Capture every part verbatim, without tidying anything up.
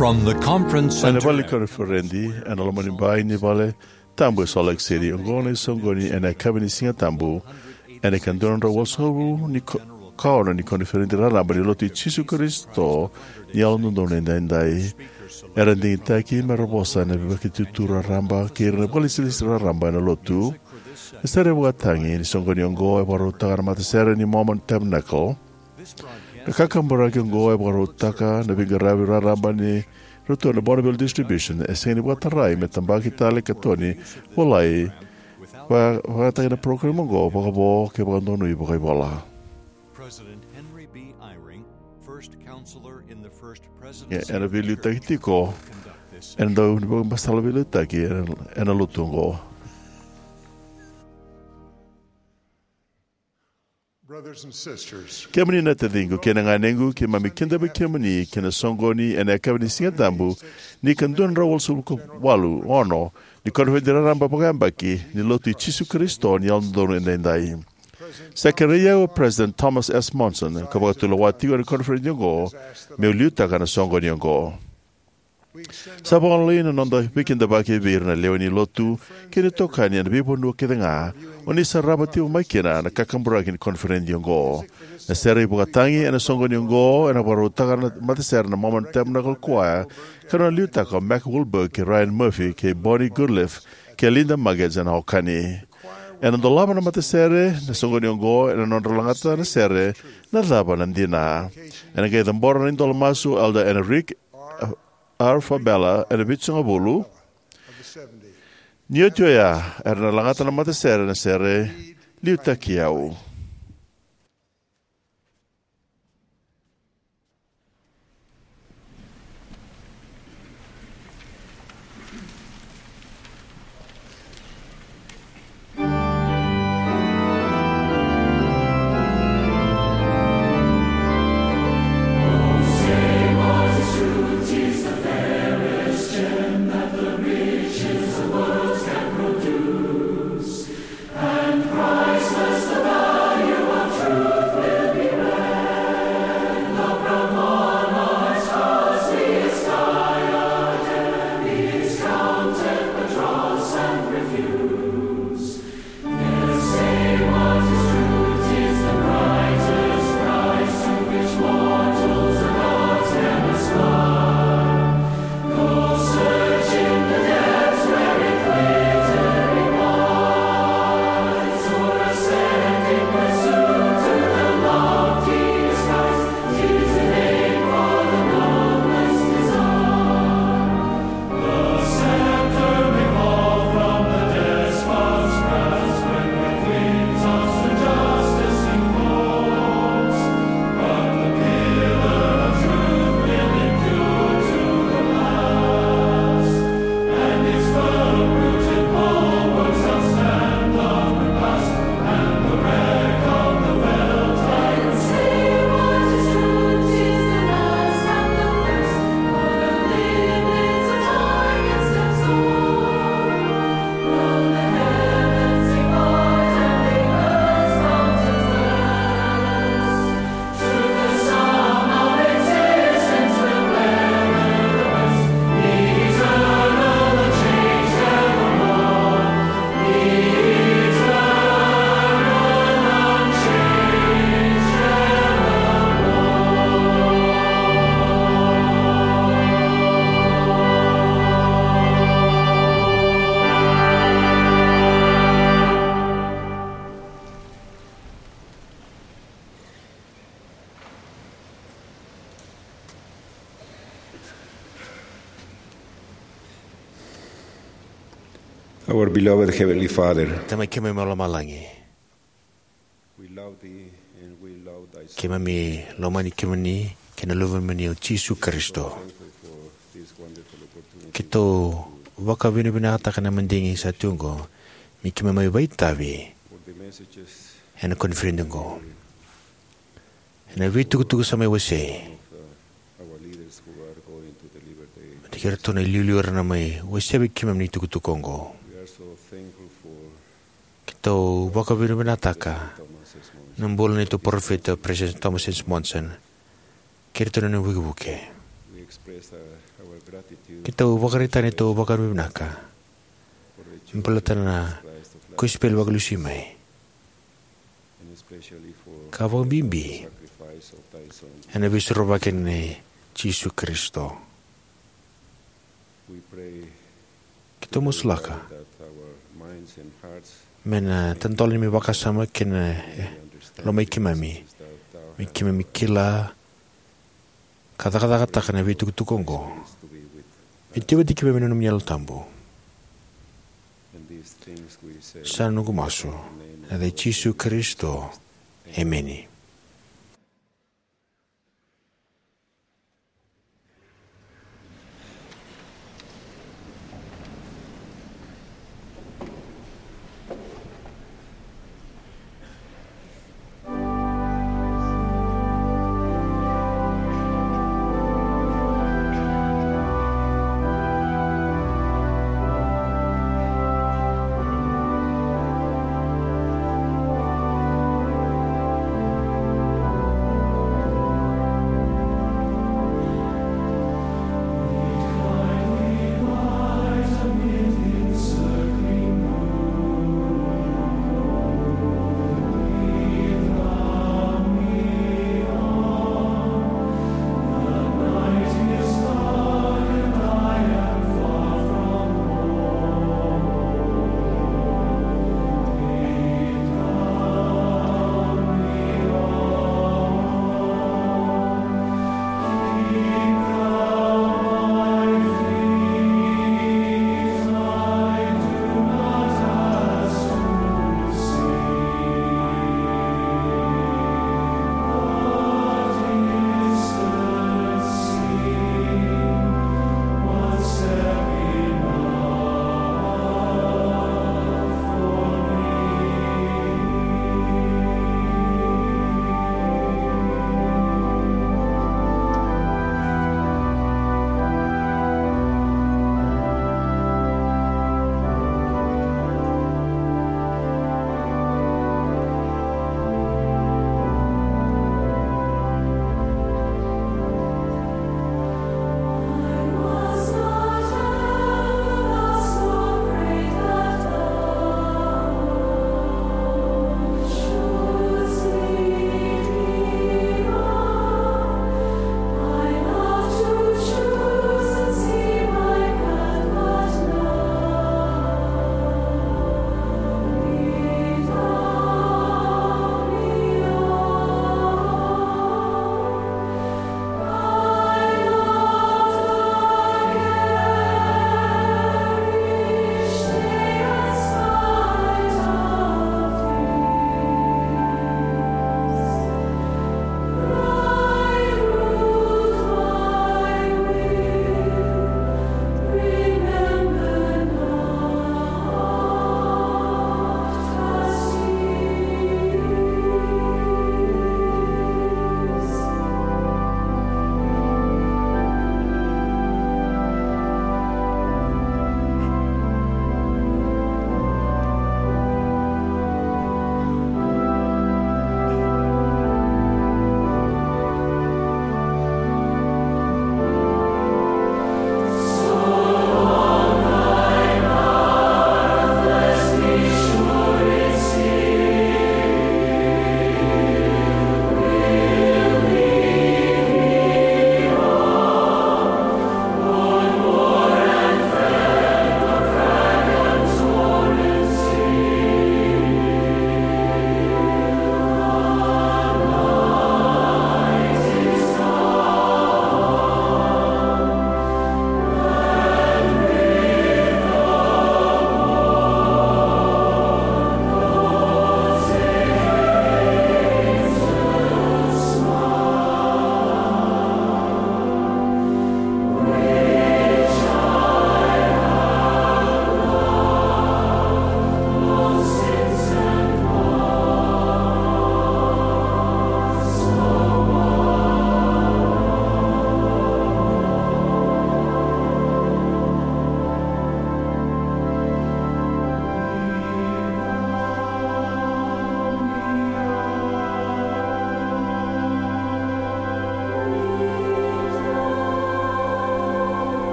From the conference center, ena vale ni koniferedi ena loma ni bai ni vale tabu e Salt Lake City, oqo na isoqoni ena yakavi ni Siga Tabu ena ika dua na drau walusagavulu ni ko-, ka ono ni koniferedi raraba ni Lotu i Jisu Karisito ni Yalododonu Edaidai. Era digitaki me ra vosa na veivakaitutu raraba kei ira na vakailesilesi raraba ena Lotu. Na sere vakatagi ni soqoni oqo e vakarautaka na matasere ni Mormon Tabernacle. Na kakaburaki oqo e vakarautaka na veiqaravi raraba ni ratou na Bonneville Distribution, e sega ni vakatarai me tabaki tale ka toni volai, va-, vakataki na program oqo vakavo kei vakadonui vakaivola. President Henry B. Eyring, first counselor in the first presidency, ena veiliutaki tiko ena dau ni vakabasala veiliutaki ena, ena lotu oqo. Brothers and sisters, kemuni na taciqu kei na ganequ, keimami kidavaki kemuni ki na soqoni ena yakavi ni Siga Tabu ni ika dua na drau walusagavulu ka walu, ono ni koniferedi raraba vakayabaki ni Lotu i Jisu Karisito ni Yalododonu Edaidai. Sa kerei au o President Thomas S. Monson, ka vakatulewa tiko ena koniferedi oqo, meu liutaka na soqoni oqo. Sa vakagolei na noda veikidavaki vei ira na lewe ni Lotu kei na itokani ena veivanua kece ga o ni sarava tiko mai kina na kakaburaki ni koniferedi oqo. Na sere ivakatagi ena soqoni oqo ena vakarautaka na matasere na Mormon Tabernacle Choir, ka na nona liutaka o Mac Wilberg kei Ryan Murphy kei Bonnie Goodliffe kei Linda Muggins ena okani. Ena dolava na matasere na soqoni oqo ena nodra lagata na sere Na Cava na Dina. Ena qai cabora na idola masu o Elder Enrique R. Fabela ena vitusagavulu. Ni oti oya, era na lagata na matasere na sere Liutaki Au. Our beloved Heavenly Father, Tamai keimami mai lomalagi, we love thee and we love thy Son. Keimami lomani kemuni kei na Luvemuni o Jisu Karisito. Thankful for this wonderful opportunity. Keitou vakavinavinakataka na madigi sa tu oqo me keimami mai vakaitavi for the messages ena koniferedi oqo. Ena veitukutuku sa mai wasei. Of, uh, our leaders who are going to deliver the message. Ni kei iratou na iliuliu era na mai wasea vei keimami na itukutuku oqo. We are so thankful for Keitou vakavinavinakataka Thomas S. Monson. Na bula ni neitou parofita, President Thomas S. Monson. Kei iratou na nona ivukevuke. We Keitou vakaraitaka na neitou vakavinavinaka me baleta na kosipeli vakalesui mai, ka vakabibi ena veisorovaki nei Jisu Karisito. Keitou masulaka me na tadola na neimami vakasama kei na lomai keimami, me keimami kila ka cakacakataka na veitukutuku oqo. Me tiko vata kei keimami na nomuni Yalo Tabu. Sa noqu masu ena yaca i Jisu Karisito. Emeni.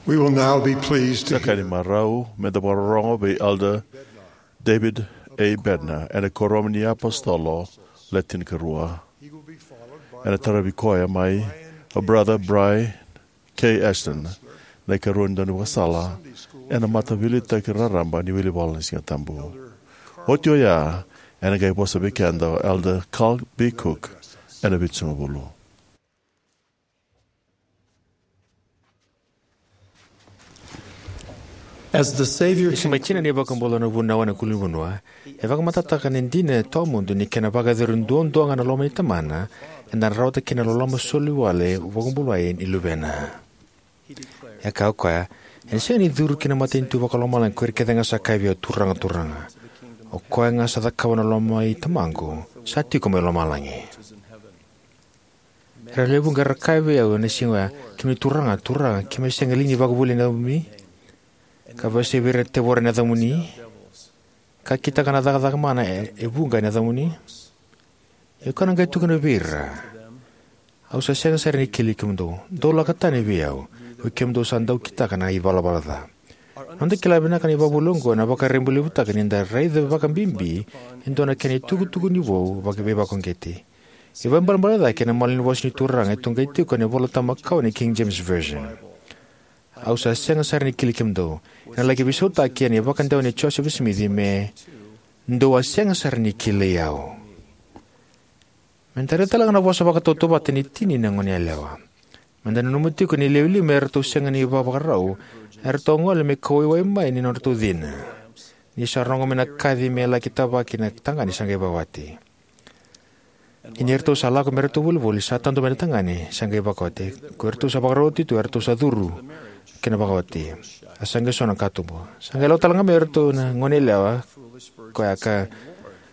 We will now be pleased to Sa ka ni hear marau me da vakarorogo vei Elder David A. Bednar ena Kuoramu ni iApositolo Le Tinikarua. Ena taravi koya mai o Brother Brian K. Ashton, na ikarua ni daunivakasala ena mataveiliutaki raraba ni wilivola ni Sigatabu. Oti oya, ena qai vosa vei keda o Elder Carl B. Cook ena Vitusagavulu. As the Savior Ena siga mai Tina na iVakabula na Vunau ena Ulunivanua, e vakamatatataka na dina tawamudu ni kena vakayacori duadua ga na loma ni Tamana, eda na rawata kina na loloma soli wale vakabulai ni Luvena. E kaya o koya, "Ena sega ni curu ki na matanitu vakalomalagi ko ira kece ga sa kaya vei au, 'Turaga, Turaga.' O koya ga sa cakava na loma i Tamaqu, sa tiko mai lomalagi." Era lewe vuqa era kaya vei au ena siga oya, "Kemuni Turaga, Turaga, keimami sega li ni vakavuvuli na yacamuni? Ka vakasivia ira na tevoro ena yacamuni? Ka kitaka na cakacaka mana e, e vuqa ena yacamuni?" Ia au na qai tukuna vei ira, "Au sa sega sara ni kilai kemudou. Dou lako tani vei au, oi kemudou sa dau kitaka na ivalavala ca." Noda kila vinaka na ivakavuvuli oqo ena vakarabailevutaka ni da raica vakabibi e dua na kena itukutuku ni vou vaka-, veivakauqeti. E vakaibalebale cake ena malanivosa ni Turaga e toqai tiko ena iVola Tabu Makawa ni King James Version. "Au sa sega sara ni kilai kemudou." Ena laki veisautaki ena ivakadewa nei Joseph Smith me, "Dou a sega sara ni kilai au." Meda raica tale ga na vosa vakatautauvata ni tini na goneyalewa. Meda nanuma tiko ni lewe lima eratou sega ni vakavakarau, eratou gole me kauwai mai ni nodratou cina. Ni sa rogo mai na kaci me laki tavaki na tagane sa qai vakawati. Ia ni ratou sa lako me ratou volivoli, sa tadu mai na tagane sa qai vakawati. Ko iratou sa vakaroti tu, eratou sa curu ki na vakawati. A sa qai so na katuba. Sa qai lako tale ga mai iratou na goneyalewa koya ka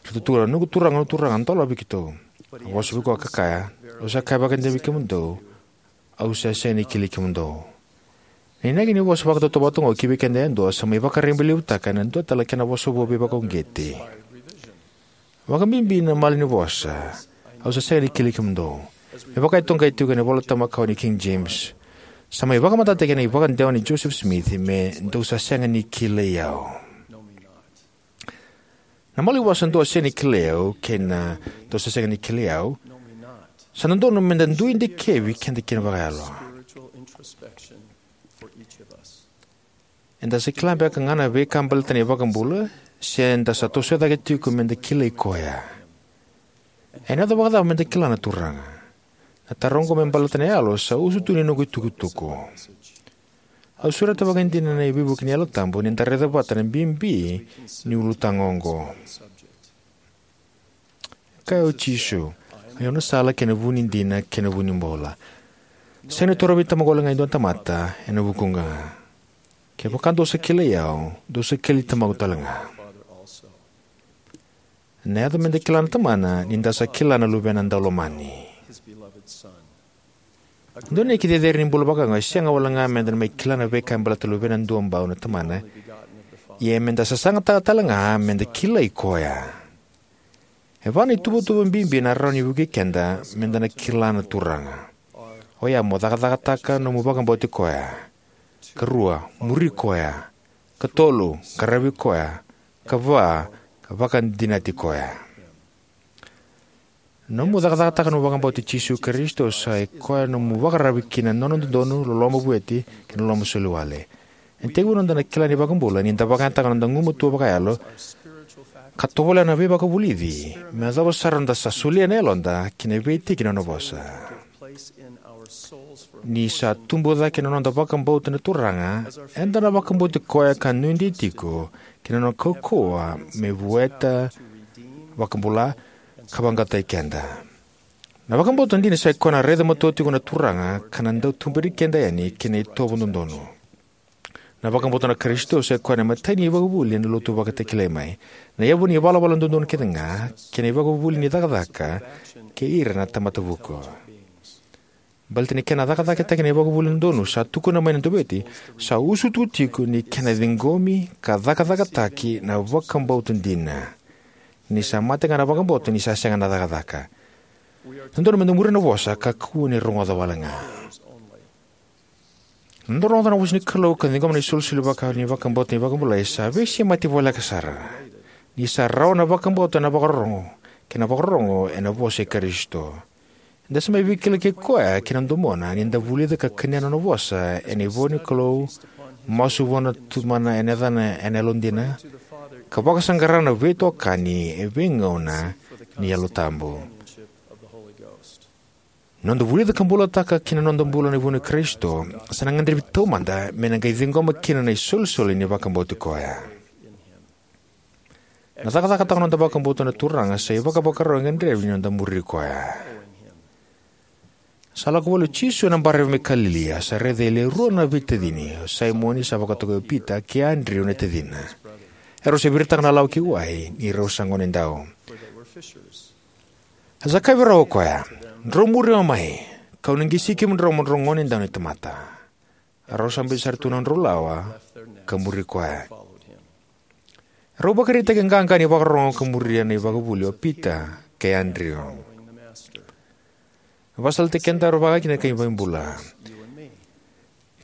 ratou tukuna, "Noqu turaga, noqu turaga, dolavi keitou." A vosa vei koya ka kaya, "Au sa kaya vakaidina vei kemudou, au sa sega ni kilai kemudou." Na inaki ni vosa vakatautauvata oqo ki vei keda yadua sa mai vakarabailevutaka ena dua tale na kena vosa vou veivakauqeti. Vakabibi na malanivosa, "Au sa sega ni kilai kemudou." Me vaka e toqai tiko ena iVola Tabu Makawa ni King James, sa mai vakamatatataki ena ivakadewa nei Joseph Smith me, "Dou sa sega ni kilai au." Na malanivosa "Dou a sega ni kilai au" kei na "Dou sa sega ni kilai au" sa dodonu meda dui dikevi keda kina vakayalo. Eda sa kila beka ga na veika baleta na iVakabula, se eda sa toso cake tiko meda kilai koya? Ena yaco vakacava meda kila na Turaga? Na taro oqo me baleta na yalo sa usutu ni noqu itukutuku. Au sureta vakaidina na veivuke ni Yalo Tabu ni da raica vata na bibi ni ulutaga oqo. Kaya o Jisu, "Oi au na sala kei na vu ni dina kei na vu ni bula. Sega ni torovi Tamaqu wale ga e dua na tamata ena vukuqu ga. Kevaka dou sa kilai au, dou sa kilai Tamaqu tale ga." Na yaco meda kila na Tamana ni da sa kila na Luvena daulomani. Dua na inaki cecere ni bula vakaoqo e sega wale ga meda na mai kila na veika e baleta na Luvena Duabau na Tamana, ia meda sasagataka tale ga meda kilai koya. E va na ituvatuva bibi ena rawa ni vukei keda meda na kila na Turaga. Oya mo cakacakataka nomu vakabauti koya. Karua, muri koya. Katolu, qaravi koya. Kava, ka vakadinati koya. Nomu cakacakataka nomu vakabauti Jisu Karisito sa ikoya nomu vakararavi ki na nona dodonu, loloma vueti, kei na loloma soli wale. Ena tekivu noda na kila na iVakabula ni da vakayagataka noda gumatua vakayalo ka tovolea na veivakavulici me yacova sara noda sa solia na yaloda ki na veitiki ni nona vosa. Ni sa tubu cake na noda vakabauta na Turaga, eda na vakabauti koya ka nuidei tiko ki na nona kaukauwa me vueta, vakabula, ka vaqaqacotaki keda. Na vakabauta dina sai koya na raica matua tiko na Turaga ka na dau tuberi keda yani ki na itovo dodonu. Na vakabauta na Karisito sai koya na imatai ni ivakavuvuli ena lotu vakatakilai mai, na yavu ni ivalavala dodonu kece ga, kei na ivakavuvuli ni cakacaka kei ira na tamata vuku. Baleta ni kena cakacakataki na ivakavuvuli dodonu, sa tukuna mai na Dauveivueti, sa usutu tiko ni kena ciqomi ka cakacakataki na vakabauta dina. Ni sa mate ga na vakabauta, ni sa sega na cakacaka. Dodonu meda muria na vosa ka kakua ni rogoca wale ga. Na noda rogoca na vosa ni Kalou ka ciqoma na isolisoli vaka ni vakabauta ni vakabulai sa veisemati voleka sara, ni sa rawa na vakabauta ena vakarorogo, kei na vakarorogo ena vosa i Karisito. Eda sa mai veikilai kei koya kei na domona ni da vulica ka kania na nona vosa ena ivolanikalou, masu vua na Tamana ena yacana ena yalodina, ka vakasaqara na veitokani e veigauna ni Yalo Tabu. Noda vulica ka bulataka ki na noda bula na vunau i Karisito sa na gadrevi taumada me na qai ciqoma kina na isolisoli ni vakabauti koya. Na cakacakataka noda vakabauta na Turaga sa ivakavakarau e gadrevi ni noda muri koya. Sa lako voli o Jisu ena baravi mai Kalili, a sa raica e le rua na veitacini, o Saimoni sa vakatokai o Pita kei Adriu na tacina. Erau sa viritaka na lawa ki wai ni rau sa gonedau. A sa kaya vei rau o koya, "Drau muri au mai, kau na qisi kemudrau mo drau gonedau ni tamata." A rau sa biuta sara tu na nodrau lawa ka muri koya. Rau vakaraitaki qaqa ni vakarorogo ka muria na ivakavuvuli o Pita kei Adriu. Vakasalataki kedaru vaka kina na kai Vakabula.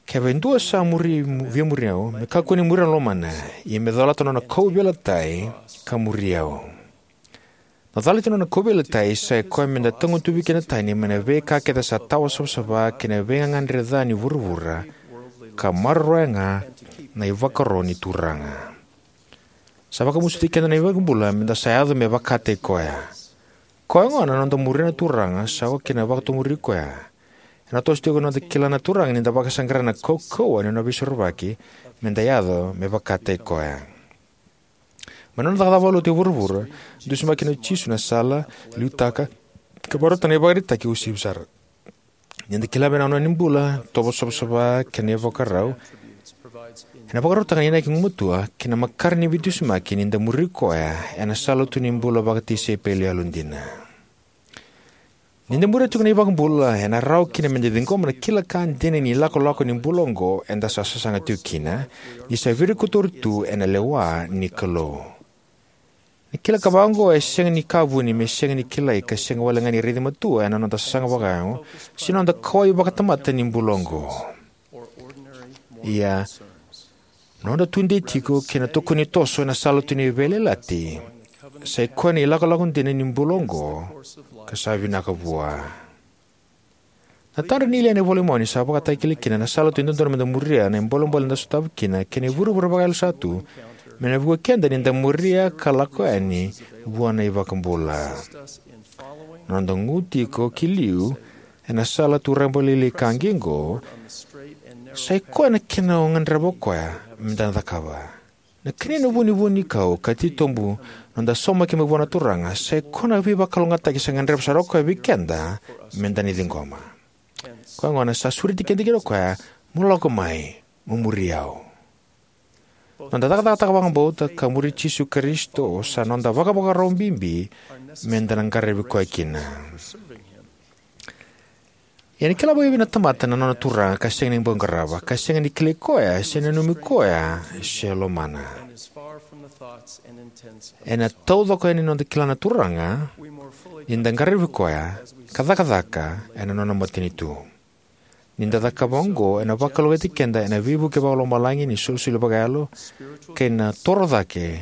Kevaka e dua sa muri, via muri au, me kakua ni muria na lomana, ia me colata na nona kauveilatai ka muri au. Na colati na nona kauveilatai sai koya meda tagutuvi keda tani mai na veika kece sa tawa savasava kei na veigagadre ca ni vuravura, ka maroroya ga na ivakaro ni Turaga. Sa vakamusuti keda na iVakabula meda sa yaco me vakataki koya. Koya gona na noda muria na Turaga sa oka kina na vakatomuri koya. Ena toso tiko na noda kila na Turaga ni da vakasaqara na kaukauwa ni nona veisorovaki meda yaco me vakataki koya. Mai na nona cakacaka vakalotu e vuravura, dusimaki kina o Jisu na sala, liutaka, ka vakarautaka na ivakaraitaki uasivi sara. Ni da kila vinaka na nona bula, tovo savasava kei na ivakarau, ena vakarautaka na inaki gugumatua kei na makare ni veidusimaki ni da muri koya ena sala tu ni bula vakatisaipeli yalodina. Ni da muria tiko na iVakabula, ena rawa kina meda ciqoma na kila ka dina ni lakolako ni bula oqo eda sa sasaga tiko kina, ni sa virikotori tu ena lewa ni Kalou. Na kila ka vaka oqo e sega ni ka vuni me sega ni kilai ka sega wale ga ni raici matua ena noda sasaga vakayago se noda kauwai vakatamata ni bula oqo. Ia, noda tudei tiko kei na tokoni toso ena sala tu ni veiyalayalati sai koya na ilakolako dina ni bula oqo ka sa vinaka vua. Na tadra ni Liai ena iVola i Momani sa vakatakilai kina na sala tu e dodonu meda muria, na ibolebole eda sotava kina, kei na ivurevure vakayalo sa tu me na vukei keda ni da muria ka lako yani vua na iVakabula. Na noda gu tiko ki liu ena sala tu rabalailai ka qiqo, sai koya na kena o gadreva o koya meda na cakava. Na kania na vunivuni ni kau ka titobu noda saumaki mai vua na Turaga, sai koya na veivakalougatataki sa gadreva sara o koya vei keda meda na ciqoma. Koya gona sa sureti keda kina o koya, "Mo lako mai, mo muri au." Noda cakacakataka vakabauta ka muri Jisu Karisito sa noda vakavakarau bibi meda na qaravi koya kina. Ia ni kila vakaevei na tamata na nona Turaga ka sega ni bau qarava, ka sega ni kilai koya, se nanumi koya, se lomana? Ena taucoko yani na noda kila na Turaga ni da qaravi koya ka cakacaka ena nona matanitu. Ni da cakava oqo, ena vakalougatataki keda ena veivuke vakalomalagi ni solisoli vakayalo kei na toro cake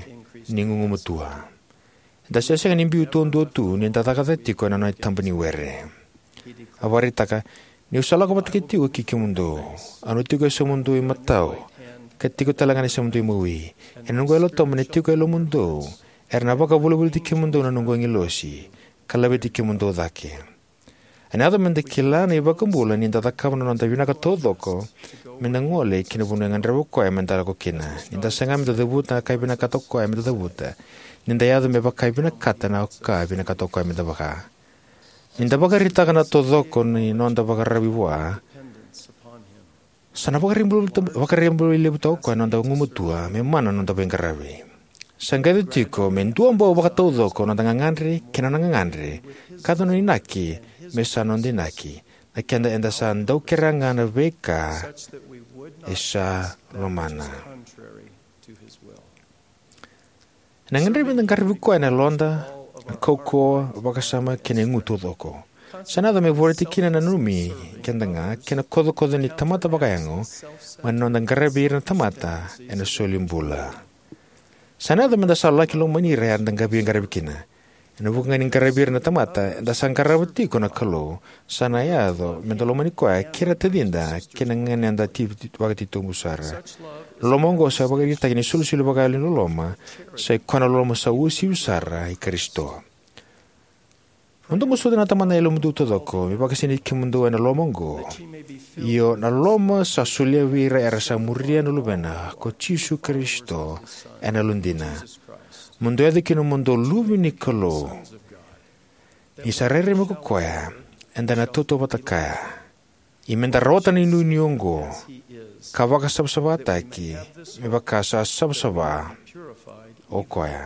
ni gugumatua. Eda sa sega ni biu taudua tu ni da cakacaka tiko ena nona itaba ni were. A vakaraitaka, "Niu sa lako vata tiko ki kemudou, au na tiko e yasamudou imatau, ka tiko tale ga na yasamudou imawi. Ena noqu Yalo Tabu ena tiko e lomamudou, era na vakavolivoliti kemudou na noqu agilosi, ka laveti kemudou cake." Ena yaco meda kila na iVakabula ni da cakava na noda vinaka taucoko meda gole ki na vanua e gadreva o koya meda lako kina. Ni da saga meda cavuta na ka e vinakata o koya meda cavuta, ni da yaco me vaka e vinakata na ka e vinakata o koya me da vaka. Ni da vakaraitaka na taucoko ni noda vakararavi vua, sa na vakarabailevutaka o koya na noda gumatua me mana na noda veiqaravi. Sa qai yaco tiko me duabau vakataucoko noda gagadre kei na nona gagadre, ka yaco na inaki me sa noda inaki, na keda eda sa dau kerea ga na veika e sa lomana. Ena gadrevi me da qaravi koya ena yaloda, na kaukauwa, vakasama kei na igu taucoko. Sa na yaco me vorati kina na nanumi keda ga kei na kocokoco ni tamata vakayago, mai na noda qaravi ira na tamata ena solibula. Sa na yaco me da sa laki lomani ira era da veiqaravi kina. Ena vuku ga ni qaravi ira na tamata eda sa qarava tiko na Kalou, sa na yaco me da lomani koya kei ira na tacida kei na ganeda ti- vakatitobu sara. Na loloma oqo sa ivakaraitaki ni isolisoli vakayalo ni loloma, sa ikoya na loloma sa uasivi sara i Karisito. Mo dou masuta na Tamada ena yalomudou taucoko me vakasinaiti kemudou ena loloma oqo, io na loloma sa solia vei ira era sa muria na Luvena ko Jisu Karisito ena yalodina. Mo dou yaco kina mo dou luve ni Kalou. Ni sa rairai mai ko koya, eda na tautauvata kaya. Ia me da rawata na inuinui oqo, ka vakasavasavataki me vaka sa savasava o koya.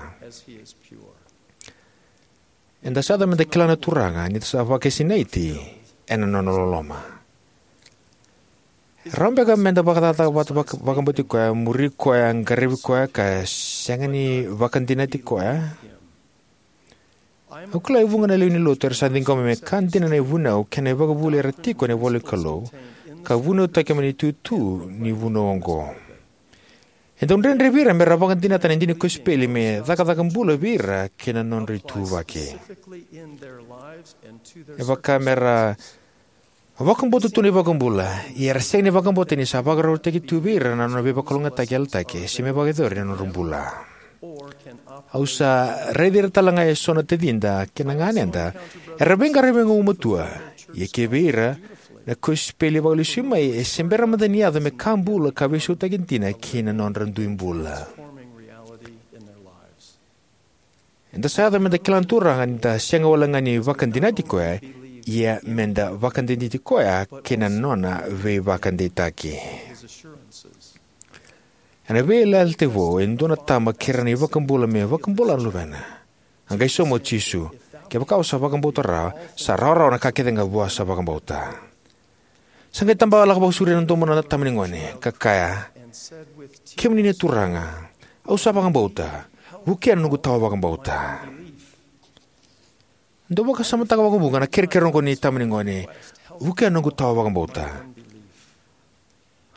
Eda sa yaco me da kila na Turaga ni da sa vakasinaiti ena nona loloma. Rawa beka me da vakacakacaka vata vaka- vakabauti koya, muri koya, qaravi koya, ka sega ni vakadinati koya? Au kila e vuqa na lewe ni lotu era sa ciqoma me ka dina na ivunau kei na ivakavuvuli era tiko ena ivola ni Kalou, ka vunautaki mai na itutu ni vunau oqo. E dau dredre vei ira me ra vakadinata na dina ni kosipeli me cakacaka bula vei ira kei na nodra ituvaki. E vaka me ra vakabauta tu na iVakabula, ia era sega ni vakabauta ni sa vakarautaki tu vei ira na nona veivakalougatataki yalataki se me vakayacori ena nodra bula. Au sa raici ira tale ga eso na tacida kei na ganeda era veiqaravi gugumatua, ia kivei ira na kosipeli vakalesui mai e se bera mada ni yaco me ka bula ka veisautaki dina ki na nodra dui bula. Eda sa yaco me da kila na Turaga ni da sega wale ga ni vakadinati koya, ia me da vakadinati koya kei na nona veivakadeitaki. Ena Veiyalayalati Vou, e dua na tama kerea na iVakabula me vakabula na luvena. A qai sauma o Jisu, kevaka o sa vakabauta rawa, sa rawarawa na ka kece ga vua sa vakabauta. Sa qai taba lako vakasauri ena domo na tama ni gone, ka kaya, kemuni na Turaga, au sa vakabauta, vukea na noqu tawa vakabauta. Dou vakasamataka vakavuqa na kerekere oqo ni tama ni gone, vukea na noqu tawa vakabauta.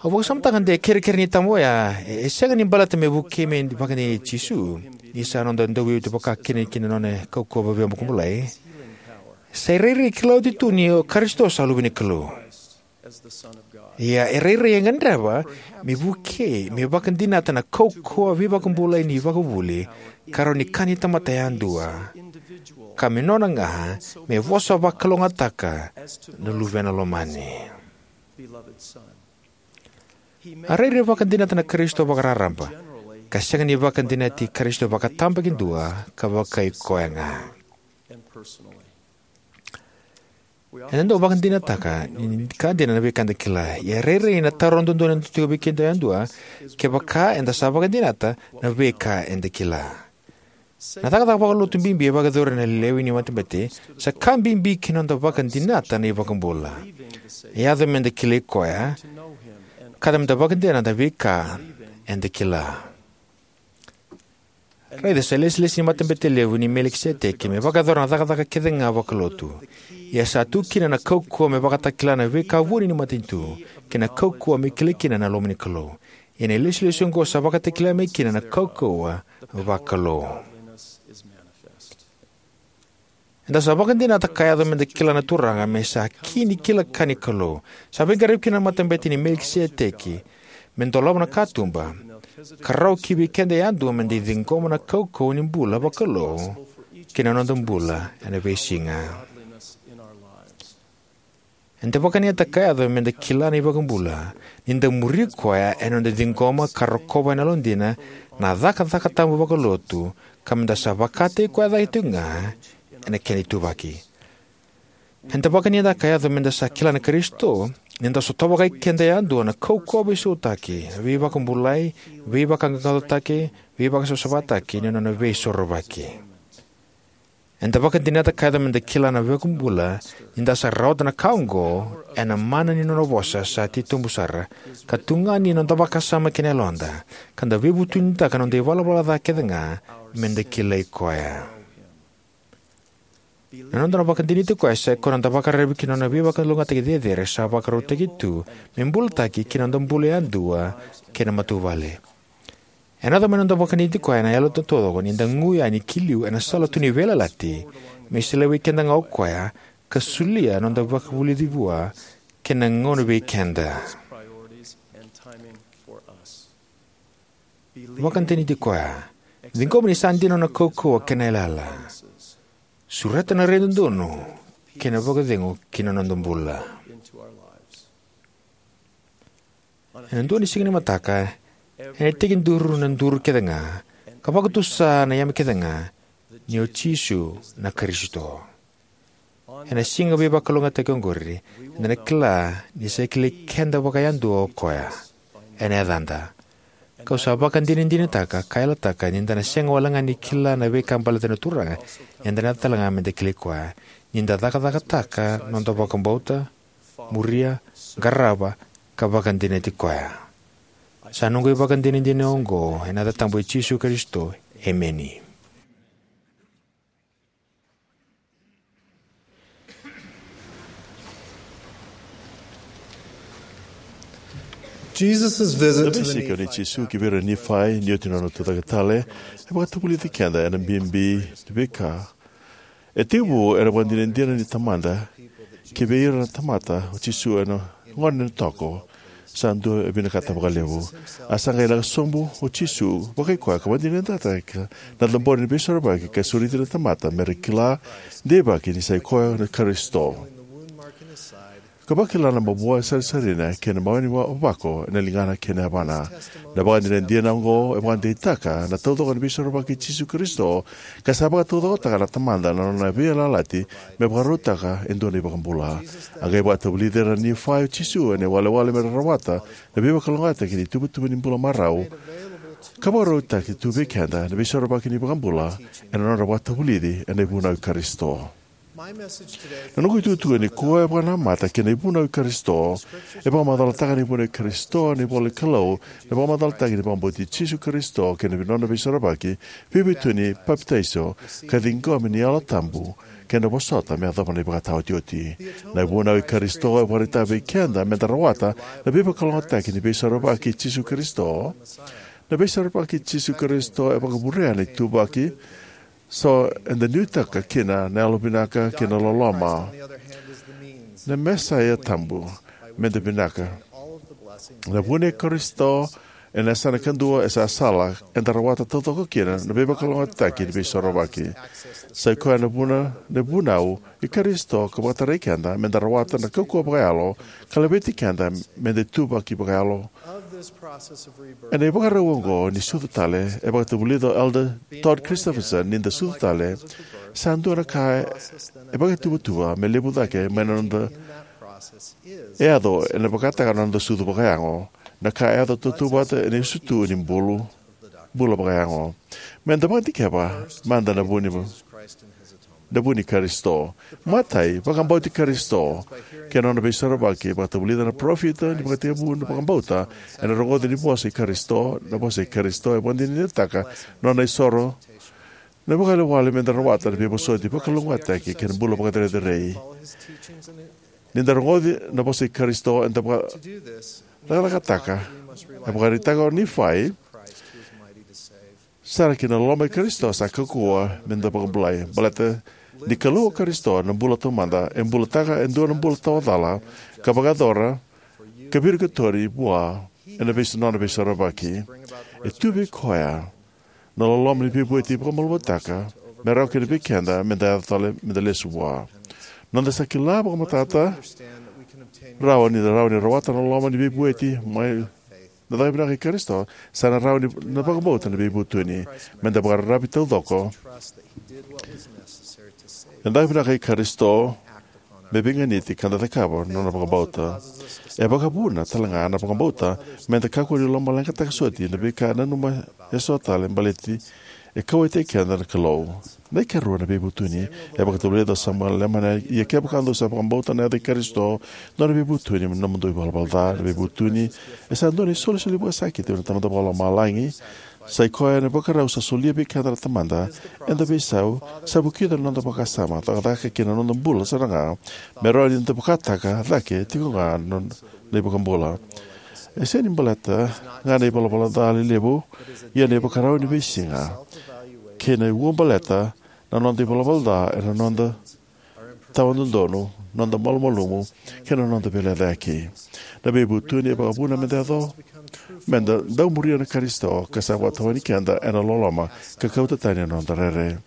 Au vakasamataka de kerekere ni tama oya, e, e sega ni baleta me vukei me vakadinati Jisu, ni sa noda Dauveivueti vakakina ki na nona kaukauwa vakabulai. Sa irairai kila oti tu ni o Karisito sa Luve ni Kalou. Ia e rairai e gadreva me vukei me vakadinata na kaukauwa veivakabulai ni ivakavuvuli, ka rawa ni ka ni tamata yadua, ka me nona ga me vosa vakalougatataka na luvena lomani. A rairai vakadinata na Karisito vakararaba, ka sega ni vakadinati Karisito vakatabakidua ka vakai koya ga. Eda dau vakadinataka ni ka dina na veika eda kila. Ia e rairai na taro dodonu e dau tiko vei keda yadua, kevaka eda sa vakadinata na veika eda kila. Na cakacaka vakalotu bibi e vakayacori ena lewe ni matabete sa ka bibi ki na noda vakadinata na iVakabula. E yaco me da kilai koya, ka yaco me da vakadinata na veika eda kila. Raica, sa ilesilesi ni matabete levu ni Melikiseteki me vakayacora na cakacaka kece ga vakalotu. Ia sa tu kina na kaukauwa me vakatakila na veika vuni ni matanitu, kei na kaukauwa me kilai kina na loma ni Kalou. Ia na ilesilesi oqo sa vakatakila mai kina na kaukauwa vakalou. Eda sa vakadinata ka yaco me da kila na Turaga me sa ki ni kila ka ni Kalou. Sa veiqaravi kina na matabete ni Melikiseteki me dolava na katuba, ka rawa ki vei keda yadua me da ciqoma na kaukauwa ni bula vakalou ki na noda bula ena veisiga. Eda vakadinata ka yaco me da kila na iVakabula ni da muri koya ena noda ciqoma ka rokova ena yalodina na cakacaka tabu vakalotu ka me da sa vakataki koya cake tikoga ena keda ituvaki. Eda vakadinadinataka ka yaco me da sa kila na Karisito ni da sotava vakaikeda yadua na kaukauwa veisautaki, veivakabulai, veivakaqaqacotaki, veivakasavasavataki ni nona Veisorovaki. Eda vakadinata ka yaco me da kila na iVakabula ni da sa rawata na ka oqo ena mana ni nona vosa sa titobu sara, ka tugani ena noda vakasama kei na yaloda, ka da veivutunitaka na noda ivalavala ca kecega me da kilai koya. Na noda na vakadinati koya sa ikoya na noda vakararavi ki na nona veivakalougatataki cecere sa vakarautaki tu me bulataki ki na noda bula yadua kei na matavuvale. Ena yaco mai na noda vakadinati koya ena yalo taucoko ni da gu yani ki liu ena sala tu ni veiyalayalati, me solia vei keda ga o koya, ka solia na noda vakavulici vua kei na gauna vei keda. Vakadinati koya. Ciqoma ni sa dina na nona kaukauwa kei na yalayala. Sureta na rai dodonu kei na vakacegu ki na noda bula. Ena dua na siga ni mataka, ena tekiduru na duru kecega, ka vakatusa na yame kecega ni o Jisu na Karisito. Ena siga veivakalougatataki oqori, eda na kila ni sa kilai keda vakayadua o koya ena yacada. Kau sa vakadinadinataka ka yalataka ni da na sega walega ni kila na veika baleta na Turaga, ia eda na yaco talega me da kilai koya ni da cakacakataka na noda vakabauta, muria, qarava, ka vakadinati koya. Sa noqu ivakadinadina oqo ena yaca tabu i Jisu Karisito. Emeni. Jesus' visit Na to the veisiko nei Nephites Jisu ki vei ira na Nifai ni oti na nona tucake tale e vakatavulici keda ena bibi ni veika e tekivu ena vakadinadina ni Tamada ki vei ira na tamata o Jisu ena gone ni toko. Sa dua e vinakata vakalevu. A sa qai lako sobu o Jisu vakai koya ka vakadinadinataka na cabori ni veisorovaki ka sureti na tamata me ra kila deivaki ni sa i koya na Karisito, ka vakila na mavoa e sarisarina kei na mawe ni vavako ena ligana kei na yavana. Na vakadinadina oqo e vakadeitaka na taucoko ni veisorovaki i Jisu Karisito, ka sa vakataucokotaka na Tamada na nona veiyalayalati me vakarautaka e dua na iVakabula. A qai vakatavulici ira na Nifai o Jisu ena iwalewale me ra rawata na veivakalougatataki ni ituvatuva ni bula marau, ka vakarautaki tu vei keda na veisorovaki ni iVakabula ena nodra vakatavulici ena ivunau i Karisito. Na noqu itukutuku nikua e vakanamata ki na ivunau i Karisito. E vakamacalataka na ivunau i Karisito ena ivola ni Kalou, na vakamacalataki ni vakabauti Jisu Karisito kei na nona veisorovaki, veivutuni, papitaiso, ka ciqomi ni Yalo Tabu, kei na vosota me yacova na ivakataotioti. Na ivunau i Karisito e vakaraitaka vei keda me da rawata na veivakalougatataki ni veisorovaki i Jisu Karisito. Na veisorovaki i Jisu Karisito e vakavurea na ituvaki so eda nuitaka kina na yalovinaka kei na loloma. Na Mesaia tabu me da vinaka. Na vuna i Karisito ena yasana kadua e sa sala eda rawata taucoko kina na veivakalougatataki ni veisorovaki. Sa i koya na vuna, na vunau i Karisito ka vakatarai keda me da rawata na kaukauwa vakayalo ka laveti keda me da ituvaki vakayalo. Ena ivakarau oqo ni sucu tale, e vakatavulica o Elder Todd Christofferson ni da sucu tale, sa dua na ka e vakaituvatuva me levu cake mai na noda e yaco ena vakataka na noda sucu vakayago, na ka e yaco tautauvata ena iusutu ni bulu, bula vakayago. Me da vakadikeva mada na vu ni, na vu ni Karisito. Matai, vakabauti Karisito kei na nona veisorovaki. Vakatavulica na parofita ni vakatekivu na vakabauta ena rogoci ni vosa i Karisito. Na vosa i Karisito e vakadinadinataka na nona isoro. Na vakaiwalewale me da rawata na veivosoti vakalougatataki kei na bula vakacerecerei. Ni da rogoci na vosa i Karisito, eda vakacakacakataka, e vakaraitaka o Nifai sara ki na loma i Karisito sa kaukauwa me da vakabulai. Baleta ni Kalou o Karisito na bula taumada, e bulataka e dua na bula tawa cala, ka vakayacora, ka virikotori vua ena veis-, nona veisorovaki. E tu vei koya na loloma ni veivueti vakamalumalumutaka me rawa kina vei keda me da yaco tale, me da lesu vua. Noda sa kila vakamatata rawa ni da rawa ni rawata na loloma ni veivueti mai Na caka vinaka i Karisito sa na rawa ni na vakabauta na veivutuni. Me da vakararavi taucoko. Na caka vinaka i Karisito me veiganiti ka da cakava na nona vakabauta. E vakavuna tale ga na vakabauta me da kakua ni lomaleqataka soti na veika e nanuma eso tale baleti e kauwaitaki keda na Kalou. Na ikarua na veivutuni. E vakatavulica o Samuela Leman, ia kevaka dou sa vakabauta na yaca i Karisito, nona veivutuni me nomudou ivalavala ca. Na veivutuni e sa dua na isolisoli vakasakiti vei na Tamada Vakalomalagi. Sa i koya na ivakarau sa solia vei keda na Tamada ena veisau, sa vukica na noda vakasama, cakacaka kei na noda bula sara ga, me rawa ni da vakataka cake tiko ga na, na iVakabula. E sega ni baleta ga na ivalavala ca lelevu, ia na ivakarau ni veisiga kei na ua baleta na noda ivalavala ca ena noda tawa dodonu, noda malumalumu, kei na noda veilecayaki. Na veivutuni e vakavuna me da yaco, me da dau muria na Karisito ka sa vakatawani keda ena loloma ka kauta tani na noda rere.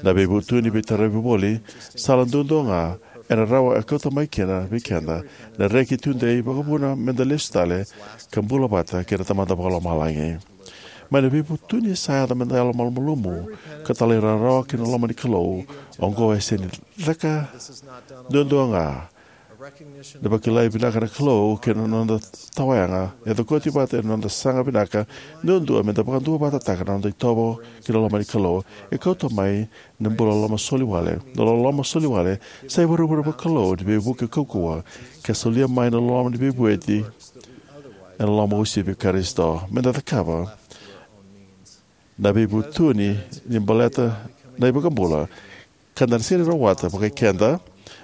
Na veivutuni veitaravi voli, sala duadua ga ena rawa e kauta mai kina vei keda na reki tudei, vakavuna me da lesu tale ka bula vata kei na Tamada Vakalomalagi. Mai na veivutuni sa yaco me da yalo malumalumu ka talairawarawa ki na loma ni Kalou. Oqo e sega ni caka duadua ga na vakilai vinaka na Kalou kei na noda tawayaga, e cokoti vata ena noda saga vinaka duadua me da vakaduavatataka na noda itovo ki na loma ni Kalou. E kauta mai na bula loloma soli wale. Na loloma soli wale sa ivurevure vakalou ni veivuke kaukauwa, ka solia mai na loloma ni veivueti ena loloma uasivi i Karisito. Me da cakava na veivutuni ni baleta na iVakabula, ka da na sega ni rawata vakai keda,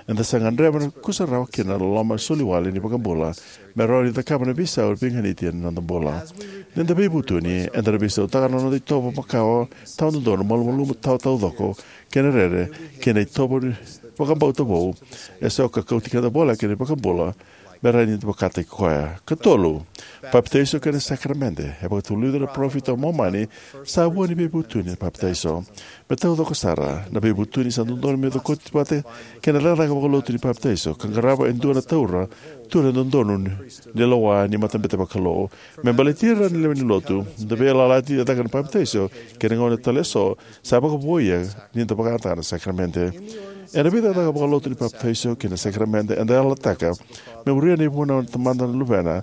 eda sa gadreva na kusarawa kei na loloma soli wale ni iVakabula me rawa ni cakava na veisau veiganiti ena noda bula. Ni da veivutuni, eda na veisautaka na noda itovo makawa, tawa dodonu, malumalumu, tawa taucoko, kei na rere, kei na itovo ni vakabauta vou eso ka kauti keda voleka ki na iVakabula me rawa ni da vakataki koya. Katolu, papitaiso kei na sakaramede. E vakatavulica na parofita o Momani, sa vua ni veivutuni na papitaiso. Me taucoko sara, na veivutuni sa dodonu me cokoti vata kei na cakacaka vakalotu ni papitaiso, ka qarava e dua na taura, tura dodonu ni lewa ni matabete vakalou. Me baleti ira na lewe ni lotu, na veiyalayalati e caka na papitaiso kei na gauna tale eso sa vakavouia ni da vakayagataka na sakaramede. Ena veicakacaka vakalotu ni papitaiso kei na sakaramede, eda yalataka me muria na ivunau ni Tamada na Luvena,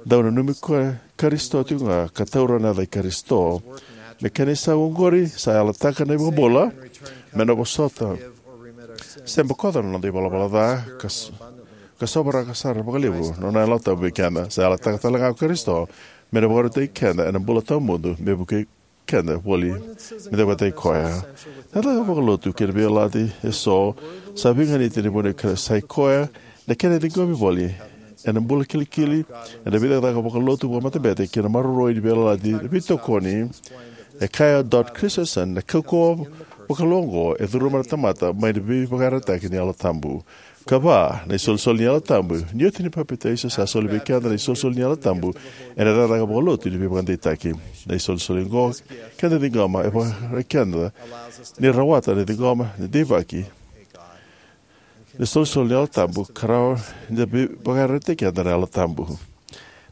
dau nanumi koya Karisito tiko ga, ka taura na yaca i Karisito. Me kena isau oqori, sa yalataka na iVakabula me na vosota se bokoca na noda ivalavala ca, ka s-, ka sovaraka sara vakalevu na nona Yalo Tabu vei keda. Sa yalataka tale ga o Karisito me na vakarautaki keda ena bula tawamudu me vukei keda voli me da vakataki koya. Na cakacaka vakalotu kei na veiyalayalati eso sa veiganiti ena vunau i Karisito, sa i koya na kena ciqomi voli ena bula kilikili, ena veicakacaka vakalotu vakamatabete kei na maroroi ni veiyalayalati, na veitokoni. E kaya o Dot Christensen, na kaukauwa vakalou oqo e curuma na tamata mai na veivakayarayarataki ni Yalo Tabu. Ka va, na isolisoli ni Yalo Tabu. Ni oti ni papitaiso, sa soli vei keda na isolisoli ni Yalo Tabu ena cakacaka vakalotu ni veivakadeitaki. Na isolisoli oqo keda ciqoma e vakaraitaki keda ni rawata na ciqoma ni deivaki. Na isolisoli ni Yalo Tabu ka rawa ni da vei-, vakaraitaki keda na Yalo Tabu.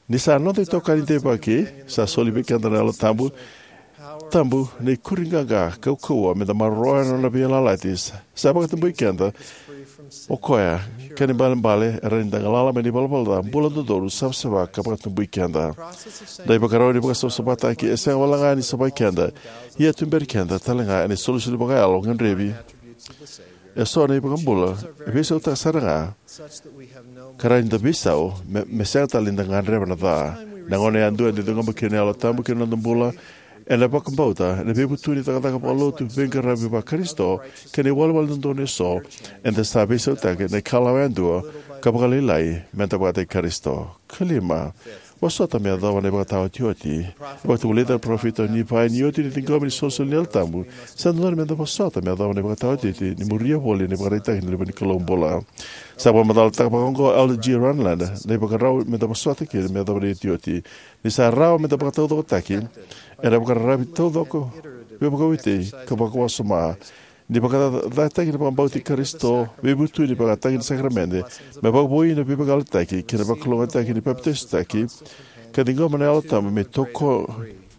Ni sa noda itokani deivaki, sa soli vei keda na Yalo Tabu, tabu na ikuri qaqa kaukauwa me da maroroya na nona veiyalayalati. Sa, sa vakatabui keda o koya, kena ibalebale e rawa ni da galala mai na ivalavala ca, bula dodonu, savasava ka vakatabui keda. Na ivakarau ni vakasavasavataki e sega wale ga ni savai keda, ia tuberi keda tale ga ena isolisoli vakayalo gadrevi eso na iVakabula e veisautaka sara ga, ka rawa ni da veisau me, me sega tale ni da gadreva na ca. Na gauna yadua eda ciqoma kina na Yalo Tabu ki na noda bula, ena vakabauta, ena veivutuni, cakacaka vakalotu, veiqaravi va-Karisito, kei na iwalewale dodonu eso, eda sa veisautaka na ikalawa yadua ka vakalailai me da vakataki Karisito. Ka lima, vosota me yacova na ivakataotioti. E vakatavulica na parofita o Nifai, ni oti ni ciqomi na isolisoli ni Yalo Tabu, sa dodonu me da vosota me yacova na ivakataotioti ni muria voli na ivakaraitaki ni Luve ni Kalou bula. Sa vakamacalataka vakaoqo o Elder G. Renlund na ivakarau me da vosota kina me yacova na iotioti. Ni sa rawa me da vakataucokotaki ena vakararavi taucoko, veivakauti ka vakawasoma. Ni vakacacataki na vakabauti Karisito, veivutuni, vakataki na sakaramede, me vakavoui na veivakayalataki kei na vakalougatataki ni papitaisotaki, ka ciqoma na Yalo Tabu me toko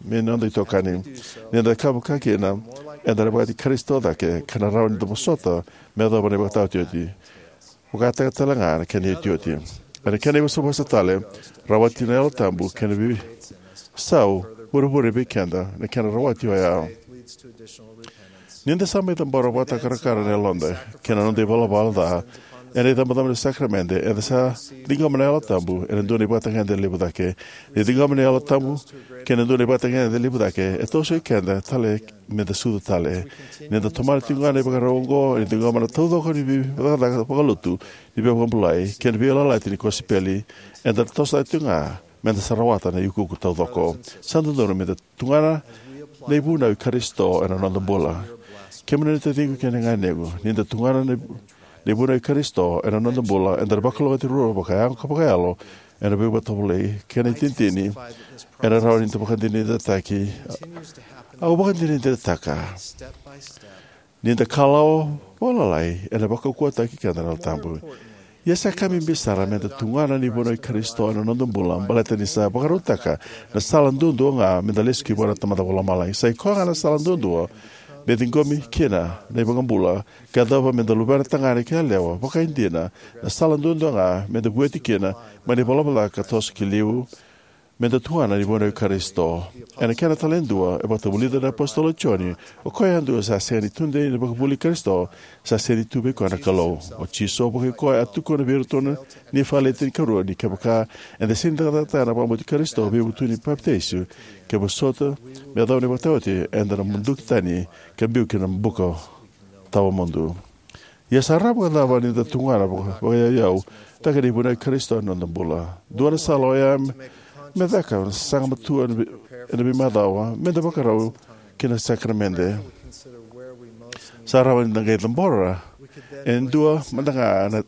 me noda itokani. Ni da cakava vaka kina, eda na vaka Karisito cake, ka na rawa ni da vosota me yacova na ivakataotioti. Vakataka tale ga na kena iotioti. Ena kena ivosavosa tale, rawati na Yalo Tabu kei na veisau vurevure vei keda na kena rawati oya. Ni da sa mai cabora vakatakarakara na yaloda kei na noda ivalavala ca ena icabocabo ni sakaramede, eda sa ciqoma na Yalo Tabu ena dua na ivakatagedegede levu cake. Ni ciqoma na Yalo Tabu kei na dua na ivakatagedegede levu cake, e toso i keda tale me da sucu tale. Ni da tomana tiko ga na ivakarau oqo, ni ciqoma na taucoko ni veicakacaka vakalotu ni veivakabulai kei na veiyalayalati ni kosipeli, eda na toso tale tiko ga me da sa rawata na iukuuku taucoko. Sa dodonu me da tugana na ivunau i Karisito ena noda bula. Kemuni na taciqu kei na ganequ, ni da tugana na ivu- na ivunau i Karisito ena noda bula, eda na vakalougatataki ruarua vakayago ka vakayalo ena veivakatovolei kei na itinitini ena rawa ni da vakadinadinataki. Au vakadinadinataka ni da kalawa vakalailai ena vakaukauwataki keda na Yalo Tabu. Ia sa ka bibi sara me da tugana na ivunau i Karisito ena noda bula, baleta ni sa vakarautaka na sala duadua ga me da lesu ki vua na Tamada Vakalomalagi. Sa i koya ga na sala duadua me ciqomi kina na iVakabula ka yacova me da luvena tagane kei yalewa vakaidina, na sala duadua ga me da vueti kina mai na ivalavala ca ka toso ki liu, me da tugana na ivunau i Karisito. Ena kena tale e dua, e vakatavulica na iApositolo o Joni, o koya yadua sa sega ni tudei ena ivakavuvuli i Karisito, sa sega ni tu vei koya na Kalou. O Jisu vakaikoya a tukuna vei iratou na Nifai wase tinikarua ni kevaka eda sega ni cakacakataka na vakabauti Karisito, veivutuni, papitaiso, ka vosota me yacova na ivakataotioti, eda na muduki tani ka biu ki na buka tawamudu. Ia sa rawa vakacava ni da tugana vaka- vakaiyauyau cake na ivunau i Karisito ena noda bula? Dua na sala oya me, me caka na sasaga matua ena vei- ena veimacawa me da vakarau ki na sakaramede. Sa rawa ni da qai cabora e dua mada ga na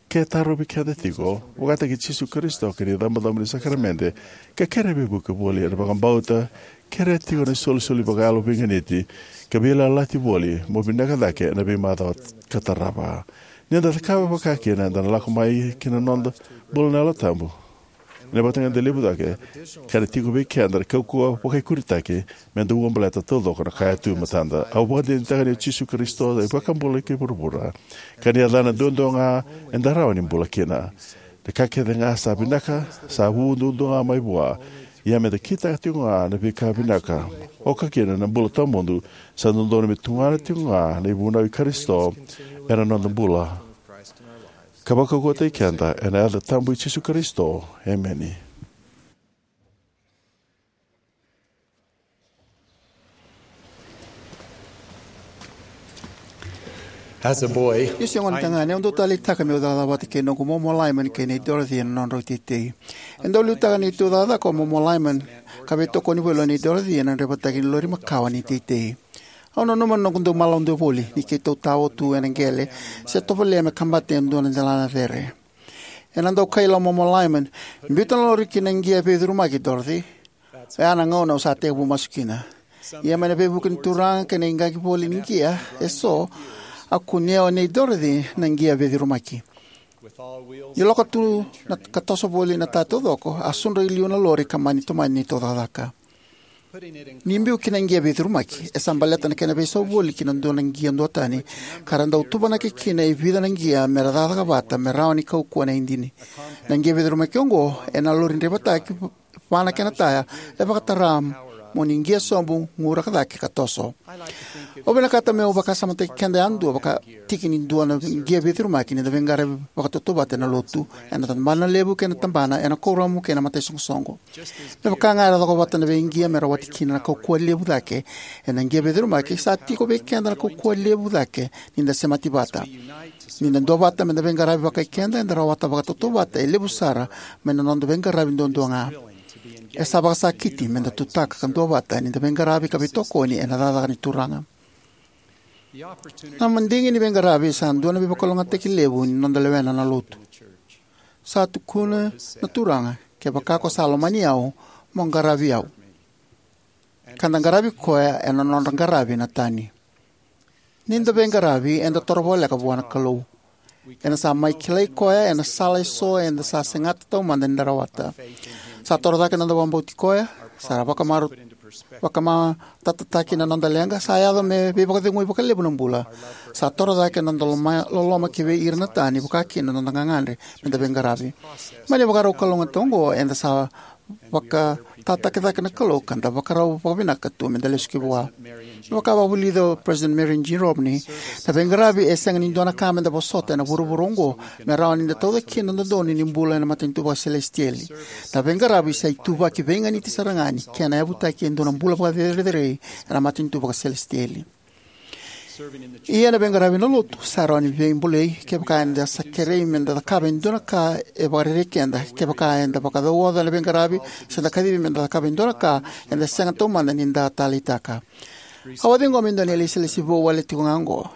ke tarovi keda tiko, vakataki Jisu Karisito kei na icabocabo ni sakaramede, ka kerea veivuke voli ena vakabauta, kerea tiko na isolisoli vakayalo veiganiti, ka veiyalayalati voli mo vinaka cake ena veimacawa ka tarava. Ni da cakava vaka kina, eda na lako mai ki na noda bula na Yalo Tabu. Ena vakatagedegede levu cake, ka na tiko vei keda na kaukauwa vakaikunitaki me da ulabaleta taucoko na ka e tu e matada. Au vakadinadinataka ni o Jisu Karisito na iVakabula kei vuravura, ka ni yacana duadua ga eda rawa ni bula kina. Na ka kece ga sa vinaka sa vu duadua ga mai vua. Ia me da kitaka tiko ga na veika vinaka, oka kina na bula tawamudu, sa dodonu me tugana tiko ga na ivunau i Karisito ena noda bula, ka vakaukauwataki keda, ena yaca tabu i Jisu Karisito. Emeni. As a boy, niu se gone tagane, au dau taleitaka meu cakacaka vata kei noqu momo Lyman kei nei Dorothy ena nodrau teitei. E dau liutaka neitou cakacaka o momo Lyman, ka veitokoni voli o nei Dorothy ena draivataki ni lori makawa ni teitei. Au nanuma na noqu dau malauda voli ni keitou tao tu ena qele se tovolea me kabata e dua na delana cere. Ena dau kaila o momo Lyman, biuta na lori ki na qia veicurumaki, Dorothy. Oya na gauna au sa tekivu masu kina. Ia mai na veivuke ni Turaga kei na iqaqi voli ni qia eso, a kunea o nei Dorothy na qia veicurumaki. Ni loka tu na ka toso voli na taya taucoko, a sudra i liu na lori ka mani tomani neitou cakacaka. Ni biu ki na qia veicurumaki, e sa baleta na kena veisau voli ki na dua na qia duatani, ka ra dau tuvanaki kina e vica na qia me ra cakacaka vata me rawa ni kaukauwa na idini. Na qia veicurumaki oqo ena lori draivataki va na kena taya e vakatara mo ni qia sobu, guraka cake ka toso. Au vinakata meu vakasamataki keda yadua vaka tiki ni dua na qia veicurumaki ni da veiqaravi vakatautauvata ena lotu, ena tabana levu kei na tabana, ena kuoramu kei na mataisoqosoqo. Me vaka ga era cokovata na veiqia me rawati kina na kaukauwa levu cake, ena qia veicurumaki sa tiko vei keda na kaukauwa levu cake ni da semati vata. Ni da duavata me da veiqaravi vakaikeda, eda rawata vakatautauvata e levu sara mai na noda veiqaravi duadua ga. E sa vakasakiti me da tutaka ka duavata ni da veiqaravi ka veitokoni ena cakacaka ni Turaga. Na madigi ni veiqaravi sa dua na veivakalougatataki levu ni noda lewena na lotu. Sa tukuna na Turaga, kevaka ko sa lomani au, mo qaravi au. Ka da qaravi koya ena nodra qaravi na tani. Ni da veiqaravi, eda toro voleka vua na Kalou. Ena sa mai kilai koya ena sala eso eda sa segata taumada ni da rawata. Sa toro cake na noda vakabauti koya, sa ra vakamaru vakamatatataki na noda leqa, sa yaco me veivakacegui vakalevu na bula. Sa toro cake na noda loma, loloma ki vei ira na tani, vakakina na noda gagadre me da veiqaravi. Mai na ivakarau kalougata oqo, eda sa vakatataki cake na Kalou ka da vakarau vakavinaka tu me da lesu ki vua. Me vaka vakavulica o President Marion G. Romney, na veiqaravi e sega ni dua na ka me da vosota ena vuravura oqo me rawa ni da tauca kina na dodonu ni bula ena matanitu vakaselesitieli. Na veiqaravi sa ituvaki veiganiti sara ga ni kena yavutaki e dua na bula vakacerecerei ena matanitu vakaselesitieli. Ia na veiqaravi ena lotu sa rawa ni veibolei kevaka eda sa kerei me da cakava e dua na ka e vakarerei keda, kevaka eda vakacauoca na veiqaravi se da kacivi me da cakava e dua na ka eda sega taumada ni da taleitaka. Au a ciqoma e dua na ilesilesi vou wale tiko ga oqo.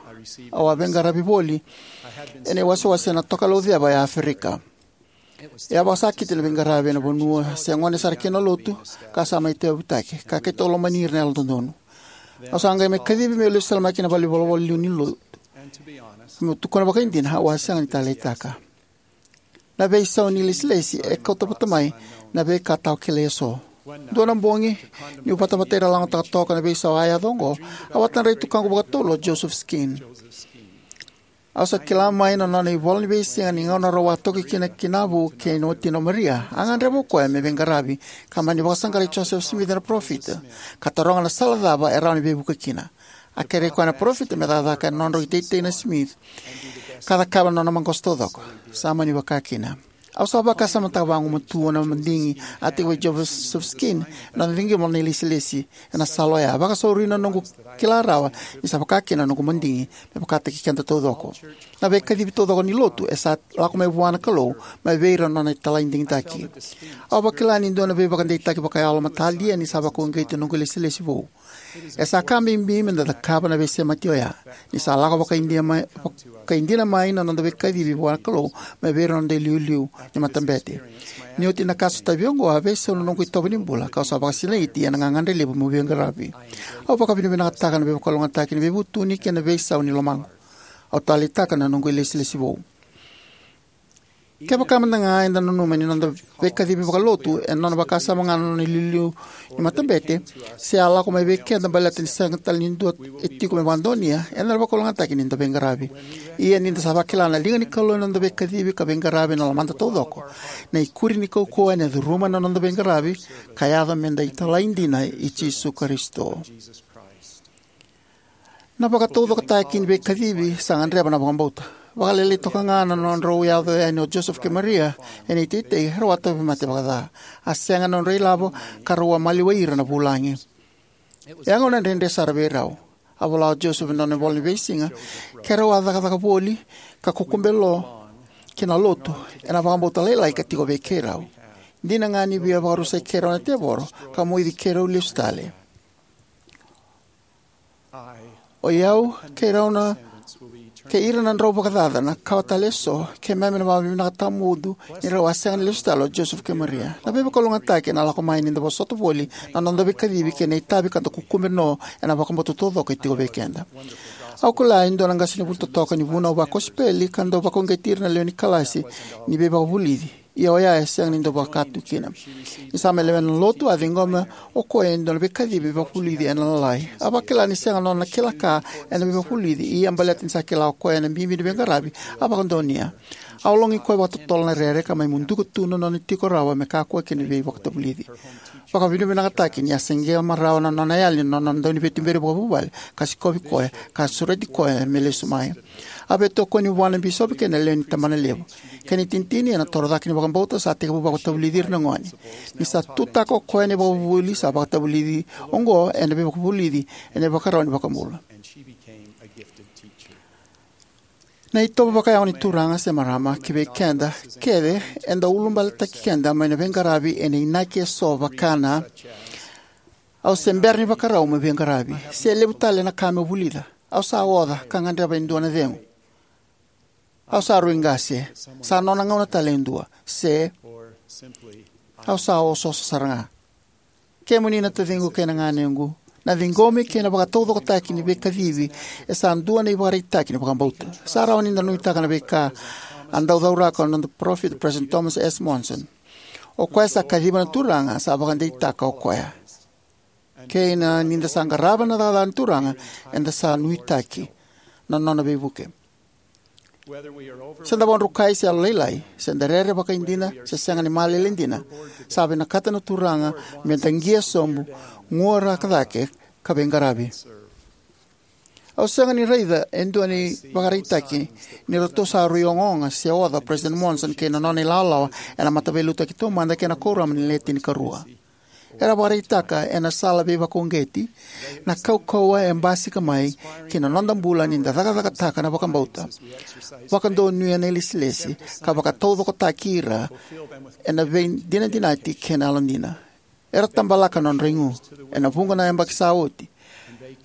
Au a veiqaravi voli ena iwasewase ena Tokalau Ceva e Aferika. E a vakasakiti na veiqaravi ena vanua se gone sara kina na lotu ka sa mai tauyavutaki, ka keitou lomani ira na Yalododonu. Au sa qai mai kacivi meu lesu tale mai ki na valenivolavola liu ni lotu. Meu tukuna vakaidina, au a sega ni taleitaka. Na veisau ni ilesilesi e kauta vata mai na veika tawa kilai eso. Dua na bogi, niu vatavata ira lagotaka toka na veisau a yaco oqo, au a tadrai tukaqu vakatolu o Joseph Skeen. Au sa kila mai na nona ivola ni veisiga ni gauna rau a toki kina ki Navu kei na watina o Maria, a gadreva o koya me veiqaravi ka mani vakasaqarai Joseph Smith na parofita ka taroga na sala cava e rawa ni veivuke kina. A kerei koya na parofita me cakacaka ena nodrau iteitei na Smith ka cakava na nona maqosa taucoko. Sa mani vaka kina. Au sa vakasamataka vagumatua na madigi a tiko vei Joseph Skeen ena nona ciqoma na ilesilesi ena sala oya, vakasauri na noqu kila rawa ni sa vaka kina na noqu madigi me vakataki keda taucoko. Na veikacivi taucoko ni lotu e sa lako mai vua na Kalou mai vei ira na nona italai digitaki. Au vakila ni dua na veivakadeitaki vakayalo matalia ni sa vakauqeti na noqu ilesilesi vou. E sa ka bibi me da cakava na veisemati oya ni sa lako vakaidina mai, vakaidina mai na noda veikacivi vua na Kalou mai vei ira na noda iliuliu ni matabete. Ni oti na ka sotavi oqo, a veisau na noqu itovo ni bula kau sa vakasinaiti ena gagadre levu meu veiqaravi. Au vakavinavinakataka na veivakalougatataki ni veivutuni kei na veisau ni lomaqu. Au taleitaka na noqu ilesilesi vou. Kevaka mada ga eda nanuma ni noda veikacivi vakalotu e nona vakasama ga na nona iliuliu ni matabete, se a lako mai vei keda baleta ni sega tale ni dua e tiko me vakadonuya, eda na vakalougatataki ni da veiqaravi. Ia ni da sa vakila na liga ni Kalou ena noda veikacivi ka veiqaravi ena lomada taucoko, na ikuri ni kaukauwa ena curuma na noda veiqaravi ka yaco me da italai dina i Jisu Karisito. Na vakataucokotaki ni veikacivi sa gadreva na vakabauta. Vakalailai toka ga na nodrau yaco yani o Joseph kei Maria ena iteitei, rau a tauvimate vakaca. A sega na nodra ilavo ka rau a maliwai ira na vulagi. E a gauna dredre sara vei rau. A vola o Joseph ena nona ivola ni veisiga, keirau a cakacaka voli ka kukube lo ki na lotu ena vakabauta lailai ka tiko vei keirau. Dina ga ni via vakarusai keirau na tevoro ka moici keirau lesu tale. O i au kei rau na, kei ira na drau vakacaca na kawa tale eso, keimami na vakavinavinaka tawamudu ni rau a sega ni lesu tale o Joseph kei Maria. Na veivakalougatataki ena lako mai ni da vosota voli na noda veikacivi kei na itavi ka da kukube no ena vakabauta taucoko e tiko vei keda. Au kila e dua na qasenivuli totoka ni vunau vakosipeli ka dau vakauqeti ira na lewe ni kalasi ni veivakavulici. Ia oya e sega ni dau vaka tu kina. Ni sa mai lewena na lotu, a ciqoma o koya e dua na veikacivi vakavulici ena Lalai. A vakila ni sega nona kila ka ena veivakavulici, ia baleta ni sa kila o koya na bibi ni veiqaravi, a vakadonuya. A ologi koya vakatotolo na rere ka mai muduka tu na nona tiko rawa me kakua kina veivakatavulici. Vakavinavinakataki ni a se qai marau na nona yali na nona dauniveituberi vakavuvale ka sikovi koya ka sureti koya me lesu mai. A veitokoni vua na bisopi kei na lewe ni tabanalevu. Kei na itinitini ena toro cake ni vakabauta sa tekivu vakatavulici ira na gone. Ni sa tutaka o koya na ivakavuvuli sa vakatavulici oqo ena veivakavulici ena ivakarau ni vakabula. Na itovo vakayago ni turaga se marama ki vei keda kece e dau ulubaletaki keda mai na veiqaravi ena inaki eso vaka na: Au se bera ni vakarau meu veiqaravi. Se levu tale na ka meu vulica. Au sa oca ka gadreva e dua na cegu. Au sa rui qase. Sa nona gauna tale e dua. Se au sa osooso sara ga. Kemuni na taciqu kei na ganequ, na ciqomi kei na vakataucokotaki ni veikacivi e sa dua na ivakaraitaki ni vakabauta. Sa rawa ni da nuitaka na veika a dau cauraka na noda parofita, President Thomas S. Monson. O koya sa kaciva na Turaga sa vakadeitaka o koya. Kei na ni da sa qarava na cakacaka ni Turaga, eda sa nuitaki na nona veivuke. Se da vakadrukai se yalolailai, se da rere vakaidina se sega ni malele dina, sa vinakata na Turaga me da qia sobu, guaraka cake, ka veiqaravi. Au sega ni raica e dua na ivakaraitaki ni ratou sa rui ogaoga se oca o President Monson kei na nona ilawalawa ena Mataveiliutaki Taumada kei na Kuoramu ni Le Tinikarua. Era vakaraitaka ena sala veivakauqeti na kaukauwa e basika mai ki na noda bula ni da cakacakataka na vakabauta, vakadonuya na ilesilesi, ka vakataucokotaki ira ena veidinadinati kei na yalodina. Era tabalaka na nodra igu ena vuqa na yabaki sa oti,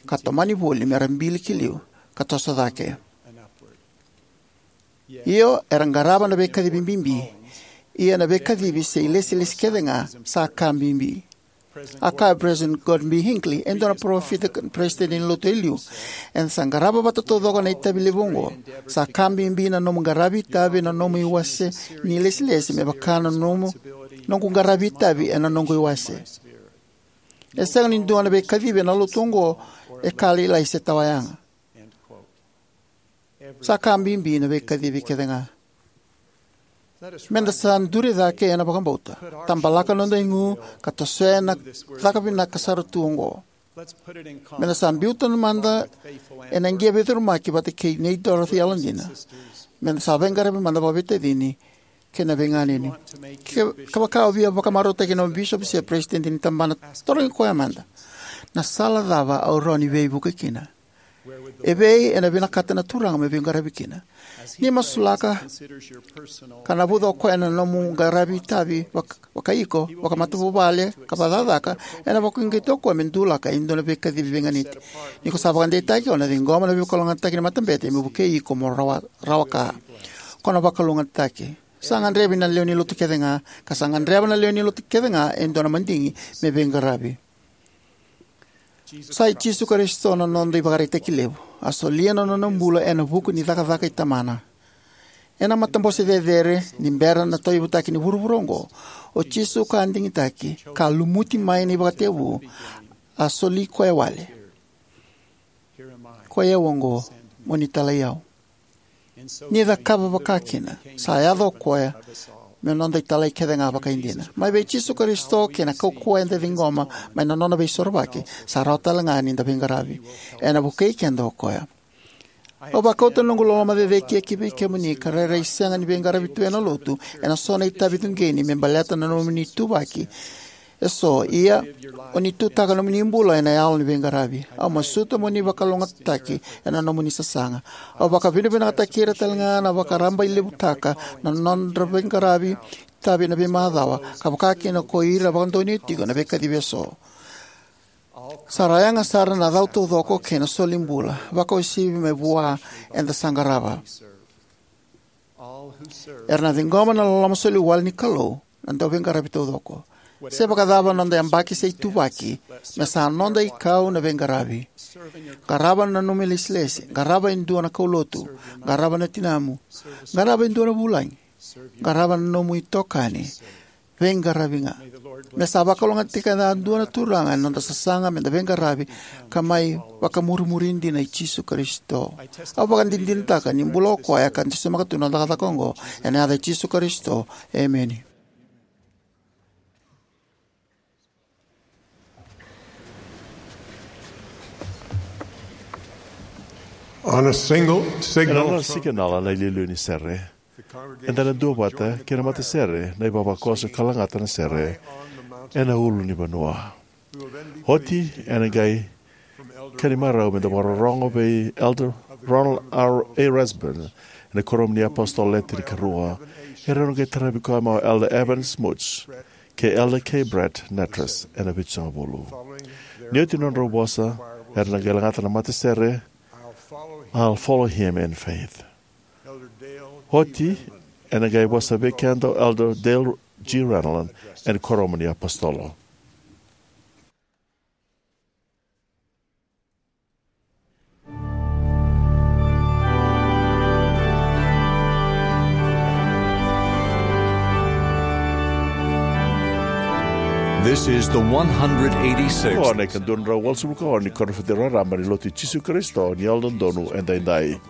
ka tomani voli mera bili ki liu ka toso cake. Io, era qarava na veikacivi bibi, ia na veikacivi se ilesilesi kece ga sa ka bibi. A kaya o President Gordon B. Hinckley, e dua na parofita ka peresitedi ni Lotu e liu, eda sa qarava vata taucoko na itavi levu oqo. Sa ka bibi na nomu qaravi itavi ena nomu iwase ni ilesilesi me vaka na nomu, noqu qaravi itavi ena noqu iwase. E sega ni dua na veikacivi ena Lotu oqo e ka lailai se tawayaga. Sa ka bibi na veikacivi kece ga. Meda sa duri cake ena vakabauta, tabalaka noda igu, ka tosoya na caka vinaka sara tu oqo. Meda sa biuta mada ena qia veicurumaki vata kei Nei Dorothy yalodina. Meda sa veiqaravi mada vakaveitacini kei na veiganeni. Ke, kevaka o via vakamarautaki na bisopi se peresitedi ni tabana, tarogi koya mada, na sala cava au rawa ni veivuke kina? Evei ena vinakata na Turaga me veiqaravi kina? Ni masulaka ka navuca o koya na nomu qaravi itavi vak-, vakaiko, vakamatavuvale, ka vakacakacaka, ena vakauqeti o koya me dulaka e dua na veikacivi veiganiti. Ni ko sa vakadeitaki, o na ciqoma na veivakalougatataki ni matabete me vukei iko mo rawa, rawa ka. Ko na vakalougatataki. Sa gadrevi na lewe ni Lotu kece ga, ka sa gadreva na lewe ni Lotu kece ga e dua na madigi me veiqaravi. Sa i Jisu Karisito na noda ivakaraitaki levu. A solia na nona bula ena vuku ni cakacaka i Tamana. Ena matabose cecere ni bera na tauyavutaki ni vuravura oqo, o Jisu ka a digitaki, ka lumuti mai na ivakatekivu, a soli koya wale. Koi au oqo, mo ni talai au. Ni cakava vakakina, sa yaco o koya me noda italai kece ga vakaidina. Mai vei Jisu Karisito kei na kaukauwa eda ciqoma mai na nona veisorovaki, sa rawa tale ga ni da veiqaravi. Ena vukei keda o koya. Au vakauta na noqu loloma cecere ki vei kemuni ka rairai sega ni veiqaravi tu ena Lotu ena so na itavi cuqeni me baleta na nomuni ituvaki eso, ia o ni tutaka nomuni bula ena yalo ni veiqaravi. Au masuta mo ni vakalougatataki ena nomuni sasaga. Au vakavinakataki ira tale ga na vakarabailevutaka na nodra veiqaravi itavi ena veimacawa, ka vakakina ko ira vakadonuya tiko na veikacivi eso. Sa ra yaga sara na cau taucoko kei na soli bula, vakauasivi mai vua eda sa qarava. Era na ciqoma na loloma soli wale ni Kalou na dauveiqaravi taucoko. Se vakacava na noda yabaki se ituvaki, me sa noda ikau na veiqaravi. Qarava na nomu ilesilesi, qarava e dua na kaulotu, qarava na tinamu, qarava e dua na vulagi, qarava na nomu itokani, veiqaravi ga. Me sa vakalougatataka yadua na Turaga ena noda sasaga meda veiqaravi ka mai vakamurimuri dina i Jisu Karisito. Au vakadinadinataka ni bula o koya ka dusimaka tu na cakacaka oqo ena yaca i Jisu Karisito. Emeni. On a single Ena signal nona from sikinala na iliuliu ni sere, eda na duavata kei na matasere na ivavakoso ka lagata na sere ena ulunivanua. Oti ena qai ka ni marau meda vakarorogo vei Elder Ronald R. A. Rasband ena Kuoramu ni iApositolo Le Tinikarua. Erau na qai taravi koya mai o Elder Evans Smuts kei Elder K. Brett Nattress ena Vitusagavulu. Ni oti na nodrau vosa, era na qai lagata na matasere I'll Follow Him in Faith. Oti ena qai vosa vei keda o Elder Dale G. Renlund ena Kuoramu ni iApositolo. This is the one hundred eighty-sixth. Oqo na ika dua na drau walusagavulu ka ono ni Koniferedi Raraba ni Lotu i Jisu Karisito ni Yalododonu Edaidai.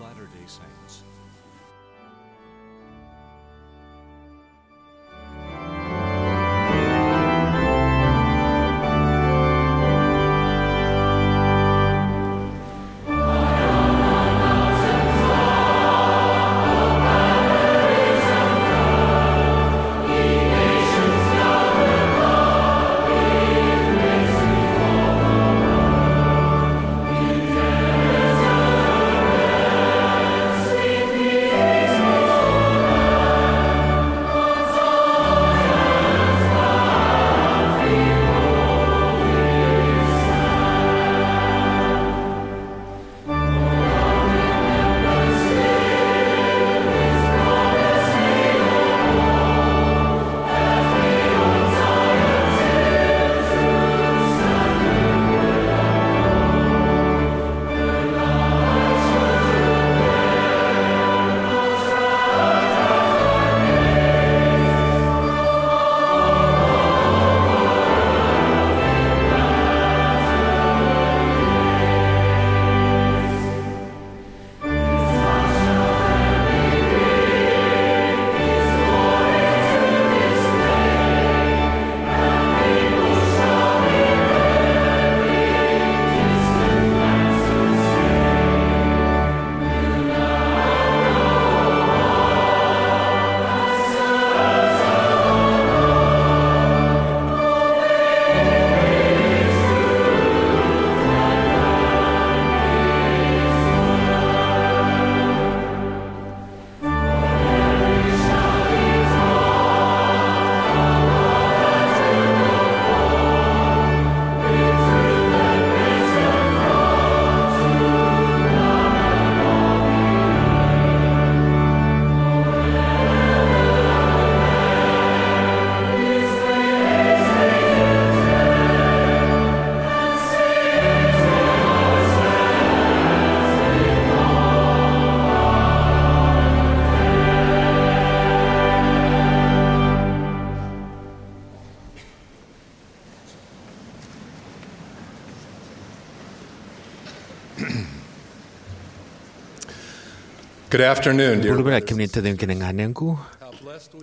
Good afternoon, dear. Bula vinaka kemuni na taciqu kei na ganequ.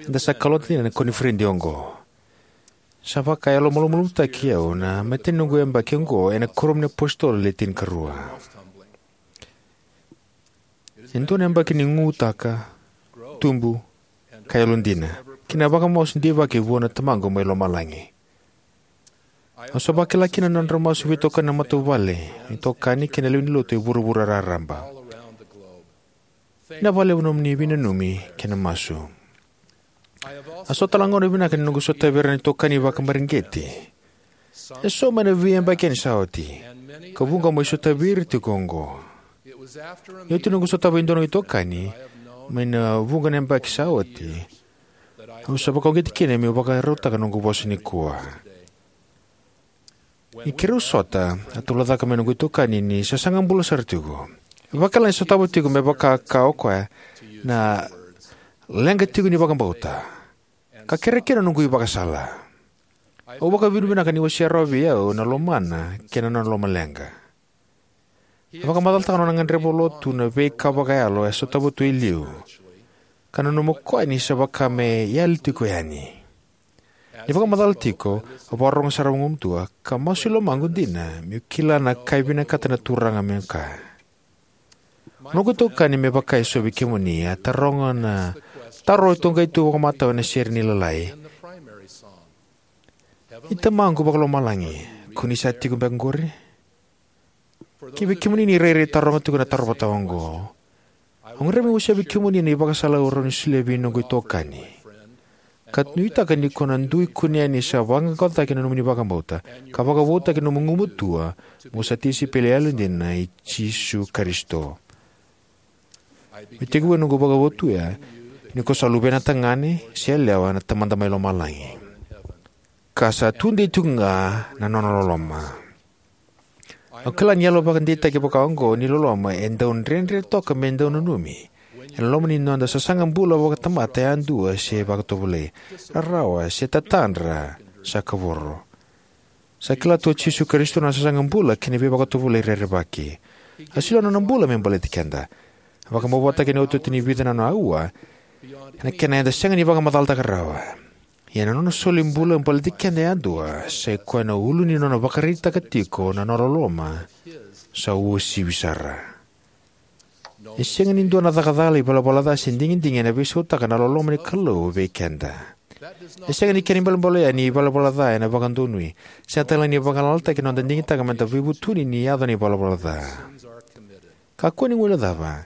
Eda sa kalota dina ena koniferedi oqo. Sa vakayalomalumalumutaki au na imatai ni noqu yabaki oqo ena kuoramu ni apositolo le tinikarua. E dua na yabaki ni gugutaka, tubu, ka yalodina, kei na vakamasu deivaki vua na Tamaqu mai lomalagi. Au sa vakila kina na nodra masu veitokani na matavuvale, itokani kei na lewe ni lotu e vuravura raraba. Vinaka vakalevu na nomuni veinanumi kei na masu. A so tale na gauna vinaka ni noqu sotavi ira na itokani vakamareqeti. E so mai na veiyabaki yani sa oti, ka vuqa mai sotavi ira tiko oqo. Ni oti noqu sotava e dua na itokani mai na vuqa na yabaki sa oti, au sa vakauqeti kina meu vakarautaka noqu vosa nikua. Ni keirau sota, a talaucaka mai noqu itokani ni sasaga bula sara tiko. E vakila ni sotava tiko me vaka ka o koya na leqa tiko ni vakabauta, ka kerea kina noqu ivakasala. Au vakavinavinaka ni wasea rawa vei au na lomana kei na nona lomaleqa. E vakamacalataka na nona gadreva lotu na veika vakayalo e sotava tu e liu, ka nanuma o koya ni sa vaka me yali tiko yani. Ni vakamacala tiko, au vakarorogo sara vagumatua, ka masu i lomaqu dina meu kila na ka e vinakata na Turaga meu kaya. Noqu itokani, me vaka e so vei kemuni, a taroga na taro e toqai tu vakamatau ena sere ni Lalai: I Tamaqu Vakalomalagi, ko ni sa tiko beka qori? Kivei kemuni ni rairai taroga tiko na taro vata oqo, au gadreva meu wasea vei kemuni na ivakasala au rawa ni solia vei noqu itokani, ka nuitaka ni ko na dui kunea ni sa vaqaqacotaki na nomuni vakabauta ka vakavoutaki na nomu gumatua mo sa tisaipeli yalodina i Jisu Karisito. Meu tekivu ena noqu vakavotuya ni ko sa luvena tagane se yalewa na Tamada mai Lomalagi, ka sa tudei tiko ga na nona loloma. Au kila ni yalo vakadeitaki vaka oqo ni loloma e dau dredre toka me dau nanumi ena loma ni noda sasaga bula vakatamata yadua se vakatovolei, rarawa se tatadra sa kavoro. Sa kila tu o Jisu Karisito na sasaga bula kei na veivakatovolei rerevaki. A solia na nona bula me baleti keda. A vakamavoataki ena iotioti ni vica na nona auwa ena kena eda sega ni vakamacalataka rawa. Ia na nona soli bula baleti keda yadua sa ikoya na ulu ni nona vakaraitaka tiko na nona loloma sa uasivi sara. E sega ni dua na caka cala, ivalavala ca, se digidigi ena veisautaka na loloma ni Kalou vei keda. E sega ni kena ibalebale oya ni ivalavala ca ena vakadonui, sega tale ni vagalalataki na noda digitaka meda veivutuni ni yaco na ivalavala ca. Kakua ni guilecava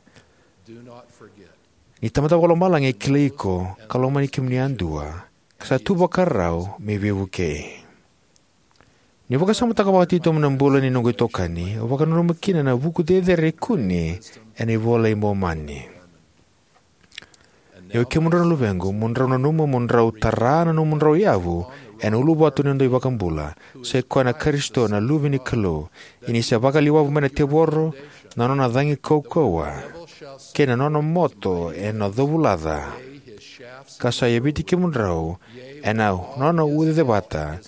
ni Tamada Vakalomalagi e kilai iko ka lomani kemuni yadua, ka sa tu vakarau me veivukei. Niu vakasamataka vakatitobu na bula ni noqu itokani, au vakananuma kina na vuku cecere e kune ena iVola i Momani: Ia oi kemudrau na luvequ, mo drau nanuma mo drau tara na nomudrau yavu ena uluvatu ni noda iVakabula, sa ikoya na Karisito na Luve ni Kalou. Ia ni sa vakaliwavu mai na tevoro na nona cagi kaukauwa, kei na nona moto ena covulaca, ka sa yaviti kemudrau ena nona ucacevata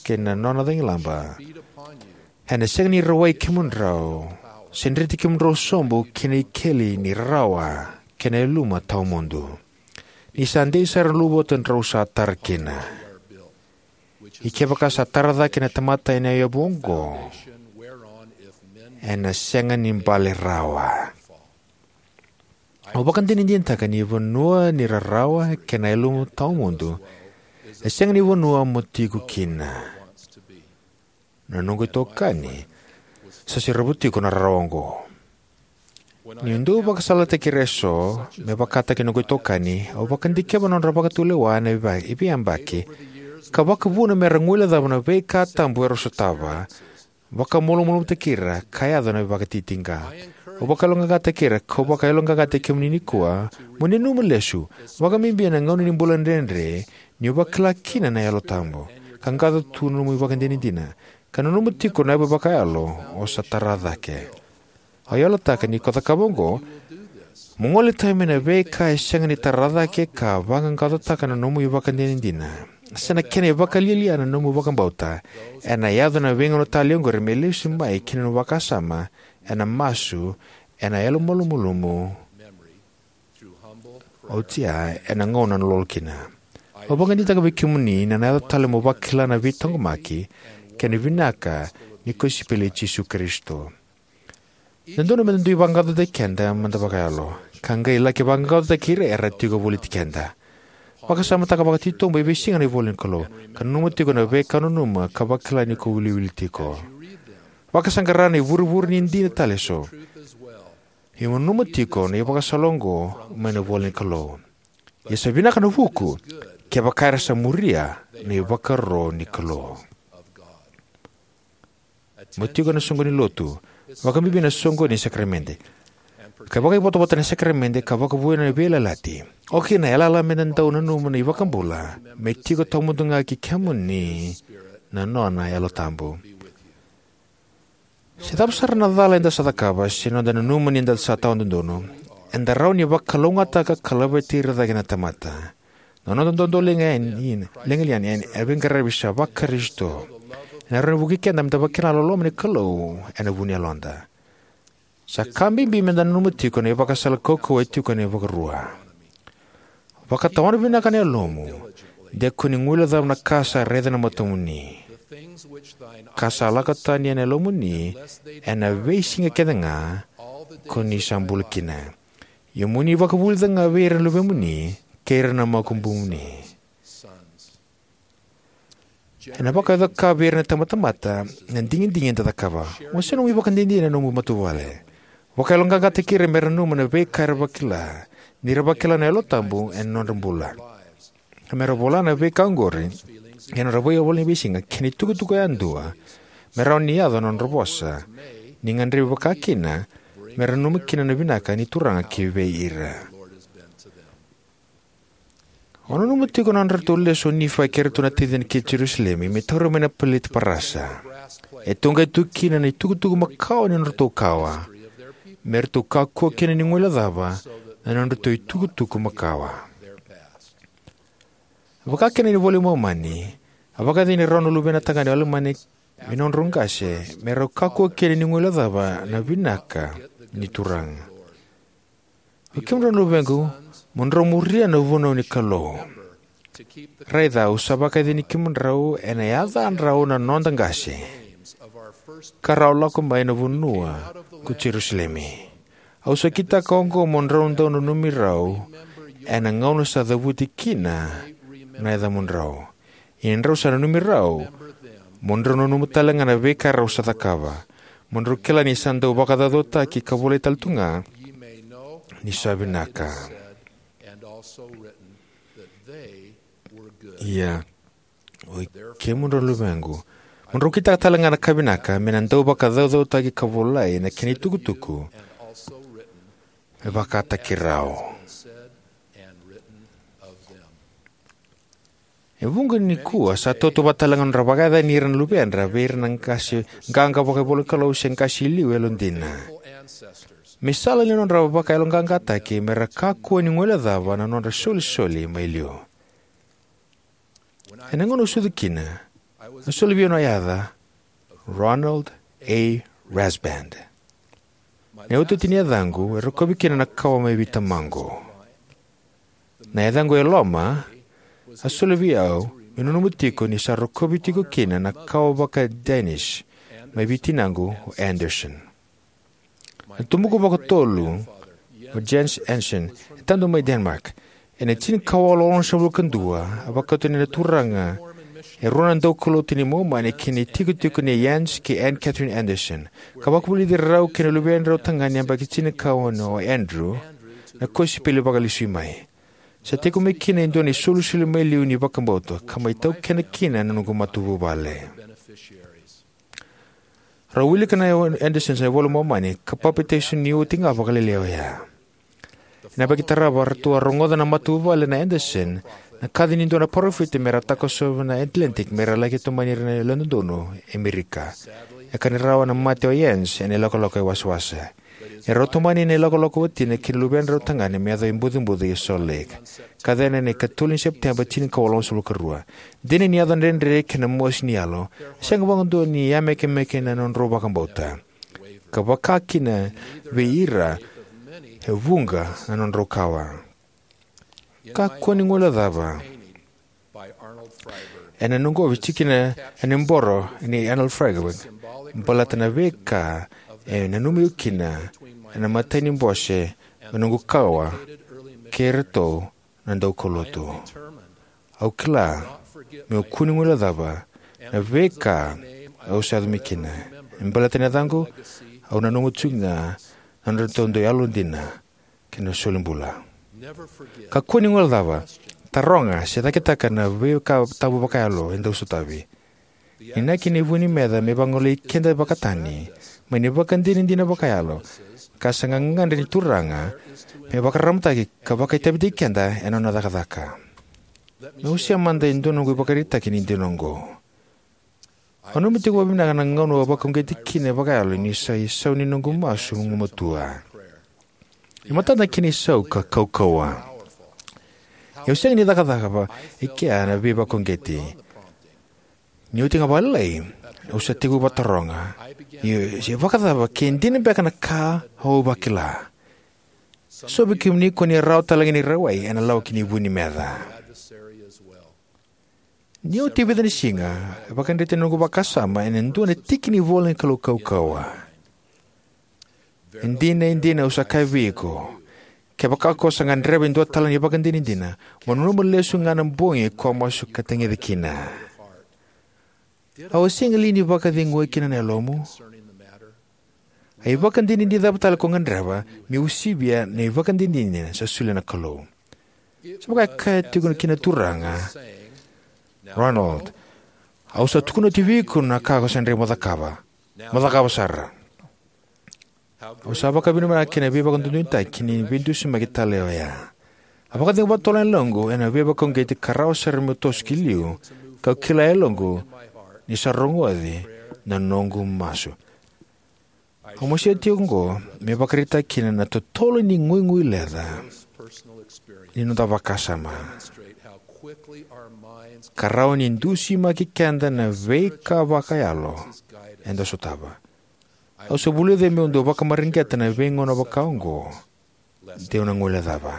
kei na nona cagilaba, ena sega ni rawai kemudrau, se dreti kemudrau sobu ki na ikeli ni rarawa kei na yaluma tawamudu. Ni sa dei sara na uluvatu drau sa tara kina. Ia kevaka sa tara cake na tamata ena yavu oqo, ena sega ni bale rawa. Au vakadinadinataka ni vanua ni rarawa kei na yaluma tawamudu e sega ni vanua mo tiko kina. Na noqu itokani sa seravu tiko na rarawa oqo. Niu dau vakasalataki ira eso me vakataki noqu itokani, au vakadikeva na nodra vakatulewa ena vei- veiyabaki, ka vakavuna mera guilecava na veika tabu era sotava, vakamalumalumutaki ira, ka yaco na vakatitiqa. Au vakayaloqaqataki ira, kau vakayaloqaqataki kemuni nikua, mo ni nanuma lesu, vakabibi ena gauna ni bula dredre, niu vakila kina na Yalo Tabu, ka qaqaco tu na nomu ivakadinadina, ka nanuma tiko na yavu vakayalo o sa tara cake. Au yalataka ni ko cakava oqo, mo gole tani mai na veika e sega ni tara cake ka vaqaqacotaka na nomu ivakadinadina, se na kena ivakalialia na nomu vakabauta, ena yaco na veigauna talei oqori me lesu mai ki na nomu vakasama, ena masu, ena yalomalumalumu, oti ya ena gauna o lolo kina. Au vakadinadinataka vei kemuni ni na yaco tale mo vakila na veitaqomaki kei na vinaka ni kosipeli i Jisu Karisito. E dodonu meda dui vaqaqacotaki keda mada vakayalo, ka qai laki vaqaqacotaki ira era tiko voliti keda. Vakasamataka vakatitobu e veisiga na ivola ni Kalou, ka nanuma tiko na veika o nanuma ka vakila ni ko wiliwili tiko. Vakasaqara na ivurevure ni dina tale eso. Ia mo nanuma tiko na ivakasala oqo mai na ivola ni Kalou: Ia sa vinaka na vuku kevaka era sa muria na ivakaro ni Kalou. Mo tiko ena soqoni ni lotu, vakabibi na soqoni ni sakaramede, ka vakaivotavota ena sakaramede, ka vakavouya na veiyalayalati. Oka kina na yalayala meda dau nanuma na iVakabula me tiko tawamudu ga ki kemuni na nona Yalo Tabu. Se cava sara na cala eda sa cakava se noda nanuma ni da sa tawadodonu, eda rawa ni vakalougatataka ka laveti ira cake na tamata. Na noda dodoliga yani, liga yani ena veiqaravi sa va-Karisito, ena rawa ni vukei keda meda vakila na loloma ni Kalou ena vu ni yaloda. Sa ka bibi meda nanuma tiko na ivakasala kaukauwa e tiko ena iVakarua. Vakatawana vinaka na yalomu, de ko ni guilecava na ka sa raica na matamuni. Ka sa lako tani ena yalomuni ena veisiga kece ga ko ni sa bula kina. Ia mo ni vakavulica ga vei ira na luvemuni kei ira na makubumuni. Ena vakayaco-ka vei ira na itabatamata na digidigi eda cakava. Wasea nomu ivakadinadina ena nomu matavuvale. Vakayaloqaqataki ira mera nanuma na veika era vakila, ni ra vakila na Yalo Tabu ena nodra bula. Ka mera vola na veika oqori ena nodra veiwalewale ni veisiga kei na itukutuku yadua me rawa ni yaco na nodra vosa, ni gadrevi vakakina mera nanuma kina na vinaka ni Turaga kivei ira. O nanuma tiko na nodratou lesu o Nifai kei iratou na taciqu ki Jerusalemi me tauri mai na peleti parasa. E toqai tu kina na itukutuku makawa ni nodratou kawa, me ratou kakua kina ni guilecava na nodratou itukutuku makawa. Vakakina ena iVola i Momani, a vakayacani rau na luvena tagane o Alamani vei nodrau qase, me rau kakua kina ni guilecava na vinaka ni Turaga. O kemudrau na luvequ, mo drau muria na vunau ni Kalou. Raica, au sa vakayacani kemudrau ena yacadrau na noda qase, ka rau lako mai na vanua ko Jerusalemi. Au sa kitaka oqo mo drau dau nanumi rau ena gauna sa cavuti kina na yacamudrau. Ia ni drau sa nanumi rau, mo drau nanuma tale ga na veika rau sa cakava, mo drau kila ni sa dau vakacaucautaki ka volai tale tu ga ni sa vinaka. Ia, oi kemudrau luvequ, mo drau kitaka tale ga na ka vinaka, me na dau vakacaucautaki ka volai na kena itukutuku me vakataki rau. E vuqa nikua sa tautauvata tale ga nodra vakayacani ira na luvedra vei ira na qase qaqa vakaivolanikalou se qase i liu yalodina, me sala ni nodra vakayaloqaqataki me ra kakua ni guilecava na nodra isolisoli mai liu. Ena gauna au sucu kina, a soli vei au na yaca Ronald A. Rasband. Na iotioti ni yacaqu e rokovi kina na kawa mai vei tamaqu. Na yacaqu e loma a soli vei au meu nanuma tiko ni sa rokovi tiko kina na kawa vaka-Danish mai vei tinaqu o Anderson. Na tubuqu vakatolu, o Jens Anderson, e tadu mai Denmark. Ena tinikawalu onosagavulu ka dua, a vakauta na Turaga e rua na daukaulotu ni Momani ki na itikotiko nei Jens kei Anne Catherine Anderson, ka vakavulici rau kei na luvedrau tagane yabaki tinikaono o Andrew na kosipeli vakalesui mai. Sa tiko mai kina e dua na isolisoli mai liu ni vakabauta ka mai taukena kina na noqu matavuvale. Rau wilika na Andersons na iVola i Momani ka papitaiso ni oti ga vakalailai oya. Ena yabaki tarava ratou a rogoca na matavuvale na Anderson na kaci ni dua na parofita me ra takosova na Atlantic me ra laki tomani ira na Yalododonu e Amerika. E ka ni rawa na mate o Jens ena ilakolako e wasawasa. Ni rau tomani ena ilakolako o watina kei na luvedrau tagane me yaco i Bucabuca e Salt Lake, ka cava ena ikatolu ni Sepiteba tinikawalu onosagavulu ka rua. Dina ni yaco dredre kei na mosi ni yalo, e sega vakadua ni yamekemeke na nodrau vakabauta, ka vaka kina vei ira e vuqa na nodrau kawa. Kakua ni guilecava. Ena noqu ofi tiko kina ena iboro nei Arnold Friedberg, baleta na veika e nanumi au kina ena imatai ni bose mai noqu kawa kei iratou na daukaulotu. Au kila meu kakua ni guilecava na veika au sa yaco mai kina. Me baleta na yacaqu, au nanuma tiko ga na nodratou dau yalodina kei na solibula. Kakua ni guilecava, taroga, se cakitaka na veika tabu vakayalo e dau sotavi. Ni inaki na vu ni meca me vagolei keda vakatani mai na ivakadinadina vakayalo ka sa gagadre ni Turaga me vakararamataki ka vakaitavitaki keda ena nona cakacaka. Meu wasea mada e dua na noqu ivakaraitaki ni dina oqo. Au nanuma tiko vakavinaka na gauna au a vakauqeti kina vakayalo ni sa isau ni noqu masu gumatua. E matata kina isau ka kaukauwa. Ia au sega ni cakacakava e kea na veivakauqeti. Ni oti ga vakalailai, au sa tekivu vakataroga, ia se vakacava ke dina beka na ka au vakila. So vei kemuni ko ni rawa tale ga ni rawai ena lawaki ni vu ni meca. Ni oti e vica na siga, e vakadreti na noqu vakasama ena dua na tiki ni ivola ni Kalou kaukauwa. E dina, e dina, au sa kaya vei iko, kevaka ko sa gadreva e dua tale na ivakadinadina, mo nanuma lesu ga na bogi ko a masu ka tagica kina. Au a sega li ni vakaceguya kina na yalomu? A ivakadinadina cava tale ko gadreva me usivia na ivakadinadina sa solia na Kalou? Sa vaka e kaya tiko kina na Turaga, Ronald, au sa tukuna oti vei iko na ka ko sa dredre mo cakava. Mo cakava sara. Au sa vakavinavinaka kina veivakadodonutaki ni veidusimaki tale oya. A vakacegu vakatotolo na yaloqu ena veivakauqeti ka rawa sara meu toso ki liu, kau kila e yaloqu ni sa rogoci na noqu masu. Au masia tiko oqo me vakaraitaka kina na totolo ni guiguileca ni noda vakasama, ka rawa ni dusimaki keda na veika vakayalo eda sotava. Au sa vulica meu dau vakamareqeta na veigauna vaka oqo, deu na guilecava.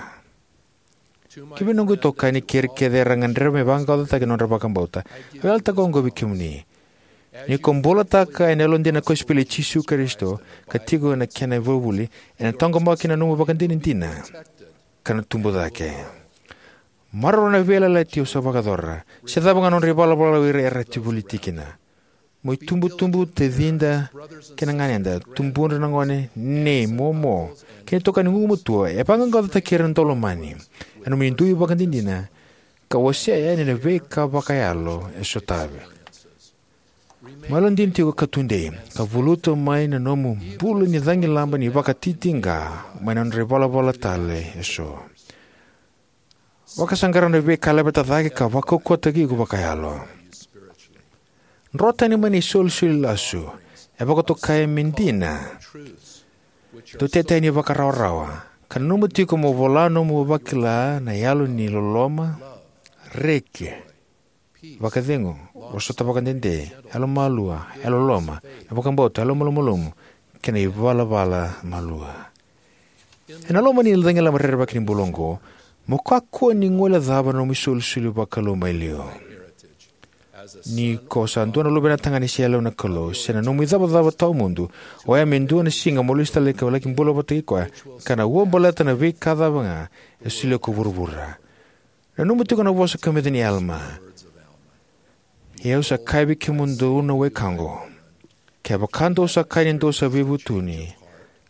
Kivei noqu itokani kei ira kece era gadreva me vaqaqacotaki na nodra vakabauta, au yalataka oqo vei kemuni. Ni ko bulataka ena yalodina na kosipeli i Jisu Karisito ka tiko ena kena ivakavuvuli, ena taqomaki na nomu ivakadinadina ka na tubu cake. Maroroya na veiyalayalati o sa vakayacora, se cava ga na nodra ivalavala o ira era tiko voli tiko kina. Mo itubutubu, tacida kei na ganeda, tubudra na gone, nei, momo, kei na itokani gugumatua, e vaqaqacotaki ira na daulomani ena nomuni dui ivakadinadina ka wasea yani na veika vakayalo e sotavi. Mo yalodina tiko ka tudei, ka valuta mai na nomu bula ni cagilaba ni vakatitiqa mai na nodra ivalavala tale eso. Vakasaqara na veika e laveta cake ka vakaukauwataki iko vakayalo. Dro tani mai na isolisoli lasu e vakatokai me dina, dau tete yani vakarawarawa, ka nanuma tiko mo vola nomu vakila na yalo ni loloma, reki, vakacegu, vosota vakadede, yalomalua, yalololoma, na vakabauta, yalomalumalumu, kei na ivalavala malua. Ena loma ni cagilaba rerevaki ni bula oqo, mo kakua ni guilecava na nomu isolisoli vakalou mai liu. Ni ko sa dua na luvena tagane se yalewa na Kalou, se na nomu icavacava tawamudu, oya me dua na siga mo lesu tale ka laki bula vata kei koya, ka na uabaleta na veika cava ga e solia ko vuravura. Nanuma tiko na vosa kamica nei Alama. Ia au sa kaya vei kemudou na wekaqu, kevaka dou sa kaya ni dou sa veivutuni,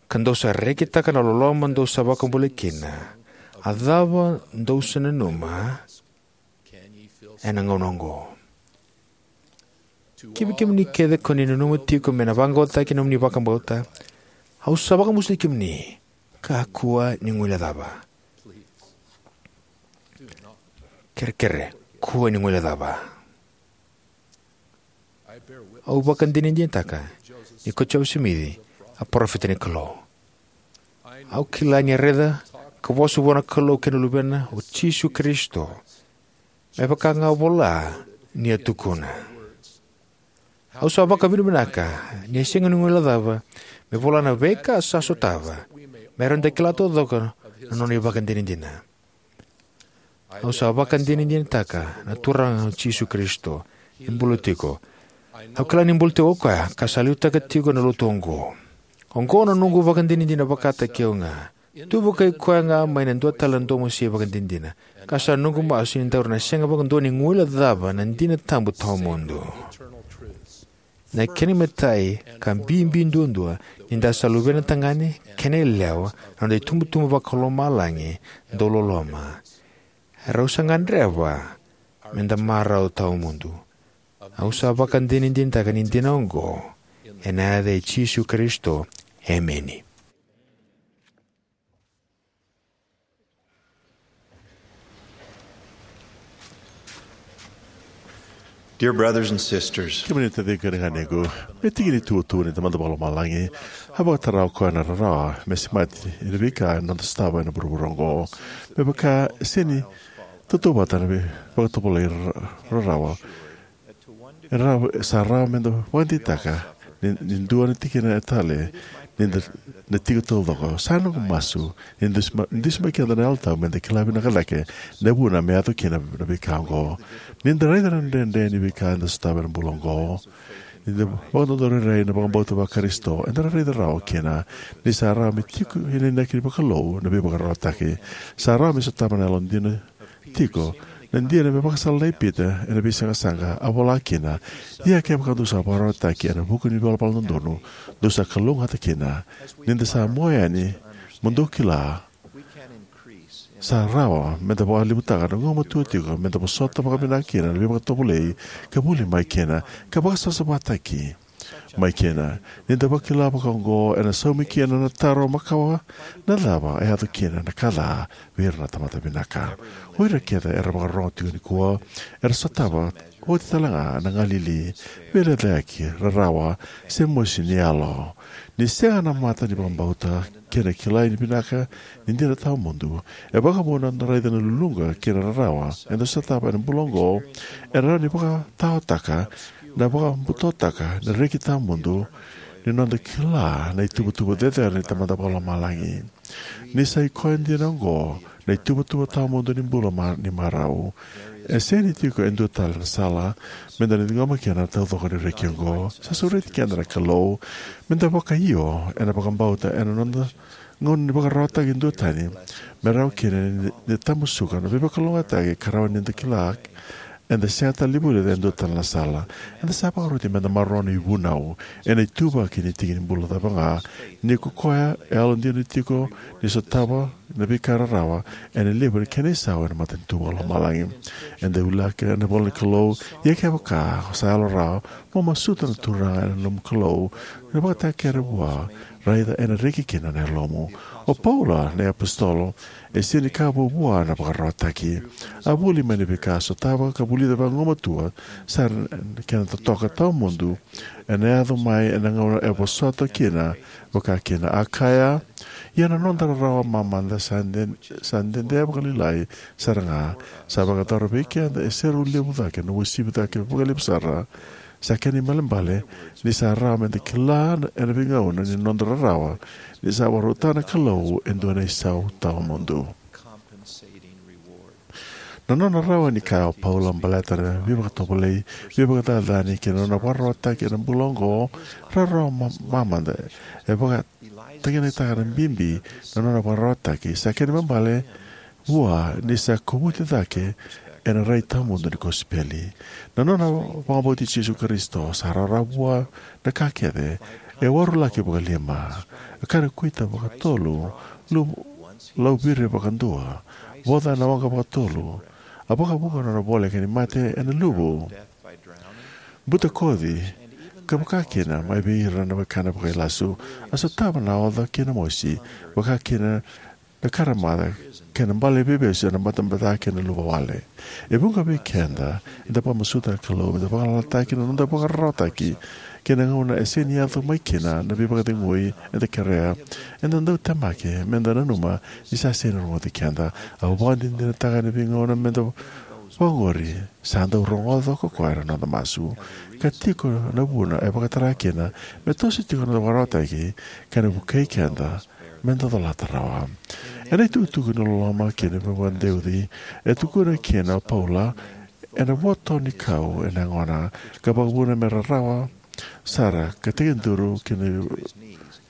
ka dou sa rekitaka na loloma dou sa vakabulai kina, a cava dou sa nanuma ena gauna oqo? Kivei kemuni kece ko ni nanuma tiko me na vaqaqacotaki na nomuni vakabauta, au sa vakamusuki kemuni, kakua ni guilecava. Kerekere, kua ni guilecava. Au vakadinadinataka ni ko Josefa Simici a parofita ni Kalou. Au kila ni a raica ka vosa vua na Kalou kei na Luvena o Jisu Karisito, me vaka ga a vola ni a tukuna. Au sa vakavinavinaka ni a sega ni guilecava me vola na veika sa sotava, me rawa ni da kila taucoko na nona ivakadinadina. Au sa vakadinadinataka na Turaga o Jisu Karisito e bula tiko. Au kila ni bula tiko o koya ka sa liutaka tiko na lotu oqo. Oqo na noqu vakadinadina vakataki au ga. Tu vakai koya ga mai na dua tale na domo se ivakadinadina. Ka sa noqu masu ni daru na sega vakadua ni guilecava na dina tabu tawamudu. Na kena imatai ka bibi duadua, ni da sa luvena tagane kei na yalewa, na noda itubutubu vakalomalagi dau loloma. Rau sa gadreva me da marau tawamudu. Au sa vakadinadinataka ni dina oqo, ena yaca i Jisu Karisito. Emeni. Dear brothers and sisters, kemuni na taciqu kei na ganequ, me tiki ni tutu ni Tamada Vakalomalagi, a vakatara o koya na rarawa me semati ena veika eda sotava ena vuravura oqo. Me vaka e sega ni tautauvata na veivakatovolei ra-, rarawa. E rawa, sa rawa me da vakadeitaka ni, ni dua na tikina e tale ni da na tiko taucoko. Sa noqu masu ni dusi ma-, dusi mai keda na Yalo Tabu me da kila vinaka cake na vuna me yaco kina na veika oqo. Ni da raica na dredre ni veika eda sotava ena bula oqo, ni da vakadodorairai na vakabauta vaKarisito, eda na raica rawa kina ni sa rawa me tiko ena inaki vakalou na veivakararawataki. Sa rawa me sotava na yalodina tiko. Na dina me vakasala nei Pita ena veisaqasaqa, a vola kina, ia kevaka dou sa vakararawataki ena vuku ni valavala dodonu, dou sa kalougata kina. Ni da sa mua yani, mo dou kila, sa rawa me da vakalevutaka na gumatua tiko me da vosota vakavinaka kina na veivakatovolei ka vuli mai kina, ka vakasavasavataki mai kina. Ni da vakila vakaoqo, ena saumi kina na taro makawa: na cava e yaco kina na ka ca vei ira na tamata vinaka? O ira kece era vakarorogo tiko nikua era sotava oti talega na galili, veilecayaki, rarawa, se mosi ni yalo. Ni sega na mata ni vakabauta kei na kilai ni vinaka ni dina tawamudu, e vakavuna na raica na luluqa kei na rarawa eda sotava ena bula oqo, ena rawa ni vakataotaka, na vakabutotaka na reki tawamudu ni noda kila na ituvatuva cecere ni Tamada Vakalomalagi. Ni sa i koya dina oqo na ituvatuva tawamudu ni bula ma-, ni marau. E sega ni tiko e dua tale na sala meda na ciqoma kina na taucoko ni reki oqo. Sa sureti keda na Kalou meda vakaio ena vakabauta ena noda gauna ni vakararawataki duatani, me rawa kina ni, ni tamusuka na veivakalougatataki ka rawa ni da kila eda sega tale ni vulica e dua tale na sala. Eda sa vakaroti meda maroroya na ivunau ena ituvaki ni tiki ni bula cava ga, ni ko koya e yalodina tiko ni sotava na veika rarawa ena levu ni kena isau ena matanitu vakalomalagi. Eda wilika ena ivola ni Kalou: Ia kevaka ko sa yalo rawa, mo masuta na Turaga na nomu Kalou me vakatakekere vua, raica ena reki kina na yalomu. O Paula na iapositolo e sega ni kaya vuavua na vakararawataki. A vuli mai na veika a sotava ka vulica vagumatua sara na kena totoka tawamudu ena yaco mai ena gauna e vosota kina vakakina. A kaya: Ia na noda rarawa mamada sa de-, sa dede vakalailai sara ga, sa vakayacora vei keda e serau levu cake na uasivi cake vakalevu sara. Sa kena ibalebale ni sa rawa meda kila ena veigauna ni noda rarawa ni sa vakarautaka na Kalou e dua na isau tawamudu. Na nona rawa ni kaya o Paula baleta na veivakatovolei, veivakacacani kei na nona vakararawataki ena bula oqo, rarawa ma-, mamada, e vakatakinakataka na bibi na nona vakararawataki. Sa kena ibalebale vua ni sa kovuti cake ena rai tawamudu ni kosipeli. Na nona vakabauti Jisu Karisito sa rawarawa vua na ka kece e warulaki vakalima, a kana kuita vakatolu, lu-, lauviri vakadua, voca na waqa vakatolu, a vakavuqa na nona voleka ni mate ena luvu, butakoci, ka vakakina mai vei ira na wekana vakailasu. A sotava na oca kei na mosi, vakakina na karamaca kei na bale veivesu ena batabata kei na luva wale. E vuqa vei keda eda vakamasuta na Kalou meda vagalalataki na noda vakararawataki kei na gauna e sega ni yaco mai kina na veivakacegui eda kerea. Eda dau temaki meda nanuma ni sa sega ni rogoci keda. Au vakadinadinataka ena veigauna meda vakaoqori sa dau rogoca ko koya na noda masu, ka tiko na vuna e vakatara kina me toso tiko na noda vakararawataki ka na vukei keda meda colata rawa. Ena itukutuku ni loloma kei na vakadeuci e tukuna kina o Paula, ena voto ni kau ena yagona, ka vakavuna me rarawa sara ka tekiduru kina,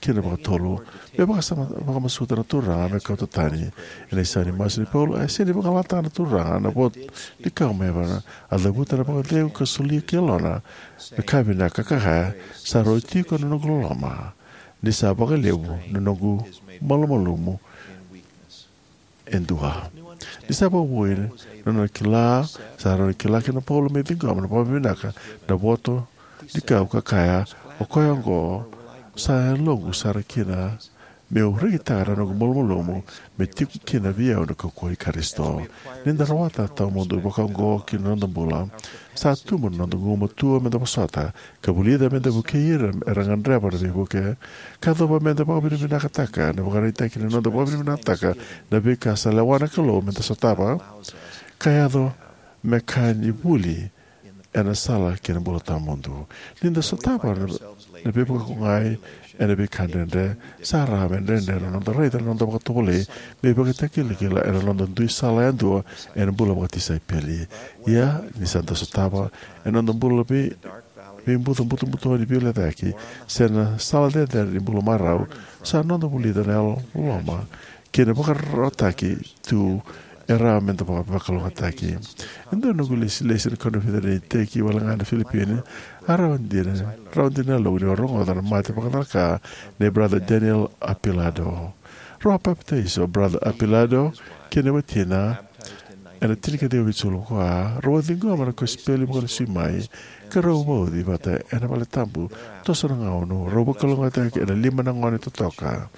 kina vakatolu, me vakasama-, vakamasuta na Turaga me kauta tani. Ena isau ni masu nei Paula, e sega ni vagalalataka na Turaga na voto ni kau mai yavana. A cavuta na vakacegu ka solia ki yalona na ka vinaka ka kaya: Sa rauti iko na noqu loloma, ni sa vakalevu na noqu malumalumu e dua. Ni sa vakavoui na nona kila, sa rawa ni kila kina o Paula me ciqoma vakavinavinaka na voto ni kau ka kaya: O koya oqo sa yaloqu sara kina, meu rekitaka na noqu malumalumu me tiko kina vei au na kaukauwa i Karisito. Ni da rawata tawamudu vakaoqo ki na noda bula, sa tubu na noda gugumatua meda vosota ka vulica meda vukei ira era gadreva na veivuke. Ka yacova meda vakavinavinakataka na ivakaraitaki ni noda vakavinavinakataka na veika sa lewa na Kalou meda sotava, ka yaco me ka ni vuli ena sala ki na bula tawamudu. Ni da sotava na, na veivakauqeti ena veika dredre, sa rawa me dredre na noda raica na noda vakatovolei me ivakatakilakila ena noda dui sala yadua ena bula vakatisaipeli. Ia, ni sa da sotava ena noda bula vei, veibuca butobuto ni veilecayaki se na sala cecere ni bula marau, sa noda vulica na yalo loloma kei na vakararawataki tu e rawa meda vakavakalougatataki. E dua na noqu ilesilesi ena koniferedi ni iteki wale ga ena Filipini, a rawa dina, rawa dina na yaloqu niu a rogoca na mate vakacalaka nei Brother Daniel Apilado. Rau a papitaiso o Brother Apilado kei na watina ena tinikaciwa vitusagavulu ka va, rau a ciqoma na kosipeli vakalesui mai, ka rau vauci vata ena valetabu. Toso na gauna, rau vakalougatataki ena lima na gone totoka.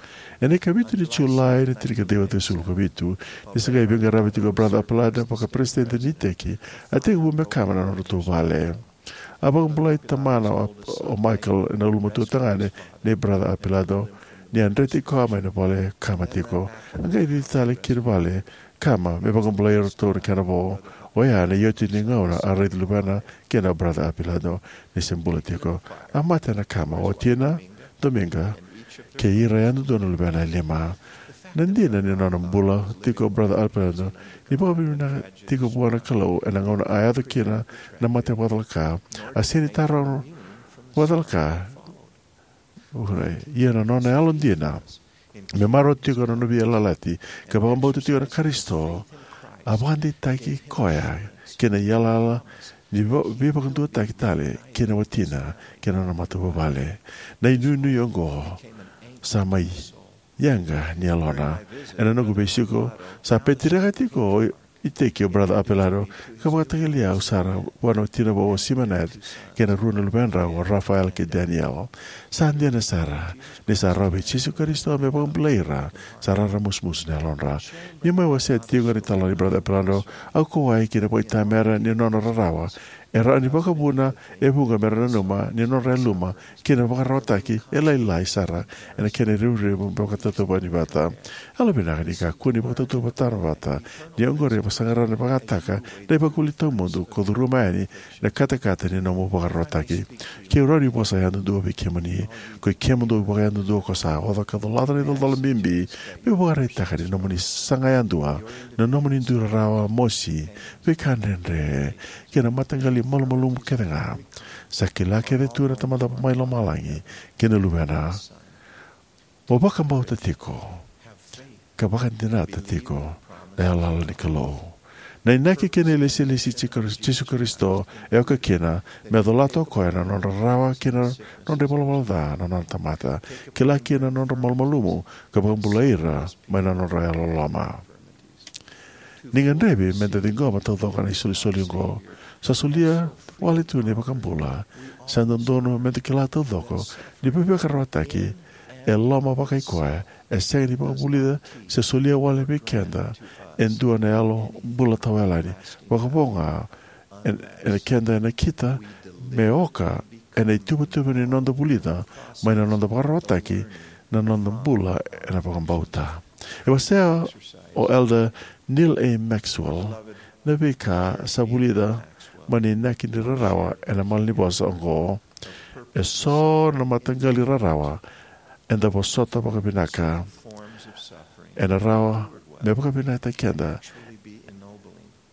Ena ikavitu ni Julai, na tinikaciwa ciwasagavulu ka vitu, ni sa qai veiqaravi tiko o Brother Appleton vaka peresitedi ni iteki, a tekivu me kama na nodratou vale. A vakabulai tamana o, o Michael, na ulumatua tagane nei Brother Appleton, ni a dreti koya mai na vale kama tiko. A qai cici tale ki vale kama me vakabulai iratou na kena vo. Oya na iotioti ni gauna a raici luvena kina o Brother Appleton ni se bula tiko. A mate na kama, o watina, Dominga, kei ira yadudua na luvena e lima. Na dina ni nona bula tiko o Brother Appleton, ni vakavinavinaka tiko vua na Kalou ena gauna a yaco kina na mate vakacalaka. A sega ni taroga vakacalaka, ia na nona yalodina me marau tiko na nona veiyalayalati ka vakabauta tiko na Karisito, a vakadeitaki koya kina iyalayala ni va-, veivakaduataki tale kei na watina kei na nona matavuvale. Na inuinui oqo sa mai yaga ni yalona. Ena noqu veisiko, sa peteriaka tiko o iteki o Brother Appleton, ka vakataki au sara vua na watina vou o Simonette kei na rua na luvedrau o Raphael kei Daniel. Sa dina sara, ni sa rawa vei Jisu Karisito me vakabulai ira sa raramusumusu na yalodra. Niu mai wasea tiko na italanoa nei Brother Appleton, au kauwai ki na vakaitamera ni nona rarawa. E rawa ni vakavuna e vuqa mera nanuma ni nodra yaluma kei na vakararawataki e lailai sara ena kena revurevu me vakatauvatani vata. Yalovinaka ni kakua ni vakatauvatana vata, ni oqori e vakasaqara na vakataka na ivakavuvuli tawamudu ka curuma yani na katakata ni nomu vakararawataki. Ke'u rawa ni vosa yadudua vei kemuni, koi kemudou vakayadudua ko sa oca ka colata na icolacola bibi, meu vakaraitaka ni nomuni saga yadua na nomuni dui rarawa, mosi, veika dredre, kei na mataqali malumalumu kece ga. Sa kila kece tu na Tamada mai lomalagi kei na Luvena. Mo vakabauta tiko ka vakadinata tiko na yalayala ni Kalou. Na inaki kei na ilesilesi i Jisu Karisito e oka kina me colata o koya na nodra rarawa kei na nodra ivalavala ca na nona tamata. Kila kina na nodra malumalumu ka vakabulai ira mai na nodra yalololoma. Ni gadrevi meda ciqoma taucoko na isolisoli oqo. Sa solia wale tu na iVakabula. Sa dodonu meda kila taucoko ni veivakararawataki e loma vakaikoya, e sega ni vakavulica se solia wale vei keda e dua na yalo bula tawayalani. Vakavo ga ena keda e nakita me oka ena ituvatuva ni noda vulica mai na noda vakararawataki na noda bula ena vakabauta. E wasea o Elder Neal A. Maxwell na veika sa vulica mai na inaki ni rarawa ena malanivosa oqo: E so na mataqali rarawa eda vosota vakavinaka ena rawa me vakavinakataki keda.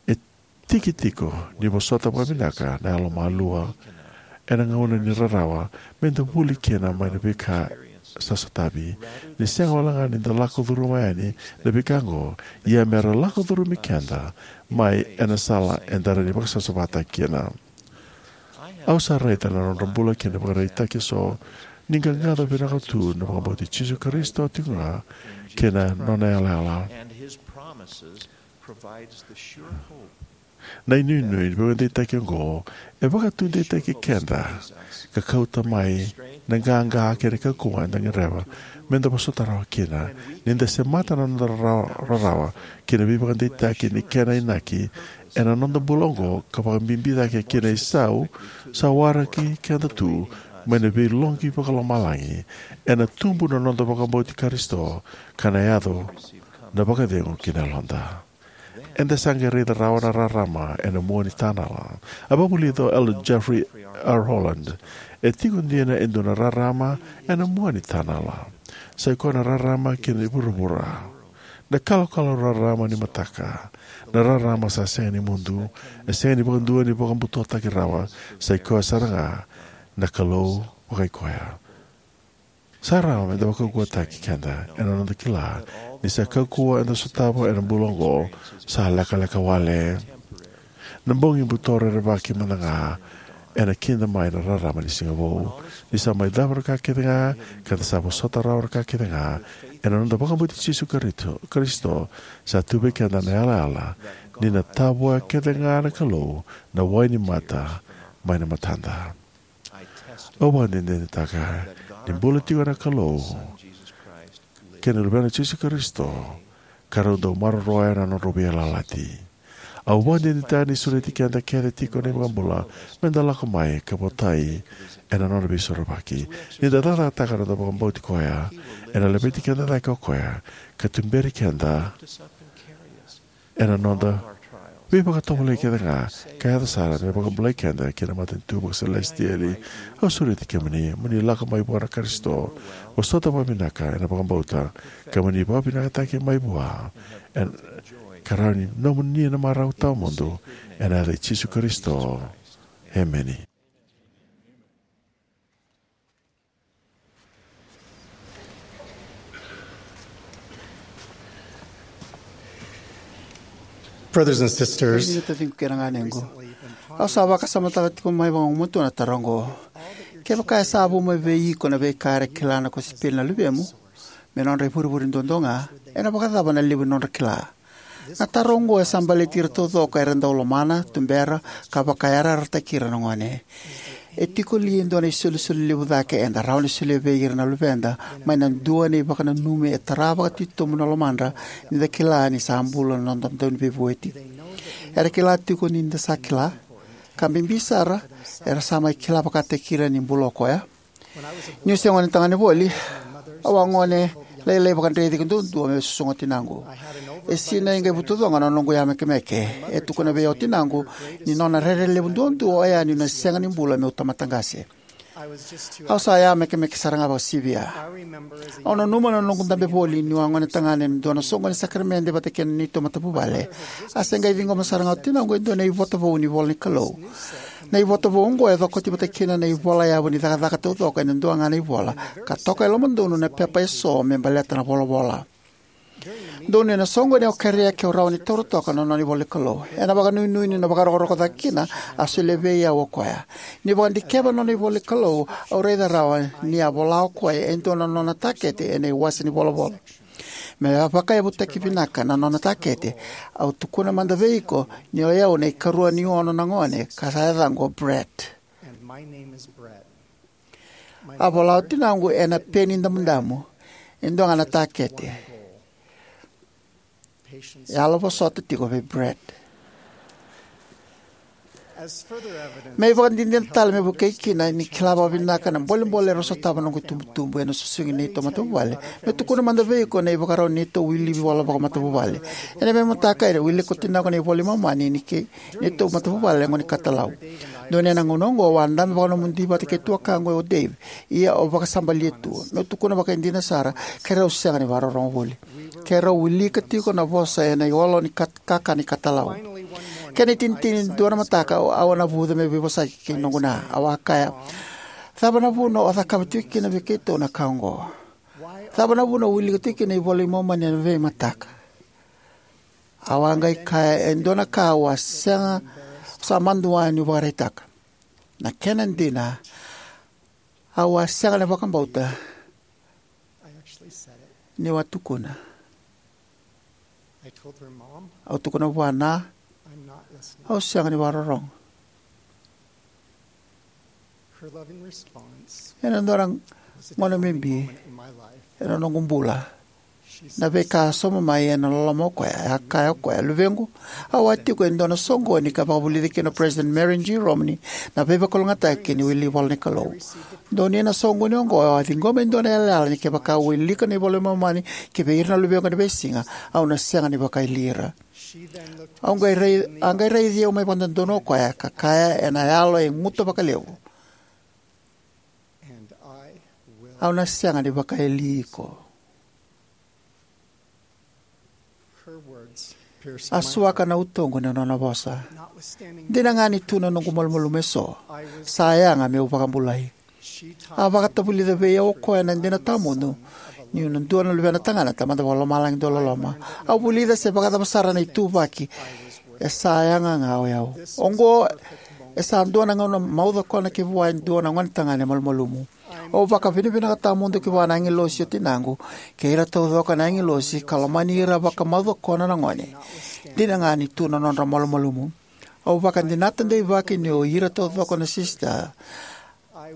E tiki tiko ni vosota vakavinaka na yalomalua ena gauna ni rarawa, meda vuli kina mai na veika sa sotavi. Ni sega wale ga ni da lako curuma yani na veika oqo, ia mera lako curumi keda mai ena sala eda rawa ni vakasavasavataki kina. Au sa raica na nodra bula kei na ivakaraitaki eso ni qaqaco vinaka tu na vakabauti Jisu Karisito tiko ga kei na nona yalayala. Na inuinui ni veivakadeitaki oqo e vakataudeitaki keda ka kauta mai na qaqa kei na kaukauwa eda gadreva meda vosota rawa kina. Ni da semata na noda rarawa, rarawa kei na veivakadeitaki ni kena inaki ena noda bula oqo ka vakabibi cake kina isau, sa waraki keda tu mai na veiloqi vakalomalagi. Ena tubu na noda vakabauti Karisito ka na yaco na vakacegu ki na yaloda. Eda sa qai raica rawa na rarama ena mua ni tanala. A vakavulica o Elder Jeffrey R. Holland, e tiko dina e dua na rarama ena mua ni tanala. Sa i koya na rarama ki na vuravura. Na kalokalo rarama ni mataka. Na rarama sa sega ni mudu. E sega ni vakadua ni vakabutotaki rawa. Sa i koya sara ga na Kalou vakaikoya. Sa rawa meda vakaukauwataki keda ena noda kila ni sa kaukauwa eda sotava ena bula oqo sa lekaleka wale. Na bogi buto rerevaki mada ga ena kida mai na rarama ni siga vou. Ni sa mai cava na ka kece ga, ka da sa vosota rawa na ka kece ga, Ena noda vakabauti Jisu Karisito, Karisito, sa tu vei keda na yalayala ni na tavoya kece ga na Kalou na wai ni mata mai na matada. Au vakadinadinataka ni bula tiko na Kalou kei na Luvena Jisu Karisito, ka rau dau maroroya na nodrau veiyalayalati. Au vakadinadinataka ni sureti keda kece tiko na iVakabula me da lako mai ka votai ena nona veisorovaki. Ni da cakacakataka na noda vakabauti koya, ena laveti keda cake o koya ka tuberi keda ena noda veivakatovolei kece ga, ka yaco sara me vakabulai keda ki na matanitu vakaselesitieli. Au sureti kemuni mo ni lako mai vua na Karisito, vosota vakavinaka ena vakabauta, ka mo ni vakavinakataki mai vua, ena ka rawa ni nomuni na marau tawamudu, ena yaca i Jisu Karisito. Emeni. Brothers and sisters, Kemuni taciqu kei na ganequ, au sa vakasamataka tiko mai vagumatua na taro oqo. Kevaka e sa vu mai vei iko na veika era kila na kosipeli na luvemu me nodra ivurevure duadua ga, ena vakacava na levu ni nodra kila? Na taro oqo e sa baleti ira taucoko era dau lomana, tubera, ka vakayarayarataki ira na gone. E tiko li e dua na isolisoli levu cake eda rawa ni solia vei ira na luveda mai na dua na ivakananumi e tara vakatitobu na lomadra ni da kila ni sa bula na noda Dauniveivueti? Era kila tiko ni da sa kila? Ka bibi sara, era sa mai kila vakataki ira ni bula o koya? Niu se gone tagane voli, au a gone lailai vakadreti ka duadua me susuga o tinaqu. E sinai qai vutucoqa na noqu yamekemeke. E tukuna vei au o tinaqu ni nona rere levu duadua oya niu na sega ni bula meu tamata qase. Au sa yamekemeke sara ga vakasivia. Au nanuma na noqu dabe voli niu a gone tagane ena dua na soqoni ni sakaramede vata kei na neitou matavuvale. A se qai ciqoma sara ga o tinaqu e dua na ivota vou ni ivola ni Kalou. Na ivota vou oqo e cokoti vata kina na ivolayavu ni cakacaka taucoko ena dua ga na ivola, ka toka e lomadonu na pepa eso me baleta na volavola. Donuya na soqoni au kerea ke au rawa ni taura toka na nona ivola ni Kalou. Ena vakanuinui ni na vakarokoroko cake kina, a solia vei au o koya. Niu vakadikeva na nona ivola ni Kalou, au raica rawa ni a vola o koya e dua na nona takete ena iwase ni volavola. Me vakayavutaki vinaka na nona takete, au tukuna mada vei iko ni o yau na ikarua ni ono na gone ka sa yacaqu o Brett. A vola o tinaqu ena peni damudamu e dua ga na takete: Yalovosota tiko vei Brett. Me ivakadinadina tale me vukei kina ni kila vakavinaka na bolebole era sotava noqu itubutubu ena susugi ni neitou matavuvale, meu tukuna mada vei iko na ivakarau ni neitou wili ivola vakamatavuvale. Ena veimataka, ena wilika o tinaqu na iVola i Momani ni kei neitou matavuvale na gone katalau. Donuya na gauna oqo au a dabe vakanomodi vata kei tuakaqu o Dave, ia au vakasabalia tu. Meu tukuna vakaidina sara, keirau sega ni vakarorogo voli. Keirau wilika tiko na vosa ena iolo ni kat-, kakana ikatalau. Kena itinitini, dua na mataka au a navuca meu veivosaki kei noqu na. Au a kaya, "Cava na vuna o cakava tiko kina vei keitou na ka oqo? Cava na vuna o wilika tiko kina iVola i Momani ena veimataka?" Au a qai kaya e dua na ka au a sega, sa madua niu vakaraitaka. Na kena dina, au a sega ni vakabauta niu a tukuna. Au tukuna vua, "Na, au sega ni vakarorogo." Ena dua na gauna bibi ena noqu bula, na veika a sauma mai ena loloma o koya, e a kaya o koya, "Luvequ, au a tiko e dua na soqoni ka vakavulica kina o President Marion G. Romney na veivakalougatataki ni wili ivola ni Kalou. Donuya na soqoni oqo, au a ciqoma e dua na yalayala ni kevaka au wilika na iVola i Momani ki vei ira na luvequ ena veisiga, au na sega ni vakaili ira." Au qai rai-, a qai raici au mai vakadodonu o koya ka kaya ena yalo e guta vakalevu, "Au na sega ni vakaili iko." A suaka na utoqu na nona vosa. Dina ga ni tu na noqu malumalumu eso, sa yaga meu vakabulai. A vakatavulica vei au o koya na dina tawamudu niu na dua na luvena tagane na Tamada Vakalomalagi dauloloma. Au vulica se vakacava sara na ituvaki, e sa yaga ga o yau. Oqo e sa dua na gauna maucokona kei vua e dua na gone tagane malumalumu. Au vakavinavinaka tawamudu ki vua na agilosi o tinaqu kei ira taucoko na agilosi ka lomani ira vakamaucokona na gone. Dina ga ni tu na nodra malumalumu. Au vakadinata deivaki ni o ira taucoko na sisita.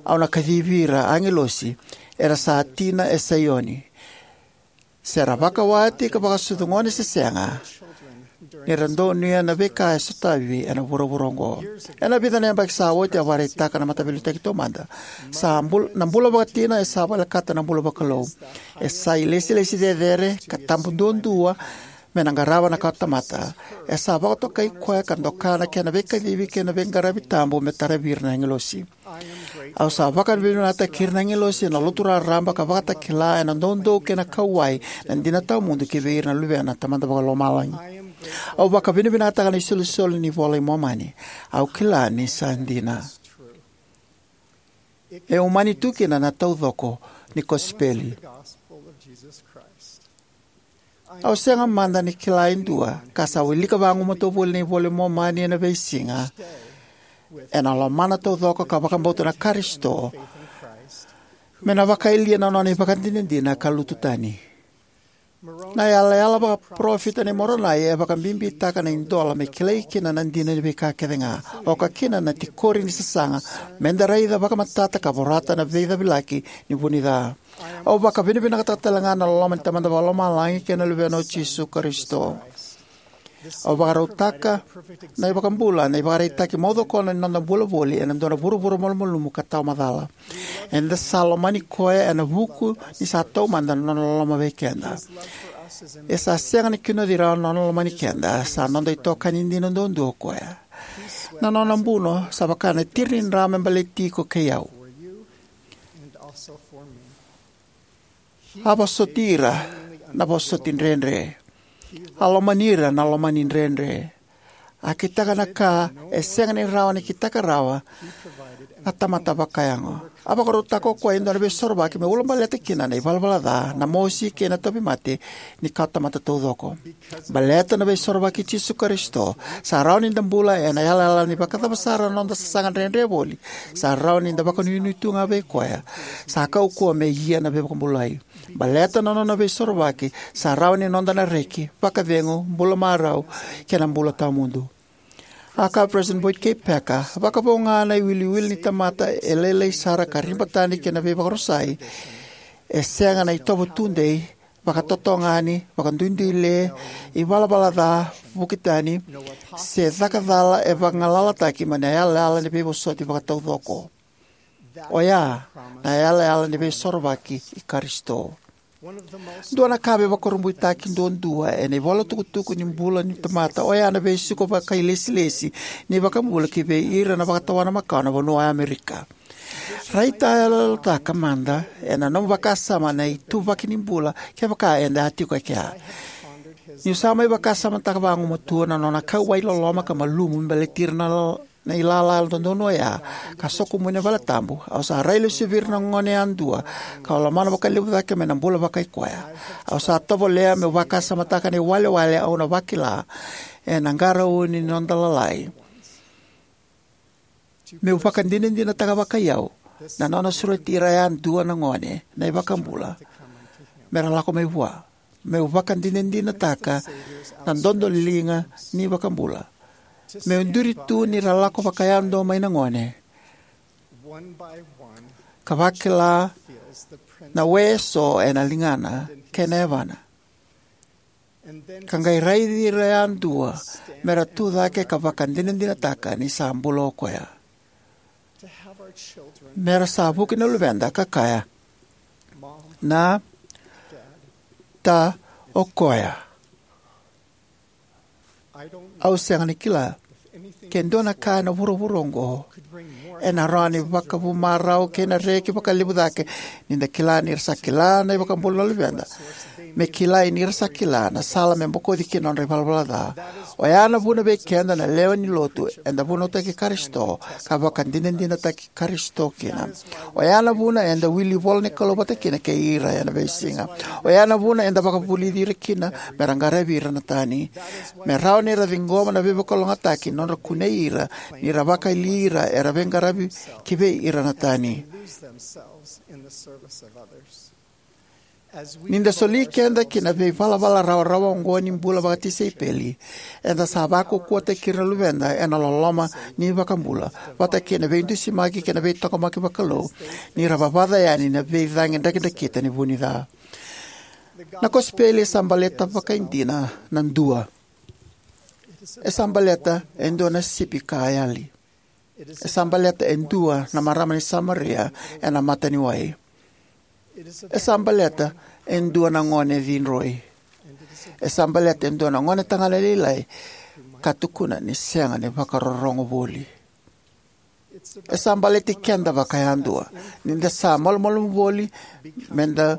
Au na kacivi ira agilosi, era sa tina e Saioni. Se ra vakawati ka vakasucu gone se sega, ni ra donuya na veika e sotavi ena vuravura oqo. Ena vica na yabaki sa oti a vakaraitaka na Mataveiliutaki Taumada, sa bul, na bula vakatina e sa volekata na bula vakalou. E sa ilesilesi cecere ka tabu duadua me na qarava na kawatamata. E sa vakatokai koya ka doka na kena veikacivi kei na veiqaravi tabu me taravi ira na agilosi. Au sa vakavinavinakataki ira na agilosi ena lotu raraba ka vakatakila ena doudou kei na kauwai na dina tawamudu ki vei ira na luvena na Tamada Vakalomalagi. Au vakavinavinakataka na isolisoli ni iVola i Momani. Au kila ni sa dina. E umani tu kina na taucoko ni kosipeli. Au sega mada ni kila e dua ka sa wilika vagumatua voli na iVola i Momani ena veisiga, ena lomana taucoko ka vakabauta na Karisito, me na vakayalia na nona ivakadinadina ka lutu tani. Na yalayala vakaparofita nei Moronai e vakabibitaka na idola me kilai kina na dina ni veika kece ga, oka kina na tikori ni sasaga, me da raica vakamatata ka vorata na veicavilaki ni vu ni ca. Au vakavinavinakataka tale ga na loloma ni Tamada Vakalomalagi kei na Luvena o Jisu Karisito. Au vakarautaka na iVakabula na ivakaraitaki maucokona ni noda bula voli ena dua na vuravura malumalumu ka tawamacala. Eda sa lomani koya ena vuku ni sa taumada na nona loloma vei keda. E sa sega ni kinoci rawa na nona lomani keda, sa noda itokani dina duadua o koya. Na nona buno sa vaka na tiri ni dra me baleti iko kei au. A vosoti ira na vosoti dredre. A lomani ira na lomani dredre. A kitaka na ka e sega ni rawa ni kitaka rawa na tamata vakayago. A vakarautaka o koya e dua na veisorovaki me ulabaleta kina na ivalavala ca, na mosi kei na tauvimate ni kawatamata taucoko. Baleta na veisorovaki i Jisu Karisito, sa rawa ni da bula ena yalayala ni vakacava sara na noda sasaga dredre voli, sa rawa ni da vakanuinui tu ga vei koya. Sa kaukauwa me ia na veivakabulai. Baleta na nona veisorovaki, sa rawa ni noda na reki, vakacegu, bula marau, kei na bula tawamudu. A kaya o President Boyd K. Packer, vakavo ga na iwiliwili ni tamata e lailai sara ka riba tani kei na veivakarusai, e sega na itovo tudei, vakatotogani, vakaduiduile, ivalavala ca, vuki tani, se caka cala e vagalalataki mai na yalayala ni veivosoti vakataucoko. Oya na yalayala ni veisorovaki i Karisito. Dua na ka veivakurabuitaki duadua ena ivolatukutuku ni bula ni tamata oya na veisiko vakailesilesi ni iVakabula ki vei ira na vakatawana makawa na vanua o Amerika. Raitayaloyalotaka mada ena nomu vakasama na ituvaki ni bula kevaka eda a tiko e kea. Niu sa mai vakasamataka vagumatua na nona kauwai loloma ka malumu me baleti ira na lo- na ilala dodonu oya, ka sokomuni na valetabu, au sa railesuvi ira na gone yadua, kau lomana vakalevu cake mai na bula vakaikoya. Au sa tovolea meu vakasamataka na iwalewale au na vakila ena qarauni ni noda lalai. Meu vakadinadinataka vakaiyau na nona sureti ira yadua na gone na iVakabula me ra lako mai vua. Meu vakadinadinataka na dodoliga ni iVakabula. Meu duri tu ni ra lako vakayadua mai na gone ka vakila na we eso ena ligana kei na yavana. Ka qai raici ira yadua me ra tu cake ka vakadinadinataka ni sa bula o koya. Me ra sa vuki na luveda ka kaya, "Na, ta, o koya." Au sega ni kila ke dua na ka ena vuravura oqo ena rawa ni vakavu marau kei na reki vakalevu cake ni da kila ni ra sa kila na iVakabula na luveda me kilai ni ra sa kila na sala me bokoci kina na nodra ivalavala ca. Oya na vuna vei keda na lewe ni lotu eda vunautaki Karisito ka vakadinadinataki Karisito kina. Oya na vuna eda wili ivola ni Kalou vata kina kei ira ena veisiga. Oya na vuna eda vakavulici ira kina me ra qaravi ira na tani, me rawa ni ra ciqoma na veivakalougatataki ni nodra kunei ira ni ra vakayali ira era veiqaravi kivei ira na tani. Ni da soli keda ki na veivalavala rawarawa oqo ni bula vakatisaipeli, eda sa vakaukauwataki ira na luveda ena loloma ni iVakabula vata kei na veidusimaki kei na veitaqomaki vakalou ni ra vavaca yani na veicagi drakidrakita ni vunica. Na kosipeli e sa baleta vakaidina na dua. E sa baleta e dua na sipi ka yali. E sa baleta e dua na marama ni Samaria ena mata ni wai. E sa baleta e dua na gone cidroi. E sa baleta e dua na gone tagane lailai ka tukuna ni sega ni vakarorogo voli. E sa baleti keda vakayadua ni da sa malumalumu voli me da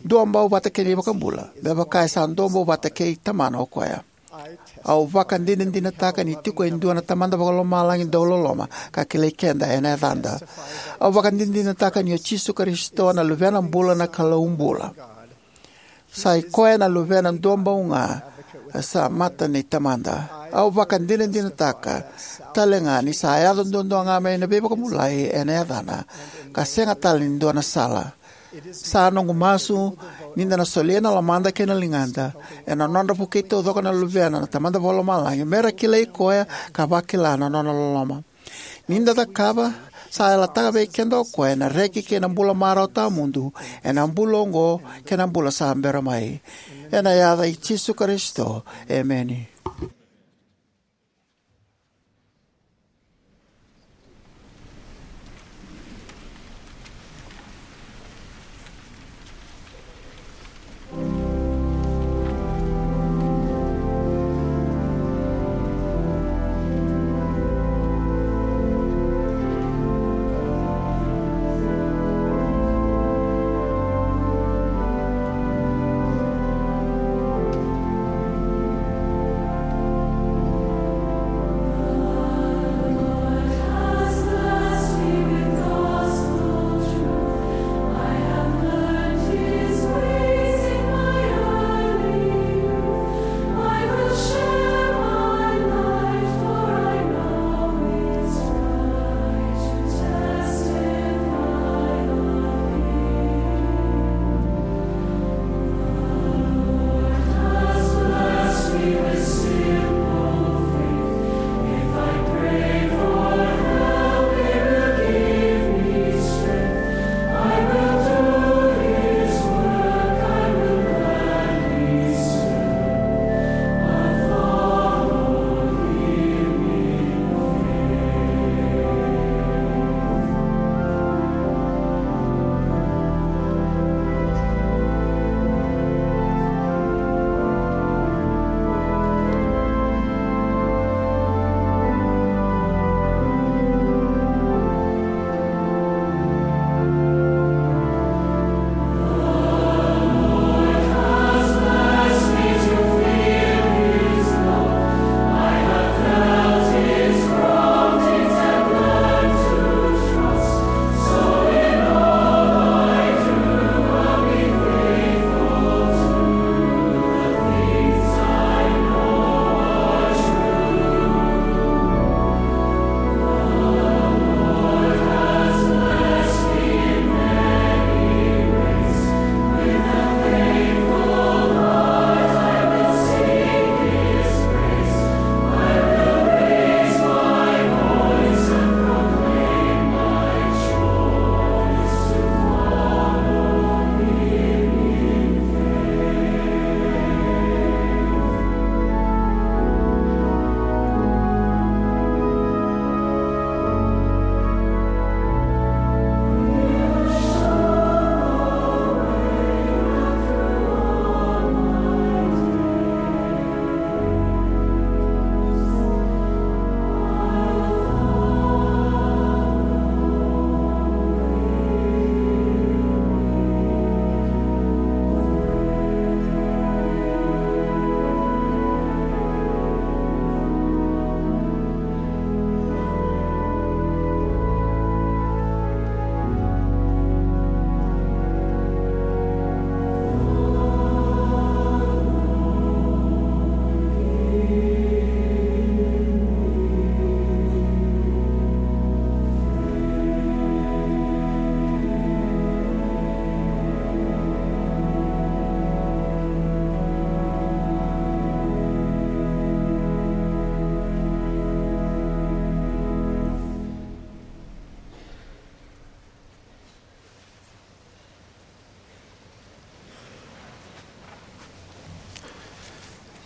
duabau vata kei na iVakabula, me vaka e sa duabau vata kei Tamana o koya. Au vakadinadinataka ni tiko e dua na Tamada Vakalomalagi dau loloma ka kilai keda ena yacada. Au vakadinadinataka ni o Jisu Karisito na Luvena bula na Kalou bula. Sa i koya na Luvena duabau ga sa mata ni Tamada. Au vakadinadinataka tale ga ni sa yaco duadua ga mai na veivakabulai ena yacana ka sega tale ni dua na sala. Sa noqu masu ni da na solia na lomada kei na ligada ena nodra vukei taucoko na luvena na Tamada Vakalomalagi me ra kilai koya ka vakila na nona loloma. Ni da cakava, sa yalataka vei keda o koya na reki kei na bula marau tawamudu ena bula oqo kei na bula sa bera mai. Ena yaca i Jisu Karisito, emeni.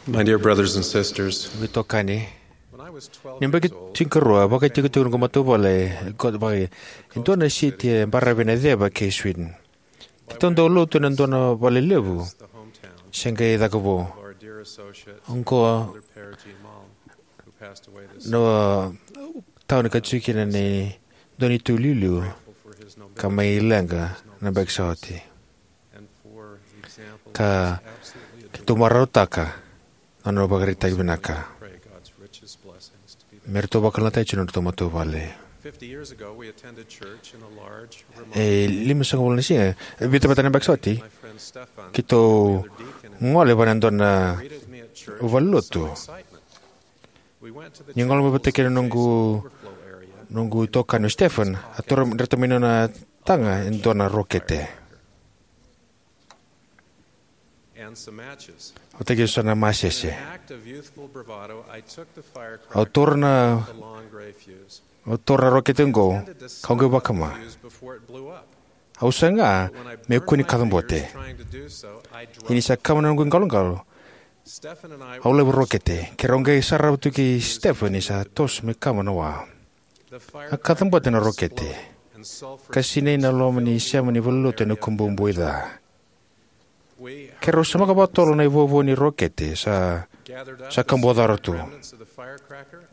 My dear brothers and sisters, veitokani, ni baki tinikarua, vakaitikotiko noqu matavuvale e dua na siti e baravi ena ceva kei Sweden. Keitou dau lotu ena dua na vale levu se qai caka vou. Oqo na tauni ka tiko kina ni dua na itutu iliuliu ka mai leqa na baki sa oti. Ka keitou marautaka na nona ivakaraitaki vinaka me ratou vakalougatataki tiko na nodratou matavuvale. E limasagavulu na siga, vica vata na baki sa oti, keitou gole vua na dua na valenilotu. Ni gole mai vata kei na noqu, noqu itokani o Stefan, a taura, dreta mai na nona taga e dua na rokete. Vata kei so na masese. Au taura na, au taura na rokete oqo, kau qai vakama. Au saga me kua ni kacabote. Ia ni sa kama na noqu iqaloqalo, au laiva rokete. Keirau qai sarava tu kei Stefan ni sa toso me kama na wa. A kacabote na rokete ka sinai na loma ni sema ni valenilotu ena kubou buai ca. Keirau semaka vakatotolo na ivovo ni rokete sa, sa kabucora tu,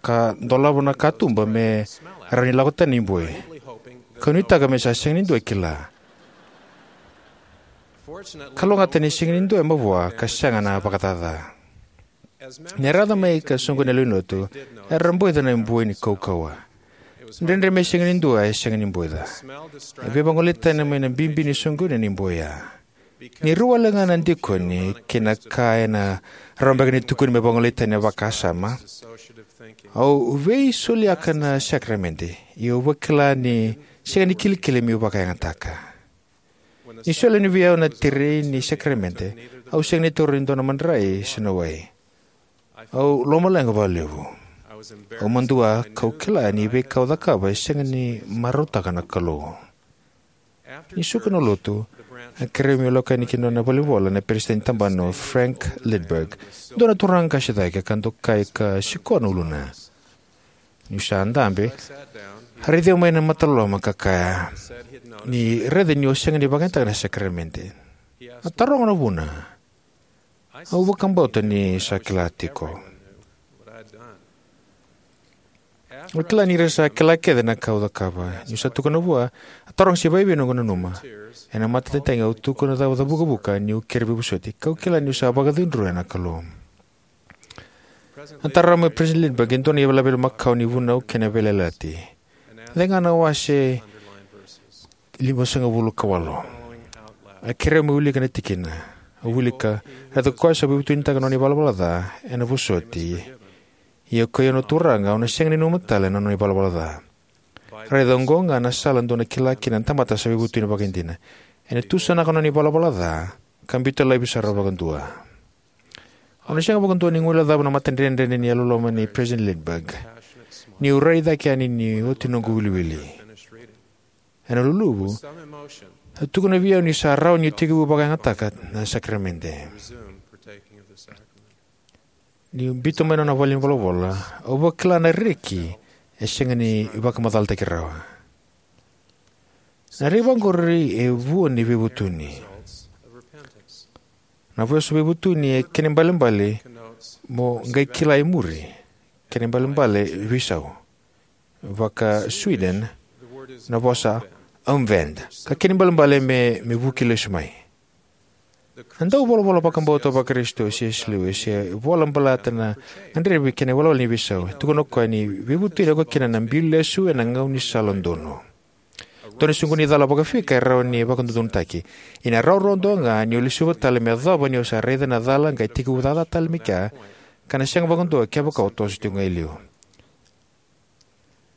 ka dolava na katuba me rawa ni lako tani na iboi. Kau nuitaka me sa sega ni dua e kila. Kalougata ni sega ni dua e mavoa ka sega na vakacaca. Ni ra yaco mai ka soqoni na lewenilotu, era boica na iboi ni kaukauwa. Dredre me sega ni dua e sega ni boica. E veivagolei tani mai na bibi ni soqoni na iboi ya. Ni rua wale ga na dikoni kei na ka ena rawa beka ni tukuni me vagolei tani na vakasama, au veisoliaka na sakaramede, ia au vakila ni sega ni kilikili meu vakayagataka. Ni soli yani vei au na tiri ni sakaramede, au sega ni taura e dua na madrai se na wai. Au lomaleqa vakalevu. Au madua kau kila ni veika au cakava e sega ni marautaka na Kalou. Ni suka na lotu, a kerei au meu lako yani ki na nona valenivola na peresitedi ni tabana o Frank Lindberg, dua na turaga qase cake ka dokai ka sikoa na uluna. Niu sa dabe, a raici au mai na mataloloma ka kaya ni raica niu sega ni vakayagataka na sakaramede. A taroga na vuna. Au vakabauta ni sa kila tiko. Au kila ni ra sa kila kece na ka au cakava. Niu sa tukuna vua, a taroga se vakaivei noqu nanuma. Ena matatagitagi au tukuna cava ca vukavuka niu kerei veivosoti. Kau kila niu sa vakacudruya na Kalou. A tara mai o President Lindberg e dua na ivalavala makawa ni vunau kei na veiyalayalati. Cega na wase limasagavulu ka walu. A kerei au meu wilika na tikina. Au wilika, raica ko koya sa veivutunitaka na nona ivalavala ca ena vosoti. Ia ko i au na Turaga, au na sega ni nanuma tale na nona ivalavala ca. Raica oqo ga na sala dou na kila kina na tamata sa veivutuni vakaidina. Ena tusanaka na nona ivalavala ca ka biuta laivi sara vakadua. Au na sega vakadua ni guilecava na matadredredre ni yalololoma nei President Lindberg niu rai cake yani ni oti noqu wiliwili. Ena luluvu, a tukuna vei au ni sa rawa niu tekivu vakayagataka na sakaramede. Niu biuta mai na nona valenivolavola, au vakila na reki e sega ni vakamacalataki rawa. Na reki vaqori e vua ni veivutuni. Na vosa veivutuni e kena ibalebale mo qai kila e muri, kena ibalebale veisau. Vaka Sweden, na vosa omvänd, ka kena ibalebale me, me vuki lesu mai. Na dauvolavola vakabauta vaKarisito o C S Lewis e vola baleta na gadrevi kei na iwalewale ni veisau. E tukuna o koya ni veivutuni e oka kina na biu lesu ena gaunisala donu. Dua na soqoni cala vakafika e rawa ni vakadodonutaki. Ia na rawarawa duadua ga ni o lesuva tale me yacova ni o sa raica na cala qai tekivu cakacaka tale mai kea, ka na sega vakadua kevaka o toso tiko ga e liu.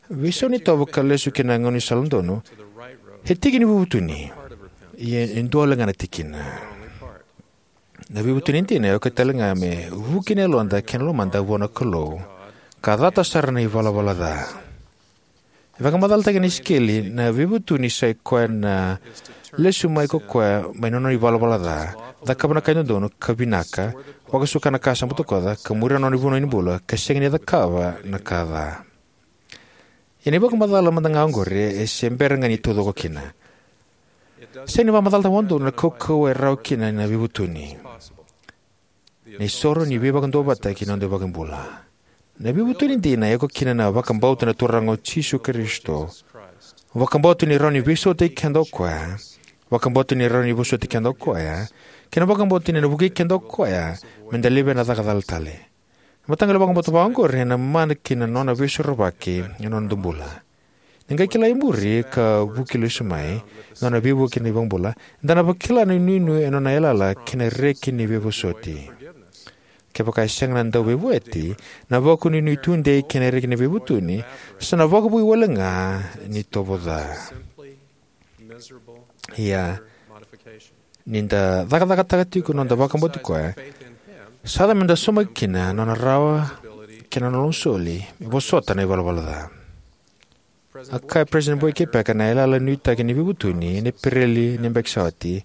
Veisau ni tovo ka lesu ki na gaunisala donu e tiki ni veivutuni, ia e dua wale ga na tikina. Na veivutuni dina e oka tale ga me vuki na yaloda kei na lomada vua na Kalou ka cata sara na ivalavala ca. E vakamacalataka ena Isikeli, na veivutuni sa i koya na lesu mai ko koya mai na nona ivalavala ca, cakava na ka e dodonu ka vinaka, vakasuka na ka sa butakoca, ka muria na nona ivunau ni bula, ka sega ni cakava na ka ca. Ia na ivakamacala mada ga oqori e se bera ga ni taucoko kina. Sega ni vakamacalataka vakadodonu na kaukauwa e rawa kina na veivutuni. Na isoro ni veivakaduavatataki na noda iVakabula. Na veivutuni dina e oka kina na vakabauta na Turaga o Jisu Karisito, vakabauta ni rawa ni veisautaki keda o koya, vakabauta ni rawa ni vosoti keda o koya, kei na vakabauta ni na vukei keda o koya me da levea na caka cala tale. Na mataqali vakabauta vakaoqori ena mana ki na nona veisorovaki ena noda bula. Ni qai kila e muri ka vuki lesu mai na nona veivuke na iVakabula, eda na vakila na inuinui ena nona yalayala kei na reki ni veivosoti. Kevaka e sega na dauveivueti, na vakanuinui tudei kei na reki ni veivutuni sa na vakavoui wale ga ni tovo ca. Ia, ni da cakacakataka tiko na noda vakabauti koya, sa yaco me da saumaki kina na nona rawa kei na nona lomasoli me vosota na ivalavala ca. A kaya President Boyd K. Packer, na yalayala nuitaki ni veivutuni ena Epereli ni yabaki sa oti,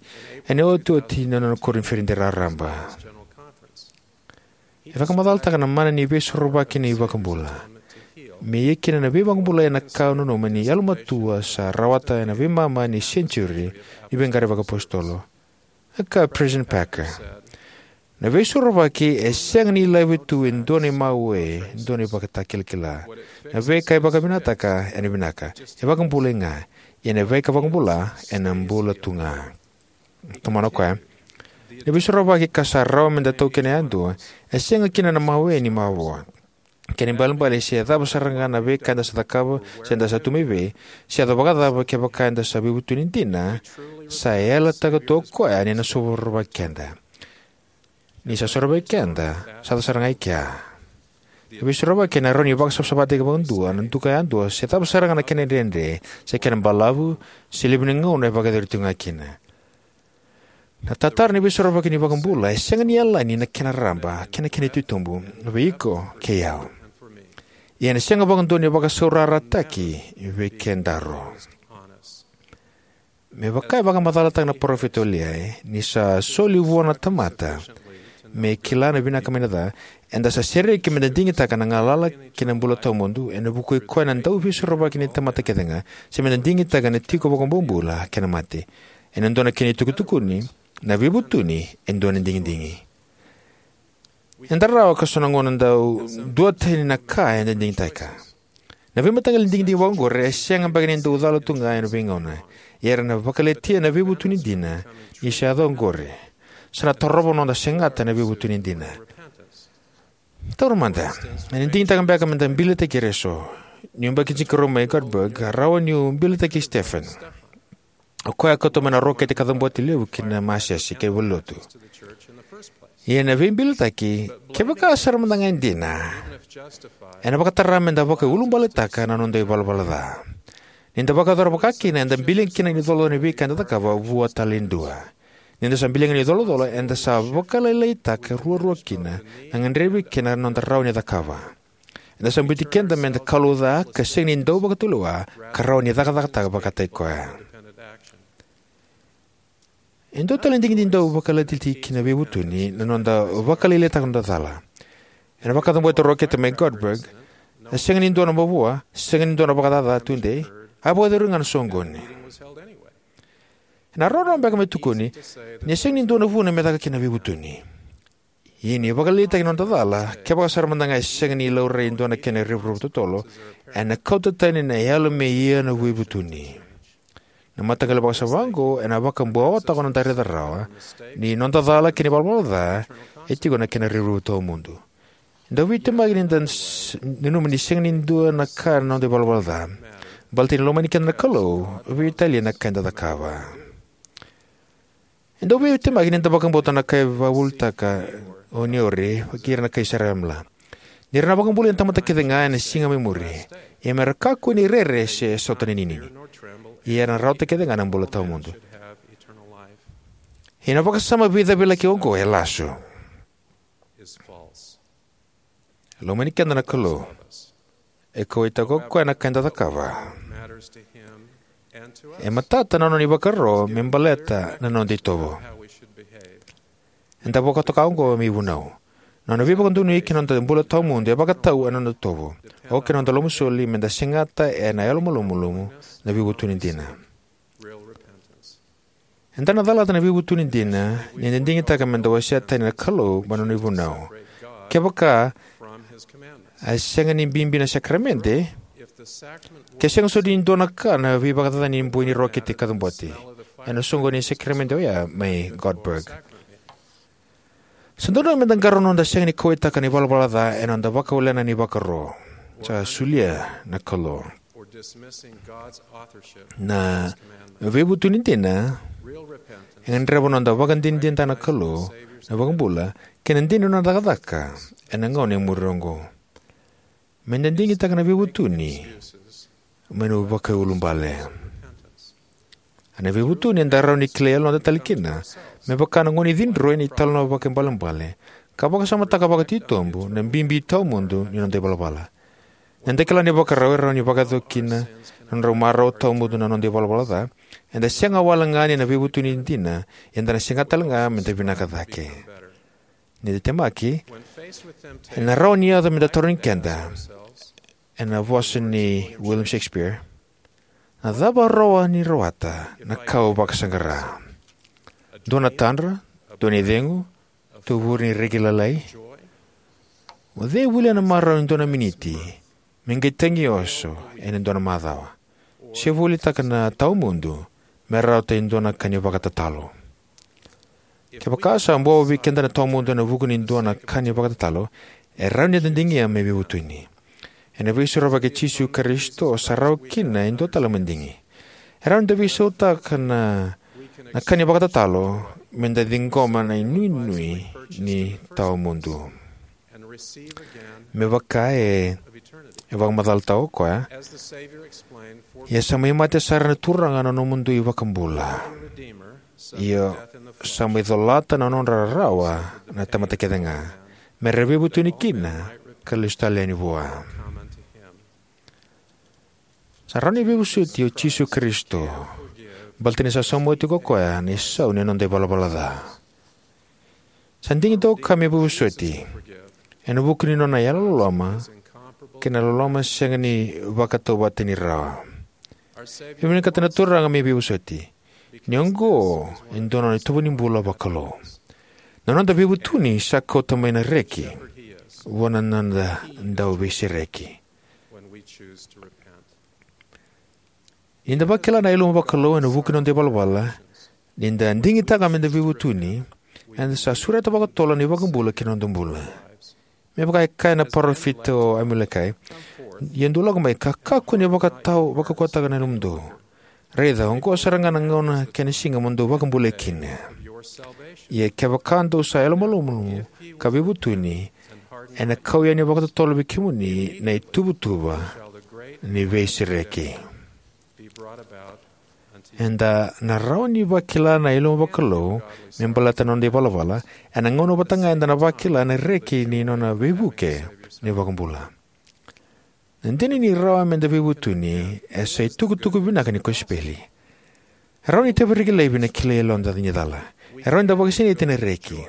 ena iotioti ni nona koniferedi raraba. E vakamacalataka na mana ni veisorovaki ni iVakabula. Me ia kina na veivakabulai ena ka au nanuma ni yalomatua sa rawata ena veimama ni senitiuri ni veiqaravi vakaapositolo. A kaya President Packer, na veisorovaki e sega ni laiva tu e dua na imawe, e dua na ivakatakilakila. Na veika e vakavinakataka ena vinaka, e vakabulai ga. Ia na veika vakabula ena bula tu ga. Tomana o koya. Na veisorovaki ka sa rawa me da taukena yadua e sega kina na mawe ni mavoa. Kena ibalebale, se cava sara ga na veika eda sa cakava se eda sa tu mai vei, se yaco vakacava, kevaka eda sa veivutuni dina, sa yalataka tu o koya ni na sorovaki keda. Ni sa sorovaki keda, sa yaco sara ga i kea. Na veisorovaki ena rawa ni vakasavasavataki vakadua na duka yadua, se cava sara ga na kena dredre, se kena balavu, se levu ni gauna e vakayacori tu ga kina. Na tatara ni veisorovaki ni iVakabula e sega ni yalani na kena raba kei na kena titobu vei iko kei au. Ia ena sega vakadua ni vakasaurarataki vei kedaru. Me vaka e vakamacalataka na parofita o Liai, ni sa soli vua na tamata me kila na vinaka mai na ca, eda sa sereki me da digitaka na galala kei na bula tawamudu ena vuku i koya na dauveisorovaki ni tamata kece ga, se me da digitaka na tiko vakabobula kei na mate. Ena dua na kena itukutukuni, na veivutuni e dua na digidigi. Eda rawa ka so na gauna dau duatani na ka eda digitaka. Na veimataqali digidigi vakaoqori e sega beka ni dau cala tu ga ena veigauna. Ia era na vakaletia na veivutuni dina, ni sa yaco oqori. Sa na tarova na noda segata na veivutuni dina. Taura mada, ena digitaka beka me da bilitaki ira eso. Niu yabaki tinikarua mai Göteborg, a rawa niu bilitaki Stefan. O koya a kauta mai na rokete kacabote levu ki na masese kei valenilotu. Ia na veibilitaki, kevaka sara mada ga e dina, ena vakatara me da vakaiulubaletaka na noda ivalavala ca. Ni da vakayacora vaka kina, eda bilia kina ni colacola ni veika eda cakava vua tale e dua. Ni da sa bilia ga ni colacola, eda sa vakalailaitaka ruarua kina na gadrevi kei na noda rawa ni cakava. Eda sa biuti keda me da kalou ca ka sega ni dau vakatulewa ka rawa ni cakacakataka vakataki koya. E dua tale na digidigi dau vakaletia tiko na veivutuni na noda vakalailaitaka noda cala. Ena vakacabote rokete mai Göteborg, e sega ni dua na mavoa, sega ni dua na vakacaca tudei, a vakayacori ga na soqoni. Ena rawarawa beka me tukuni ni sega ni dua na vuna me caka kina na veivutuni. Ia ni vakalailaitaki na noda cala, kevaka sara mada ga e sega ni laurai e dua na kena revurevu totolo, ena kauta tani na yalo me ia na veivutuni. Na mataqali vakasama oqo ena vakabuawataka noda raica rawa ni noda cala kei na ivalavala ca e tiko na kena revurevu tawamudu. Dau veitemaki ni da s- nanuma ni sega ni dua na ka na noda ivalavala ca. Baleta ni lomani keda na Kalou, veitalia na ka eda cakava. E dau veitemaki ni da vakabauta na ka e vakavuvulitaka o Neori vei ira na kai Saraemala. Ni ra na vakabulai na tamata kece ga ena siga mai muri, ia me ra kakua ni rere se sota na ininini. Ia era na rawata kece ga na bula tawamudu. Ia na vakasama veicavilaki oqo e lasu. E lomani keda na Kalou. E kauwaitaka o koya na ka eda cakava. E matata na nona ivakaro me baleta na noda itovo. Eda vakatoka oqo me ivunau. Na nona veivakadonui ki na noda bula tawamudu e vakatau ena noda itovo, oka na noda lomasoli, meda segata ena yalomalumalumu na veivutuni dina. Eda na calata na veivutuni dina ni da digitaka meda wasea tani na Kalou mai na nona ivunau. Kevaka e sega ni bibi na sakaramede, ke sega soti ni dua na ka na veivakacacani ni boi ni rokete kacabote, ena soqoni ni sakaramede oya mai Göteborg. Sa dodonu meda qarauna noda sega ni kauwaitaka na ivalavala ca ena noda vakawalena na ivakaro. Sa solia na Kalou. Na veivutuni dina e gadreva noda vakadinadinataka na Kalou na iVakabula kei na dina ni nona cakacaka ena gauna e muri oqo. Meda digitaka na veivutuni mai na vakaiulubale. Ena veivutuni eda rawa ni kilai yaloda tale kina, me vaka na gone cidroi ena italanoa vakaibalebale, ka vakasamataka vakatitobu na bibi tawamudu ni noda ivalavala. Ni da kila na ivakarau e rawa ni vakayaco kina na nodrau marau tawamudu na noda ivalavala ca, eda sega wale ga ni na veivutuni dina, ia eda na segata tale ga meda vinaka cake. Ni da temaki, ena rawa ni yaco meda tarogi keda, ena vosa nei William Shakespeare, "Na cava rawa ni rawata na ka au vakasaqara? Dua na tadra, dua na icegu, tovure ni reki lalai? O cei e volia na marau e dua na miniti me qai tagi oso ena dua na macawa, se volitaka na tawamudu me rawata e dua na ka ni vakatatalo?" Kevaka sa bobo vei keda na tawamudu ena vuku ni dua na ka ni vakatatalo, e rawa ni da digia me veivutuni. Ena Veisorovaki i Jisu Karisito sa rawa kina e dua tale na madigi. E rawa ni da veisautaka na, na ka ni vakatatalo meda ciqoma na inuinui ni tawamudu. Me vaka e, e vakamacalataka o koya, "Ia sa mai mate sara na Turaga na nomudou iVakabula. Ia sa mai colata na nodra rarawa na tamata kece ga, me ra veivutuni kina ka lesu tale yani vua." Sa rawa ni veivosoti o Jisu Karisito, baleta ni sa sauma oti ko koya na isau ni noda ivalavala ca. Sa digitaka me veivosoti ena vuku ni nona yalololoma kei na loloma sega ni vakatauvatani rawa. E vinakata na Turaga me veivosoti, ni oqo e dua na nona itovo ni bula vakalou. Na noda veivutuni sa kauta mai na reki vua na noda dauveisereki. Ni da vakila na yaluma vakalou ena vuku ni noda ivalavala, ni da digitaka meda veivutuni, eda sa sureta vakatotolo na iVakabula ki na noda bula. Me vaka e kaya na parofita o Amulekai, "Ia dou lako mai ka kakua ni vakatau, vakaukauwataka na yalomudou. Raica, oqo sara ga na gauna kei na siga mo dou vakabulai kina. Ia kevaka dou sa yalomalumalumu ka veivutuni, ena kau yani vakatotolo vei kemuni na ituvatuva ni veisereki." Eda na rawa ni vakila na yaluma vakalou me baleta na noda ivalavala ena gauna vata ga eda na vakila na reki ni nona veivuke na iVakabula. Na dina ni rawa meda veivutuni e sa itukutuku vinaka ni kosipeli. E rawa ni taviraki laivi na kilai yaloda ni cala. E rawa ni da vakasinaiti ena reki,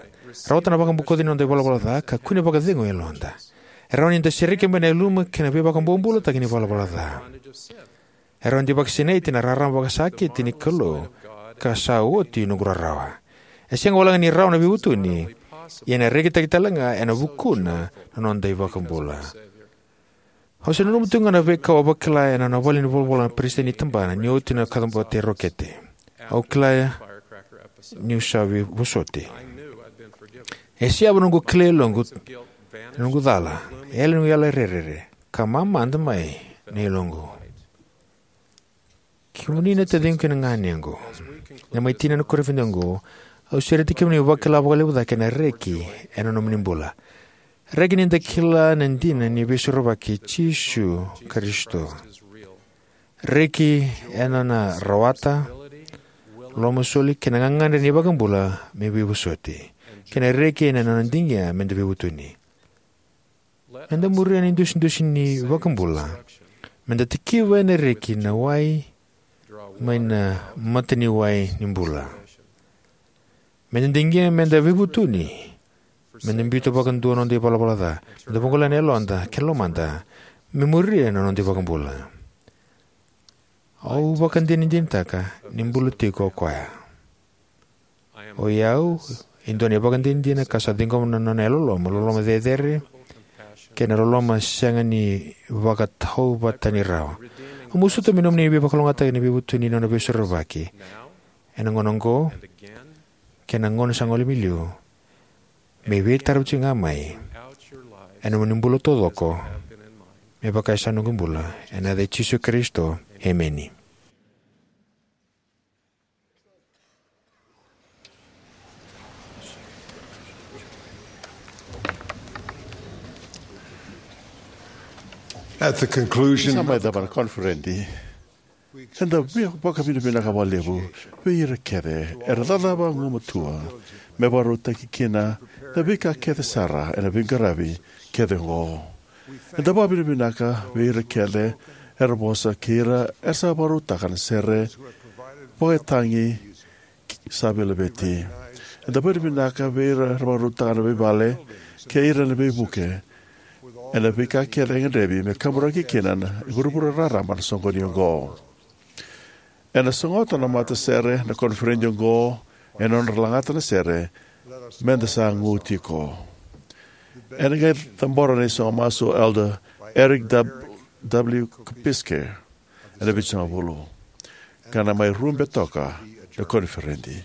rawata na vakabokoci ni noda ivalavala ca, ka kune vakacegu e yaloda. E rawa ni da sereki mai na yaluma kei na veivakabobulataki ni ivalavala ca. E rawa ni da vakasinaiti ena rarama vakasakiti ni Kalou, ka sa oti noqu rarawa. E sega walega ni rawa na veivutuni, ia ena rekitaki tale ga ena vukuna na noda iVakabula. Au se nanuma tu ga na veika au a vakila ena nona vale ni volavola na peresitedi ni tabana ni oti na kacabote rokete. Au kila niu sa veivosoti. E siyava noqu kilai yaloqu, noqu cala, yali noqu yala rerere, ka mamada mai na yaloqu. Kemuni na taciqu kei na ganequ, na mai tini ena koniferedi oqo, au sureti kemuni vakila vakalevu cake na reki ena nomuni bula. Reki ni da kila na dina ni Veisorovaki i Jisu Karisito. Reki ena nona rawata, lomasoli kei na gagadre ni iVakabula me veivosoti, kei na reki ena nona digia meda veivutuni. Eda muria na idusidusi ni vakabula. Meda tikiva ena reki na wai mai na mata ni wai ni bula. Meda digia, meda veivutuni. Meda biuta vakadua na noda ivalavala ca. Meda vagolea na yaloda kei na lomada me muria na noda ivakabula. Au vakadinadinataka ni bula tiko o koya. O i au e dua na ivakadinadina ka sa ciqoma na nona yalololoma, loloma cecere, kei na loloma sega ni vakatauvatani rawa. Au masuta me nomuni veivakalougatataki na veivutuni ni nona veisorovaki ena gauna oqo kei na gauna sa gole mai liu, me veitarovi tiko ga mai ena nomuni bula taucoko, me vaka e sa noqu bula. Ena yaca i Jisu Karisito, emeni. At the conclusion, sa mai cava na koniferedi, eda via vakavinavinaka vakalevu vei ira kece era cakacaka vagumatua me vakarautaki kina na veika kece sara ena veiqaravi kece oqo. Eda vakavinavinaka vei ira kece era vosa kei ira era sa vakarautaka na sere vakatagi sa veilaveti. Eda vakavinavinaka vei ira era vakarautaka na veivale kei ira na veivuke ena veika kece e gadrevi me kaburaki kina na vuravura raraba na soqoni oqo. Ena sogota na matasere na koniferedi oqo ena nodra lagata na sere, meda sa gu tiko. Ena qai cabora na isogo masu o Elder Eric W Kopiske ena vitusagavulu, ka na mai rube toka na koniferedi.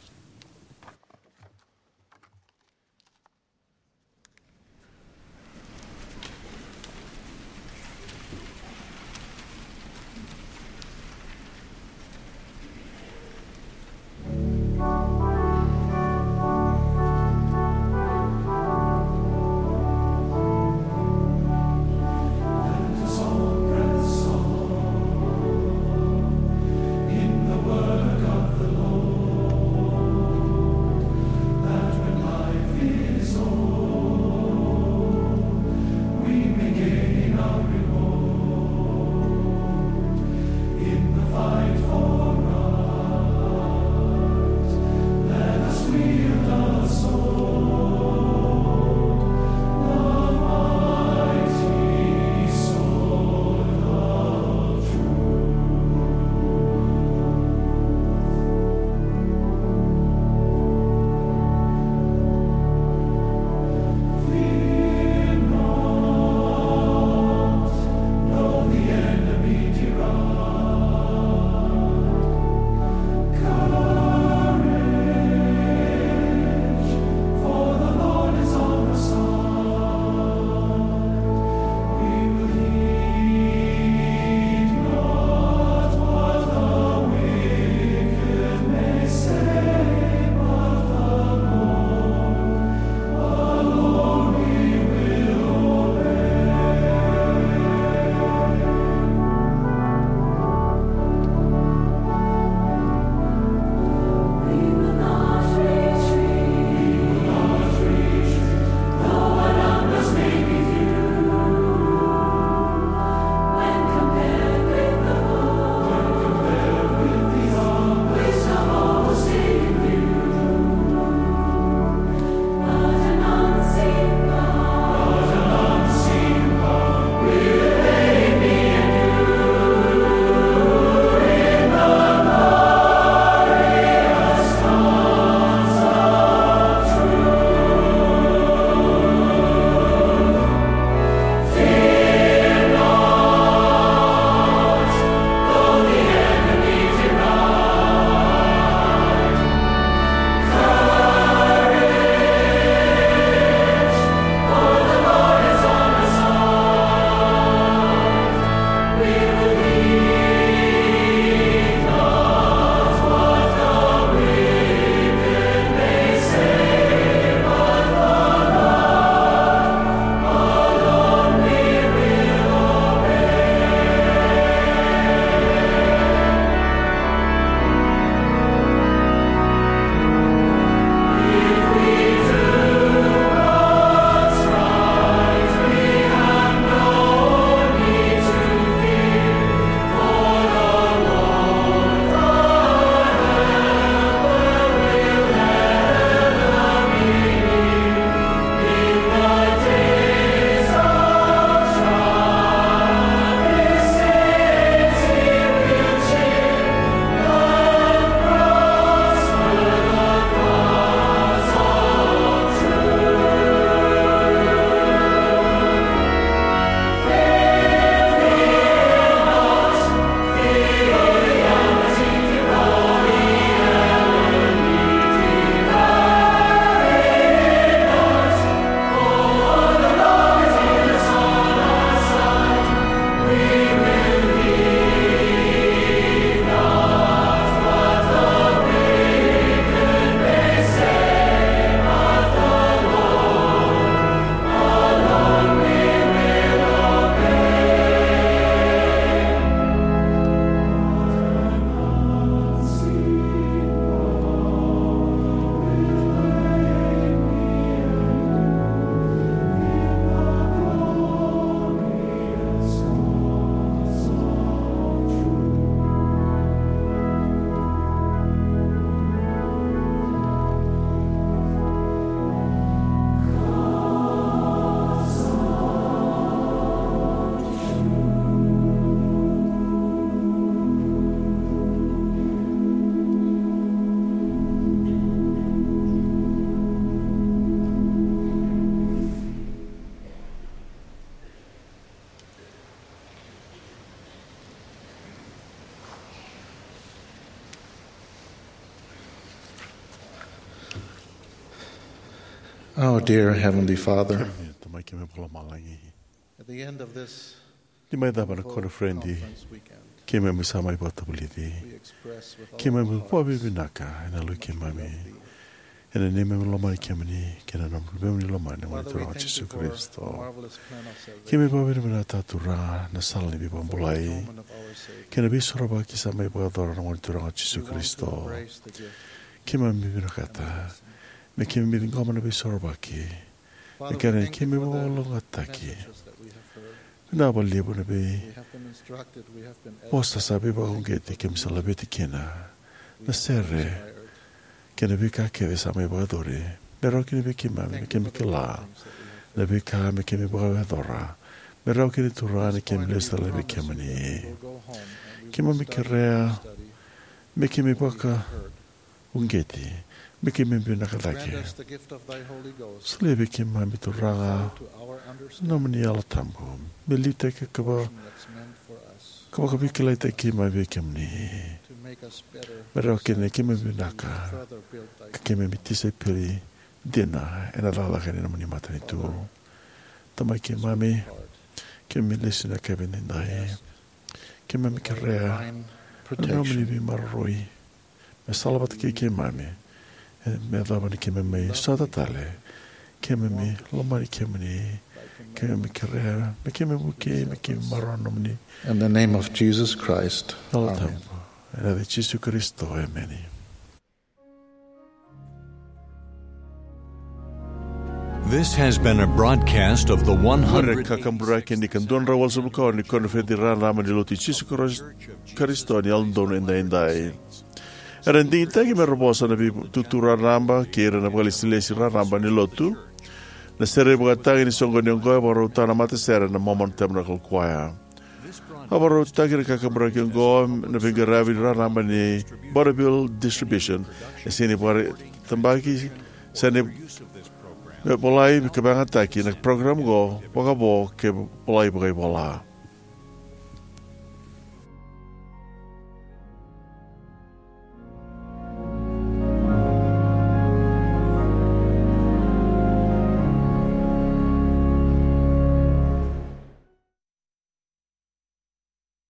Our dear Heavenly Father, Kemuni Tamai, keimami vakalomalagi. At the end of this Ni mai cava na koniferedi, conference weekend, keimami sa mai vakatavulici. We express with all Keimami our hearts vakavinavinaka ena yaloi keimami, how much we love thee. Ena neimami lomani kemuni kei na neimami lomani na Turaga Jisu Karisito. Father, we thank you for your marvelous plan of salvation. Keimami vakavinavinaka, Turaga, na sala ni veivakabulai kei na veisorovaki sa mai vakayacora na Gone Turaga o Jisu Karisito. Keimami vinakata me keimami ciqoma na veisorovaki. Na kena ni keimami vakalougatataki. Vinaka vakalevu na veivosa sa veivakauqeti keimami sa laveti kina, na sere kei na veika kece sa mai vakayacori. Me rawa kina vei keimami me keimami kila na veika me keimami vakayacora. Me rawa kina, Turaga, ni keimami lesu tale vei kemuni. Keimami kerea me keimami vakauqeti, me keimami vinaka cake. Solia vei keimami, Turaga, na nomuni Yalo Tabu me liutaki ka vaka, ka vakaveikilaitaki keimami vei kemuni. Me rawa kina ni keimami vinaka ka keimami tisaipeli dina ena cakacaka ni nomuni matanitu. Tamai keimami, keimami lesu ena yakavi edaidai. Keimami kerea na nomuni veimaroroi me salavata kei keimami. E, me yacova ni keimami mai sota tale, keimami lomani kemuni. Keimami kerea me keimami vukei, me keimami maroroya na nomuni Yalo Tabu. In the name of Jesus Christ. Amen. Ena yaca i Jisu Karisito, emeni. This has been a broadcast of the Qo na one hundred kakaburaki ni ka dua na drau walusagavulu ka ono ni koniferedi raraba ni Lotu i Jisu Karis-, Karisito ni Yalododonu Edaidai. Era digitaki me ra vosa na veitutu raraba kei ira na vakalesilesi raraba ni Lotu. Na sere ivakatagi ni soqoni oqo e vakarautaka na matasere na Mormon Tabernacle Choir. A vakarautaki na kakaburaki oqo na veiqaravi raraba ni Bonneville Distribution. E sega ni vakaraitaki, sega ni volai ka vakayagataki na program oqo vakavo ke volai vakaivola.